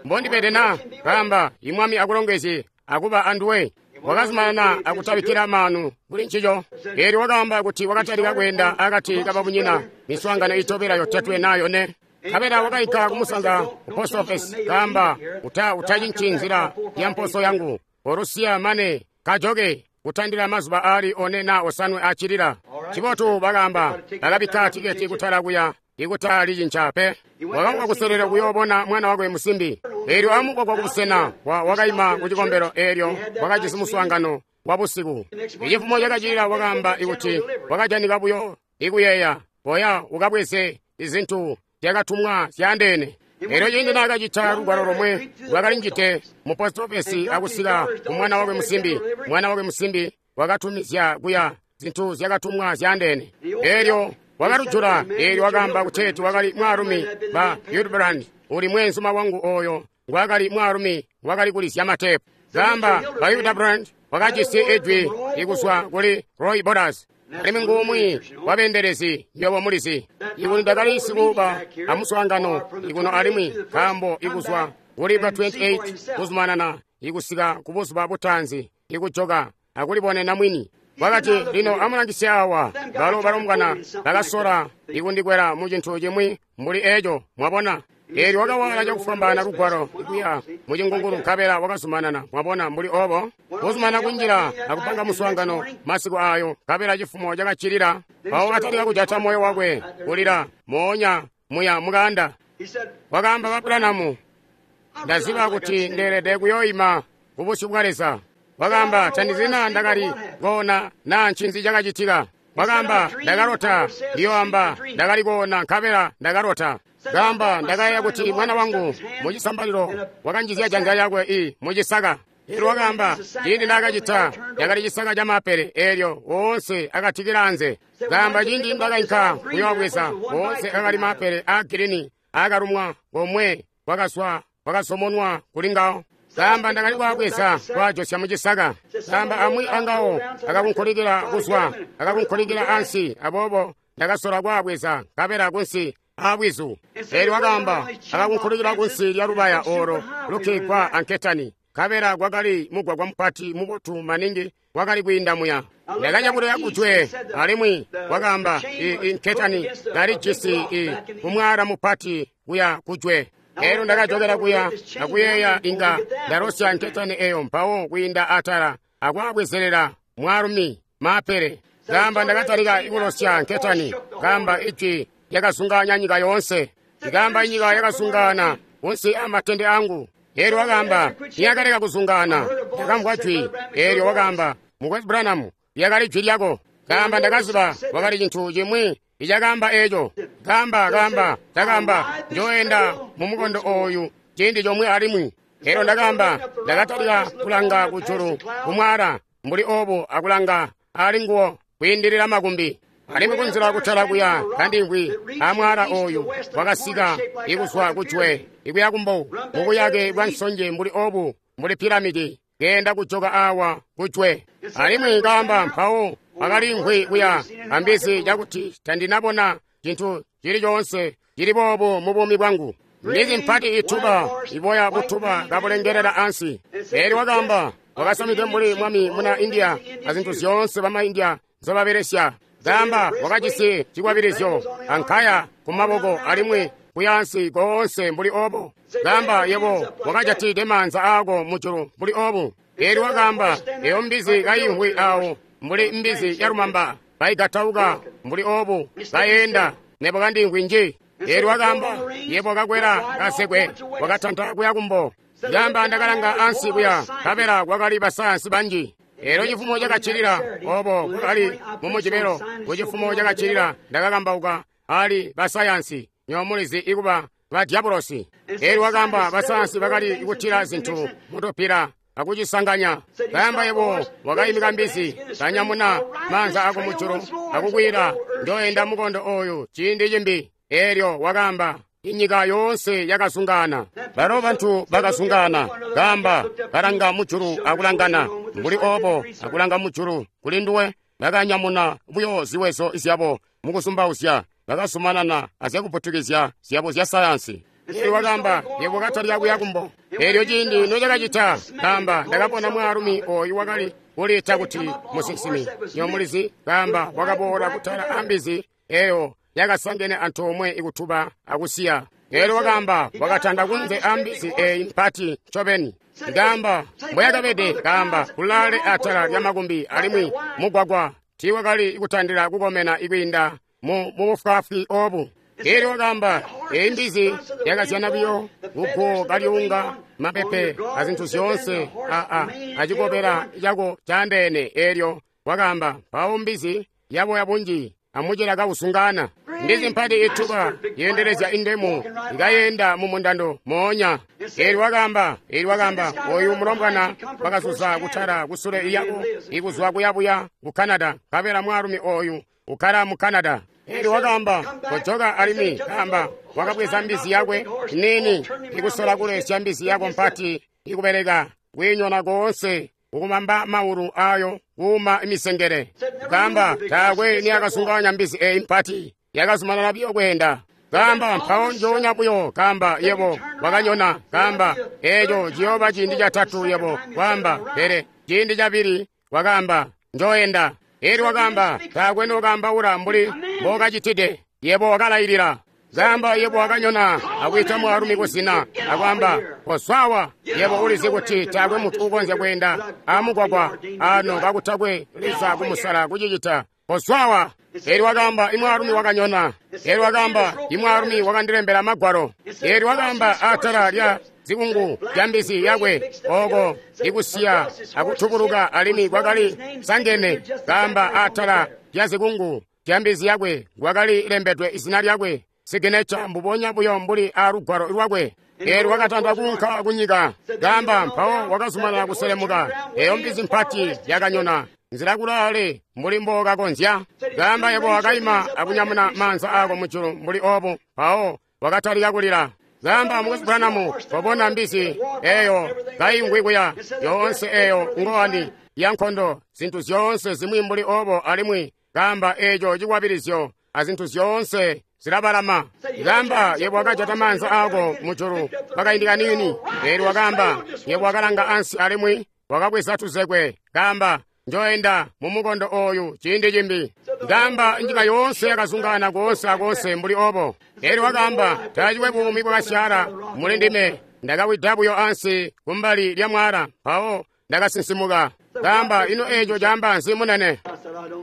mbondibede na? Kaamba, imwami akulongezye akuba anduwe. Wakazumanana akutabikkila maanu kuli ncico. Eelyo wakaamba kuti wakatalika kweenda akati kababunyina miswaangano itobela 3 na 4. Nkabela wakainka kumusanza ku post office. Kaamba, utacinci nzila ya mposo yangu, olusiya mane kajoke kutandila mazuba aali 4 na 5 acilila. Cibotu, bakaamba, bakabikka tiketi kutala kuya ikutalicinca pe. Wakaunka kuselelo kuyoobona mwana wakwe musimbi. Eelyo amugwagwa kubusena wakaima kucikombelo. Eelyo wakajisi muswaangano wa busiku. Icifumo cakacilila wakaamba ikuti wakajanika buyo ikuyeeya, boya ukabweze izintu zyakatumwa zyaandeene. Eelyo ciindi naakacita lugwalo lomwe lwakalinjide mu post office akusika ku mwana wakwe musimbi, mwana wakwe musimbi wakatumizya kuya zintu zyakatumwa zyaandeene. Eelyo wakalujula. Eelyo wakaamba kuteeti wakali mwaalumi ba Hildebrand, uli mweenzuma wangu oyo ngwakali mwaalumi wakali kulizya mateepu. Kaamba, ba Hildebrand wakajisi ejwi ikuzwa kuli Roy Borders, alimwi ngumwi wabeendelezi, nywebo mulizi. Ikuti ndakali sikuba amuswaangano ikuno alimwi nkaambo ikuzwa kuli bwa 28 kuzumanana ikusika kubuzuba butaanzi ikujoka akulibonena mwini. Wakati, lino amulangisye awa, balo balombwana bakasola ikundikwela mu cintu cimwi mbuli eco, mwabona. Eelyo wakawaala cakufwambaana lugwalo kuya mucingungulu nkabela wakazumanana, mwabona, mbuli obo, kuzumanana kunjila akupanga muswaangano masiku ayo, nkabela cifumo cakaccilila. Mpawo wakatalika kujata moyo wakwe kulila moonya muya mukaanda. Wakaamba, Ba Branham, ndaziba kuti ndeelede kuyoima kubusyu bwa Leza. Wakaamba, tandizi naa ndakali koona naa ncinzi cakacitika. Wakaamba, ndakalota, ndiyoamba, ndakali koona nkabela ndakalota. Kaamba, ndakayeeya kuti mwana wangu mucisambalilo wakanjizya janza lyakwe i mucisaka. Eelyo wakaamba, ciindi ndakacita, cakali cisaka ca maapele, eelyo woonse akatikila anze. Kaamba, ciindi ndakainka kuyoobweza, woonse akali maapele aa girini aakalumwa komwe kwakazwa kwakasomonwa kuli ngawo. Kaamba, ndakali kwaabweza kwaajosya mucisaka. Kaamba, amwi angawo akakunkulikila kuzwa, akakunkulikila ansi, aboobo ndakasola kwaabweza nkabela kunsi aabwizu. Eelyo wakaamba, akakunkulikila kunsi lya lubaya oolo lukikwa anketani, nkabela kwakali mugwagwa mupati mubotu maningi wakali kwiinda muya. Ndakacakulya kujwe, alimwi wakaamba, inketani kalijisi kumwaala mupati kuya kujwe. Eelyo ndakajokela kuya akuyeeya inga ndalosya nketani eyo mpawo kwiinda atala akwaabwezelela mwaalumi maapele. Kaamba, ndakatalika kulosya nketani. Kaamba, ijwi lyakazungaanya nyika yoonse. Kaamba, inyika yakazungaana kunsi amatende angu. Eelyo wakaamba, niyakaleka kuzungaana, ndakamvwa jwi. Eelyo wakaamba, Mukwesu Branham, lyakali jwi lyako. Kaamba, ndakaziba wakali cintu cimwi icakaamba eeco. Kaamba, kaamba, ndakaamba, njoenda mumukondo ooyu ciindi comwe alimwi. Eelyo ndakaamba, ndakatalika kulanga kujulu kumwaala mbuli obu akulanga ali nguwo kwiindilila makumbi. Alimwi kunzila kutala kuya kandimvwi amwaala ooyu wakasika ikuzwa kujwe ikuya kumbo mubuyake bwa nsonje mbuli obu mbuli piramidi keenda kujoka awa kujwe. Alimwi kaamba, mpawo wakalimvwi kuya ambizi cakuti tandinabona cintu cili coonse cili boobu mu buumi bwangu. Mbizi mpati ituba iboya butuba kabulengelela ansi. Eelyo wakaamba, wakasamide mbuli mwami muna India azintu zyoonse bama India nzobabelesya. Kaamba, wakajisi cikwabilizyo ankaya kumaboko alimwi kuyaansi koonse mbuli obo. Kaamba, yebo wakajatide maanza aako mujulu mbuli obu. Eelyo wakaamba, eyo mbizi kayimvwi awo mbuli mbizi yalumamba kaigatauka mbuli obu kayenda, nebo kandimvwi nji. Eelyo wakaamba, yebo kakwela kasekwe wakatanta kuya kumbo. Kaamba, ndakalanga ansi kuya nkabela kwakali basayansi banji. Eelyo cifumo cakaccilila obo kwakali mumujibelo. Kucifumo cakaccilila ndakakambauka ali basayansi, nywebo mulizi ikuba ba diabolosi. Eelyo wakaamba, basayansi bakali kutila zintu mutupila akucisanganya. Kaamba, yebo wakaimika mbizi, kanyamuna maanza ako mujulu akukwila, njoenda mukondo ooyu ciindi cimbi. Eelyo wakaamba, inyika yoonse yakazungaana. Balo bantu bakazungaana. Kaamba, balanga mujulu akulangana mbuli obo akulanga mujulu kuli nduwe. Bakanyamuna buyo ziwezo zyabo mukuzumbauzya, bakazumanana azyakuputukizya zyabo zya sayansi. Eelyo wakaamba, yebo katalika kuya kumbo. Eelyo ciindi nocakacita, kaamba, ndakabona mwaalumi ooyu wakali kuliita kuti musinsimi. Nywebo mulizi, kaamba, wakaboola kutala ambizi eyo yakasangene antoomwe ikutuba akusiya. Eelyo wakaamba, wakatanda kunze ambizi eyi mpati ncobeni. Kaamba, mbweyakabede, kaamba, kulaale atala lya makumbi alimwi mugwagwa tiiwakali kutandila kukomena ikwiinda mu bufwaafwi obu. Eelyo wakaamba, eyi mbizi yakazyana buyo kuguwo kalyuunga mapepe azintu zyoonse acikobela cako caandeene. Eelyo wakaamba, mpawo mbizi yaboya bunji amucela kausungana. Mbizi mpati ituba yeendelezya indemu ikayenda mumundando moonya. Eelyo wakaamba, oyu mulombwana wakazuza kutala kusule iyako ikuzwa kuyabuya ku Canada, nkabela mwaalumi oyu ukkala mu Canada. Eelyo wakaamba, kojoka alimwi. Kaamba, wakabweza mbizi yakwe nini ikusola kulesya mbizi yako mpati ikubeleka kwiinyona koonse ukumamba maulu ayo kuuma misengele. Kaamba, taakwe niyakazunganya mbizi eyi mpati, yakazumanana buyo kweenda. Kaamba, mpawo njoonya buyo. Kaamba, yebo wakanyona. Kaamba, eeco ciyooba ciindi catatu yebo kwaamba, pele ciindi cabili wakaamba, njooenda. Eelyo wakaamba, taakwe nokaambaula mbuli mbookacitide, yebo wakalailila. Kaamba yebo wakanyona akwiita mwaalumi kuzina akwaamba kozwawa yebo ulizi kuti taakwe muntu ukonzya kweenda amugwagwa ano kakutakwe Leza kumusala kucicita. Kozwawa. Elyo wakaamba imwaalumi wakanyona. Elyo wakaamba imwaalumi wakandilembela magwalo. Elyo wakaamba atala lya zikungu lya mbizi yakwe oko ikusiya akutubuluka alimwi kwakali sangene. Kaamba atala lya zikungu lya mbizi yakwe kwakali lembedwe izina lyakwe siginecha mbubonya buyo mbuli alugwalo lwakwe. Elyo wakatandwa kuunka kunyika. Kaamba mpawo wakazumanana kuselemuka. Eyo mbizi mpati yakanyona nzila kulaale mbuli mbokakonzya. Kaamba yebo wakaima akunyamuna maanza ako mujulu mbuli obu mpawo wakatalika kulila. Kaamba Mukwesu Branham wabona mbizi eyo kaingwi kuya yoonse eyo ngowani ya nkondo zintu zyoonse zimwi mbuli obo alimwi kaamba eco cikwabilizyo azintu zyoonse zilabalama. Kaamba yebo wakajata maanza ako mujulu pakaindi kanini. Elyo wakaamba yebo wakalanga ansi alimwi wakabweza tuzekwe. Kaamba njoenda mumukondo oyu ciindi cimbi. Kaamba nyika yoonse yakazungana koonse akoonse mbuli obo. Elyo wakaamba taacikwe buumi bwakasyaala muli ndime. Ndakawida buyo ansi kumbali lya mwala mpawo ndakasinsimuka. Kaamba ino eco caamba nzi munene?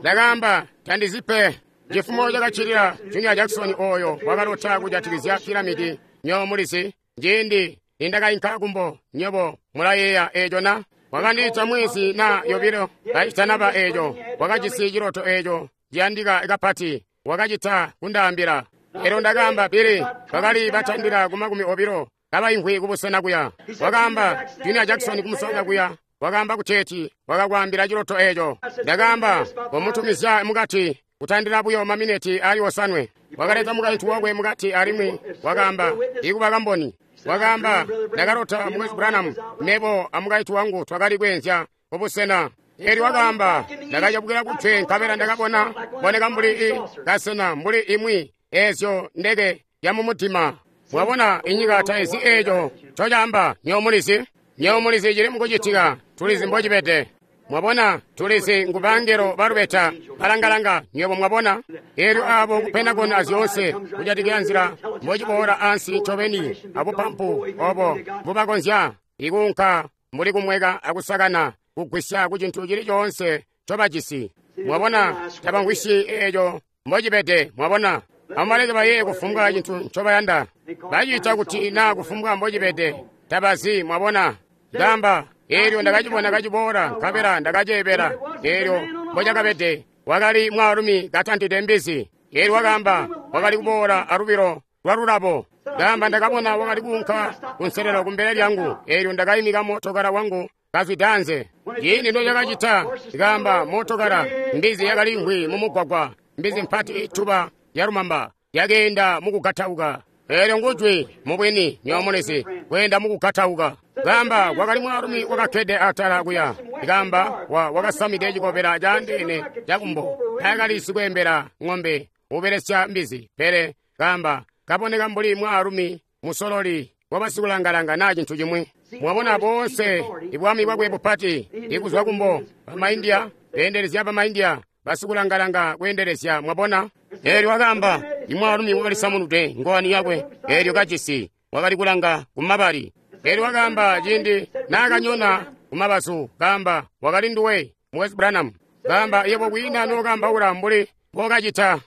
Ndakaamba tandizipe. Cifumo cakacilila Junior Jackson oyo wakalota kujatikizya piramidi nyo mulizi. Ciindi nindakainka kumbo nyobo mulayeeya eco na? Wakandiita mwezi na yobilo kacitanaba eco. Wakajisi ciloto eco ciyandika kapati. Wakacita kundaambila. Elyo ndakaamba Billy bakali batandila ku 20 kabaimvwi kubusena kuya. Wakaamba Junior Jackson kumusanga kuya. Wakaamba kuteeti wakakwaambila ciloto eco. Ndakaamba komutumizya mukati kutandila buyo mamineti ali 7. Wakaleta mukaintu wakwe mukati alimwi wakaamba ikuba kamboni. Wakaamba ndakalota Mukwesu Branham mebo amukaintu wangu twakali kweenzya kubusena. Elyo wakaamba ndakacabukila kutwe nkabela ndakabona boneka mbuli i kasena mbuli imwi ezyo ndeke ya mumutima. Mwabona inyika taizi eco ncocaamba nyomulizi. Nyomulizi cili mukucitika tulizi mbocibede. Mwabona tulizi ngubangelo balubeta balangalanga nywebo mwabona. Elyo abo ku Pentagon azyoonse kujatikizya nzila mbociboola ansi ncobeni abupampu obo mbubakonzya ikuunka mbuli kumweka akusakana kugwisya ku cintu cili coonse ncobajisi. Mwabona tabamvwisyi eco mbocibede. Mwabona amubaleke baye kufumbwa cintu ncobayanda. Baciita kuti naa kufumbwa mbocibede tabazi. Mwabona ndamba elyo ndakacibona kaciboola nkabela ndakaceebela. Elyo mbocakabede wakali mwaalumi katantide mbizi. Elyo wakaamba wakali kuboola alubilo lwalulabo. Ndamba ndakabona wakali kuunka kunselelo kumbele lyangu. Elyo ndakayimika mootokala wangu kazwida anze. Ciindi nocakacita ndikaamba mootokala mbizi yakaliimvwi mumugwagwa. Mbizi mpati ituba yalumamba yakeenda mukugatauka. Elyo ngujwi mubwini nyomulizi kweenda mukugatauka. Kaamba kwakali mwaalumi wakakkede atala kuya. Kaamba wakasamide cikobela caandeene cakumbo. Taakali sikweembela ng'ombe ubelesya mbizi. Pele kaamba kaboneka mbuli mwaalumi musololi wabasikulangalanga naa cintu cimwi. Mwabona boonse ibwami bwakwe bupati ikuzwa kumbo bamaindia beendelezya bamaindia basikulangalanga kweendelezya. Mwabona elyo wakaamba imwaalumi wakalisamunudwe ngowani yakwe elyo kajisi wakali kulanga kumabali. Elyo wakaamba ciindi naakanyona kumabazu kaamba wakali nduwe Mukwesu Branham. Kaamba yebo kwiina nookambaula mbuli mbokacita.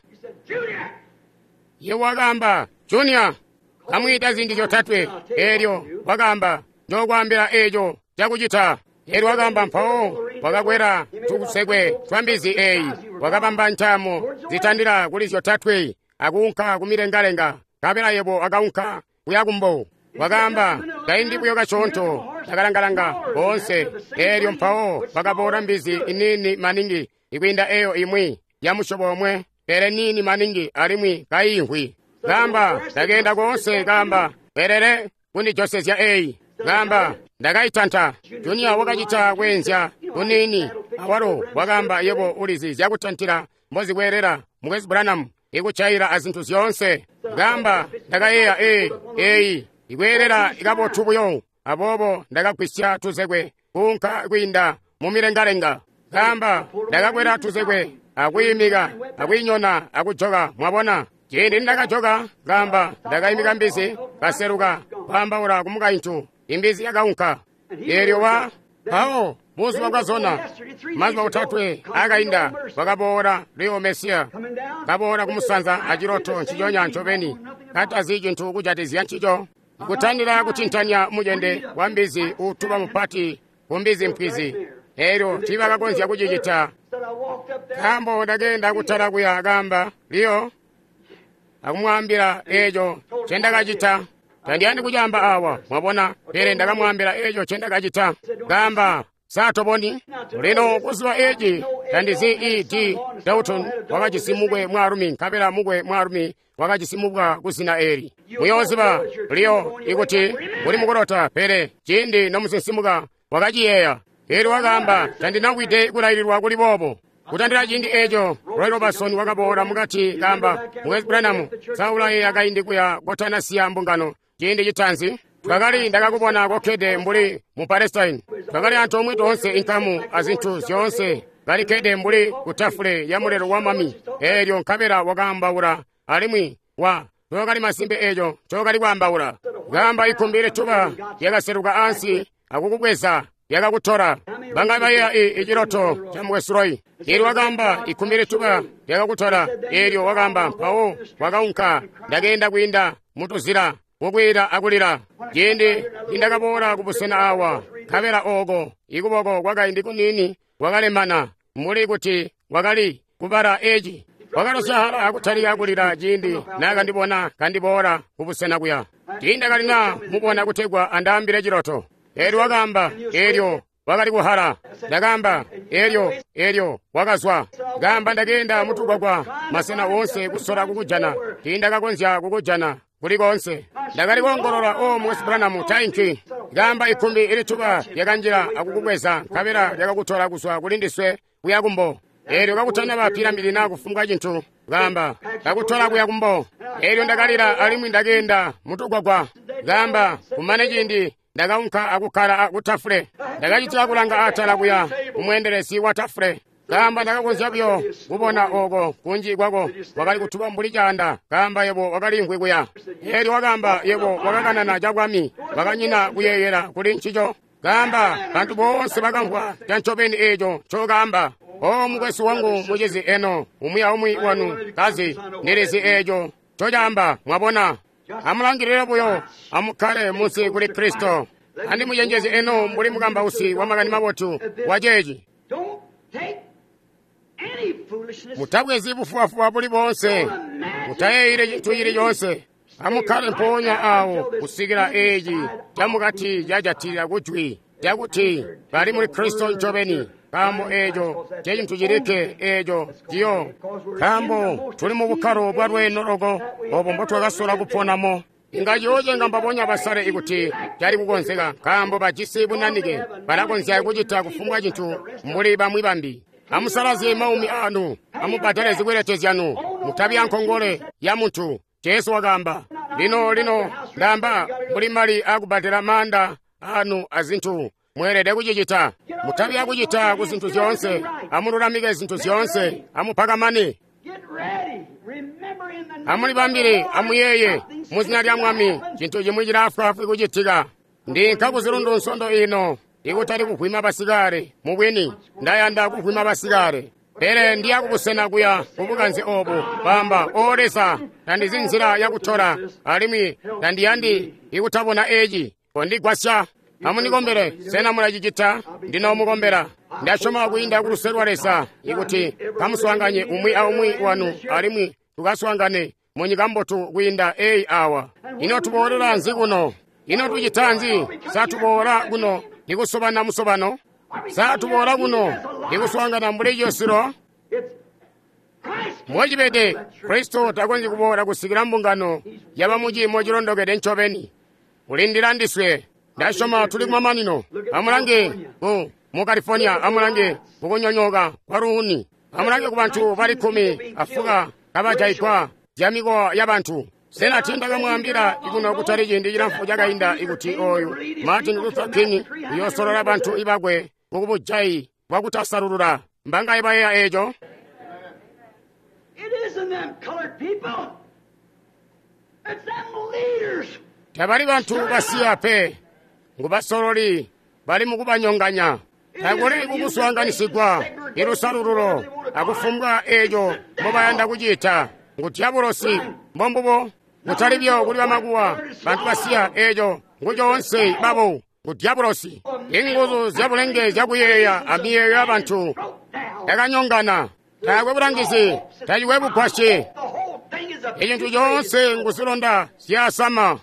Yebo wakaamba Junior kamwiita ziindi zyotatwe. Elyo wakaamba njokwaambila eco cakucita. Elyo wakaamba mpawo wakakwela tusekwe twa mbizi eyi wakabamba ntaamo zitandila kuli zyotatwe akuunka kumilengalenga. Nkabela yebo akaunka kuya kumbo. Wakaamba kaindi buyo kasyoonto ndakalangalanga boonse. Elyo mpawo bakaboola mbizi iniini maningi ikwiinda eyo imwi ya musyobo omwe pele niini maningi alimwi kaimvwi. Kaamba ndakeenda koonse. Kaamba welele kundijosezya eyi. Kaamba ndakaitanta. Junior wakacita kweenzya kuniini awalo. Wakaamba yebo ulizi zyakutantila mbozikweelela Mukwesu Branham ikucaila azintu zyoonse. Kaamba ndakayeeya eyi ikweelela ikabotu buyo. Aboobo ndakagwisya tuzekwe kuunka kwiinda mumilengalenga. Kaamba ndakakwela tuzekwe akwiimika akwiinyona akujoka. Mwabona. Ciindi ndakajoka, kaamba, ndakaimika mbizi, kaseluka, kwaambaula ku mukaintu, imbizi yakaunka. Eelyo wa mpawo buzuba bwazona, mazuba otatwe akainda, wakaboola Leo Mesiya, kaboola kumusanza aciloto nciconya ncobeni, katazi cintu kujatizya ncico, kutandila kucintanya mucende wa mbizi uutuba mupati ku mbizi mpwizi. Eelyo tiibakakonzya kucicita. Nkaambo ndakeenda kutala kuya, kaamba, Leo, akumwaambila eeco ncendakacita. Tandiyandi kucaamba awa, mwabona, pele ndakamwaambila eeco ncendakacita. Kaamba, sa toboni? Lino kuziba eci, tandizi E. D. Dalton wakajisi mukwe mwaalumi, nkabela mukwe mwaalumi wakajisi mubwa kuzina eli. Muyooziba, Leo, ikuti uli mukulota, pele ciindi nomusinsimuka wakaciyeeya. Eelyo wakaamba, tandinawide kulaililwa kuli boobo. Kutandila ciindi eeco, Roy Robertson wakaboola mukati kaamba, Mukwesu Branham, sa ulayeeya kaindi kuya kotanasiya mbungano ciindi citaanzi? Twakali ndakakubona kokkede mbuli mu Palestine. Twakali antoomwe toonse inkamu azintu zyoonse, kalikkede mbuli ku tafule ya mulelo wa mwami. Eelyo nkabela wakaambaula, alimwi wa tookali masimpe eeco ncookali kwaambaula. Kaamba ikkumbi lituba lyakaseluka ansi akukubweza, lyakakutola. Banga bayeeya iciloto ca Mukwesu Roy. Eelyo wakaamba ikkumbi lituba lyakakutola. Eelyo wakaamba mpawo wakaunka, ndakeenda kwiinda mutuzila kukwiila akulila. Ciindi nindakaboola kubusena awa, nkabela ooko ikuboko kwakaindi kuniini kwakalemana, mbuli kuti wakali kubala eci. Wakalosyaala akutalika kulila ciindi naakandibona kandiboola kubusena kuya. Tiindakalina mubona kutegwa andaambile ciloto. Eelyo wakaamba, eelyo wakali kuhala. Ndakaamba, eelyo, eelyo wakazwa. Kaamba ndakeenda mutugwagwa masena woonse kusola kukujana. Tiindakakonzya kukujana kuli koonse. Ndakali koongolola, o Mukwesu Branham, tainki. Kaamba ikkumbi ilituba lyakanjila akukubweza, nkabela lyakakutola kuzwa kuli ndiswe kuya kumbo. Eelyo kakutanaba piramidi naa kufumbwa cintu, kaamba, kakutola kuya kumbo. Eelyo ndakalila alimwi ndakeenda mutugwagwa. Kaamba, kumane ciindi ndakaunka akukkala ku tafule. Ndakacitila kulanga atala kuya kumweendelezi wa tafule. Kaamba ndakakonzya buyo kubona ooko kunji kwako wakali kutuba mbuli caanda. Kaamba yebo wakaliimvwi kuya. Eelyo wakaamba yebo wakakanana cabwami, wakanyina kuyeeyela kuli ncico. Kaamba bantu boonse bakamvwa cancobeni eeco ncokaamba. O mukwesu wangu mucizi eno, umwi aumwi wanu kazi ndilizi eeco ncocaamba, mwabona. Amulangilile buyo, amukkale munsi kuli Kristo. Andimucenjeze eno mbuli mukambausi wa makani mabotu wa ceeci. Mutabwezi bufubafuba buli boonse, mutayeeyile cintu cili coonse. Amukkale mpoonya awo kusikila eeci camukati cajatilila kujwi lyakuti bali muli Kristo ncobeni. Nkaambo eeco ncecintu cilikke eeco ciyo. Nkaambo tuli mu bukkalo bwa lweeno loko obo mbotwakasola kuponamo. Inga ciyoocenga mbabonya basale ikuti cali kukonzeka, nkaambo bajisi bunanike, balakonzya kucita kufumbwa cintu mbuli bamwi bambi. Amusalazye maumi anu, amubbadale zikwelete zyanu, mutabi ankongole ya muntu. Jesu wakaamba, lino lino ndaamba mbuli mali akubbadela maanda anu azintu. Mweelede kucicita. Mutabi akucita ku zintu zyoonse. Amululamike zintu zyoonse. Amupakamane. Amulibambile, amuyeeye muzina lya Mwami, cintu cimwi cilaafwaafwi kucitika. Ndinka kuzilundu nsondo ino, ikutali kuvwima basikale. Mubwini, ndayanda kuvwima basikale. Pele ndiya kubusena kuya kubukanze obu, kwaamba, O Leza, tandizi nzila yakutola, alimwi tandiyandi ikutabona eci. Kondigwasya. Amunikombele, sena mulacicita? Ndinoomukombela. Ndasyoma kwiinda kuluse lwa Leza ikuti kamuswaanganye umwi aumwi wanu alimwi tukaswaangane munyika mbotu kwiinda eyi awa. Ino tuboolela nzi kuno? Ino tucita nzi? Sa tuboola kuno ndikusobana musobano? Sa tuboola kuno ndikuswaangana mbuli ciyosilo? Mbocibede, Kristo takonzyi kuboola kusikila mbungano yaba muciimo cilondokede ncobeni. Ulindila ndiswe. Ndasyoma tuli kumamanino. Amulange mu California, amulange kukunyonyooka kwa luuni. Amulange ku bantu bali 14 kabajaigwa zyamikowa yabantu. Sena tiindakamwaambila ikuno kutali ciindi cilamfu cakainda ikuti oyu Martin Luther King uyoosolola bantu ibakwe mukubujayi bwakutasalulula? Mbangaye bayeeya eeco? It isn't them colored people. Tabali bantu basiya pe, ngu basololi bali mukubanyonganya. Takuli kukuswaanganisigwa ilusalululo akufumbwa eeco mbobayanda kucita. Ngu dyabulosi, mbombubo. Kutali byo kuli bamakuwa, bantu basiya eeco ngu coonse babo ngu dyabulosi. Inguzu zyabulenge zyakuyeeya amiyeeyo yabantu yakanyongana. Taakwe bulangizi, tacikwe bugwasyi. Icintu coonse ngu zilonda zyasama.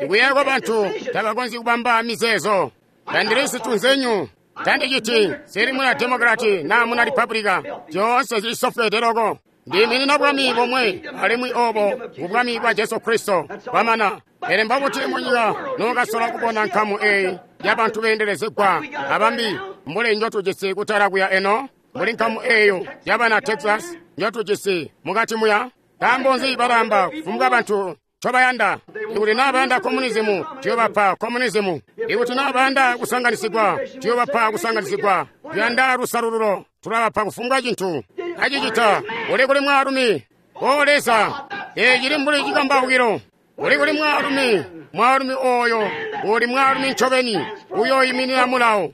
Ikuyeeya kwabantu tabakonzyi kubamba mizeezo. Tandili situnzenyu, tandiciti sili muna Demokrati naa muna Republika, zyoonse zilisofweede loko. Ndiiminina bwami bomwe, alimwi obo ngubwami bwa Jesu Kristo. Bwamana. Pele mbobuti munyika nokasola kubona nkamu eyi yabantu beendelezegwa abambi mbuli njotujisi kutala kuya eno, mbuli nkamu eyo yabana Texas njotujisi mukati muya? Nkaambo nzi balamba kufumbwa bantu ncobayanda? Ikuti naa bayanda komunizimu, tuyobapa komunizimu. Ikuti naa bayanda kusanganisigwa, tuyobapa kusanganisigwa. Tuyanda lusalululo, tulabapa kufumbwa cintu. Acicita, uli kuli mwaalumi. O Leza, ecili mbuli cikambaukilo. Uli kuli mwaalumi, mwaalumi oyo uli mwaalumi ncobeni, uyoyiminina mulawo.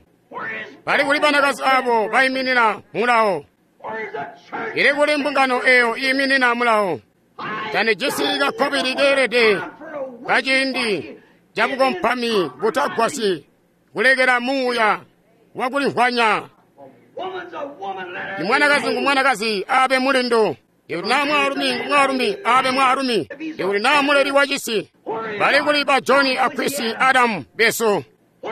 Bali kuli banakazi abo bayiminina mulawo. Ili kuli mbungano eyo iyiminina mulawo. Tandijisi kakkobili keelede kaciindi cabukompami butagwasyi kulekela muuya wakulimvwanya. Imwanakazi ngu mwanakazi abe mulindu. Ikuti naa mwaalumi ngu mwaalumi abe mwaalumi. Ikuti naa muleli wa cisi. Bali kuli ba John a Chris Adam besu.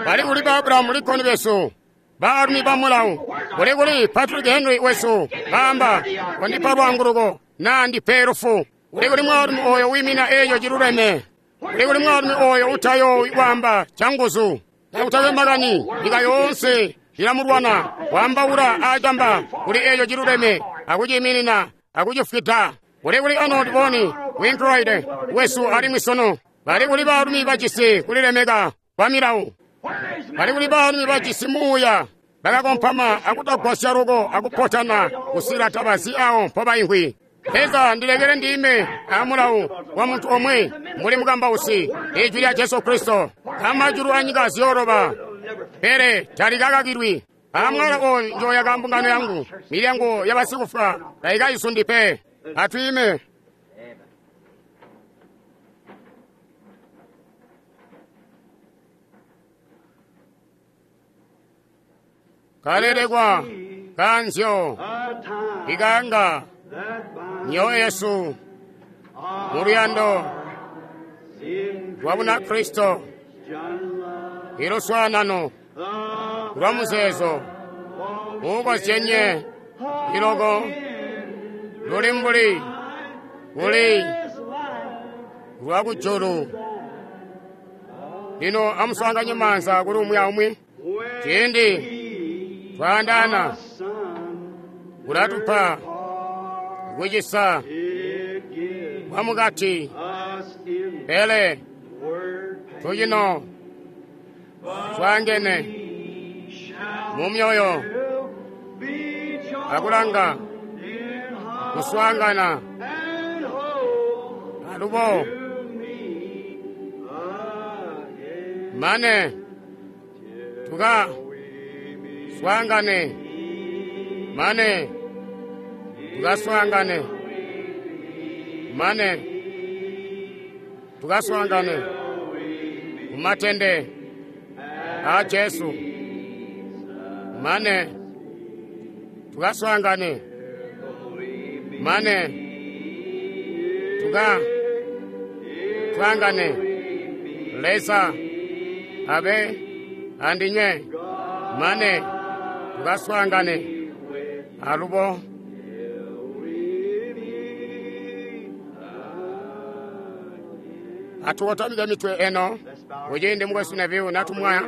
Bali kuli ba Abraham Lincoln besu. Baalumi ba mulawo. Bali kuli Patrick Henry wesu. Baamba kondipa lwaanguluko naa ndipe lufu. Uli kuli mwaalumi oyo wiimina eeco ciluleme. Uli kuli mwaalumi oyo utayoowi kwaamba canguzu. Takutakwe makani nyika yoonse ilamulwana waambaula aacamba kuli eeco ciluleme akuciiminina akucifwida. Uli kuli Arnold von Winkelried wesu alimwi sunu. Bali kuli baalumi bajisi kulilemeka kwa milawo. Bali kuli baalumi bajisi muuya bakakompama akutagwasya loko akupotana kusila tabazi awo mpobaimvwi. Leza ndilekele ndime amulawo wa muntu omwe mbuli mukambausi, ijwi lya Jesu Kristo. Amajulu anyika ziyooloba, pele talikakakilwi. Amwala oyu njoyaka mbungano yangu, milyango yabasikufwa tayikayisundi pe. Atwiime. Kalelekwa kanzyo ikanga myoyo yesu muluyando lwa Bunakristo, iluswaanano lwa muzeezo uukozyenye iloko luli mbuli kuli lwa kujulu. Lino amuswaanganye maanza kuli umwi aumwi. Ciindi twaandaana kulatupa kucisa kwamukati, pele tucino twaangene mumyoyo akulanga kuswaangana alubo mane tuka swaangane, mane tukaswaangane, mane tukaswaangane kumatende a Jesu, mane tukaswaangane, mane tuka twangane. Leza abe andinywe, mane tukaswaangane alubo. Atukotamike mitwe eno kuciindi mukwesu Neville natumwaya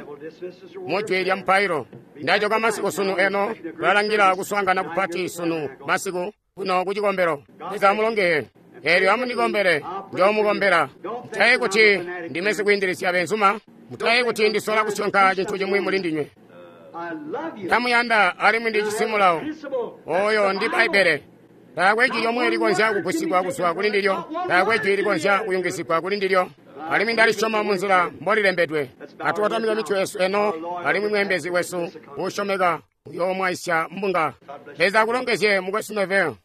mujwi lya mupailo. Ndajoka masiku sunu eno tulalangila kuswaangana kupati sunu masiku kuno kucikombelo. Leza amulongeye. Eelyo amunikombele, njoomukombela. Mutayi kuti ndime sikwiindilisya benzuma, mutayi kuti ndisola kusyonka cintu cimwi muli ndinywe. Ndamuyanda alimwi ndijisi mulawo. Oyo ndi Bbaibbele. Taakwe jwi lyomwe likonzya kugwisigwa kuzwa kuli ndilyo. Taakwe jwi likonzya kuyungizigwa kuli ndilyo. Alimwi ndalisyoma munzila mbolilembedwe. Atukotamike mitwe yesu eno, alimwi mweembezi wesu uusyomeka uyoomwaisya mbunga. Leza akulongezye, Mukwesu Neville.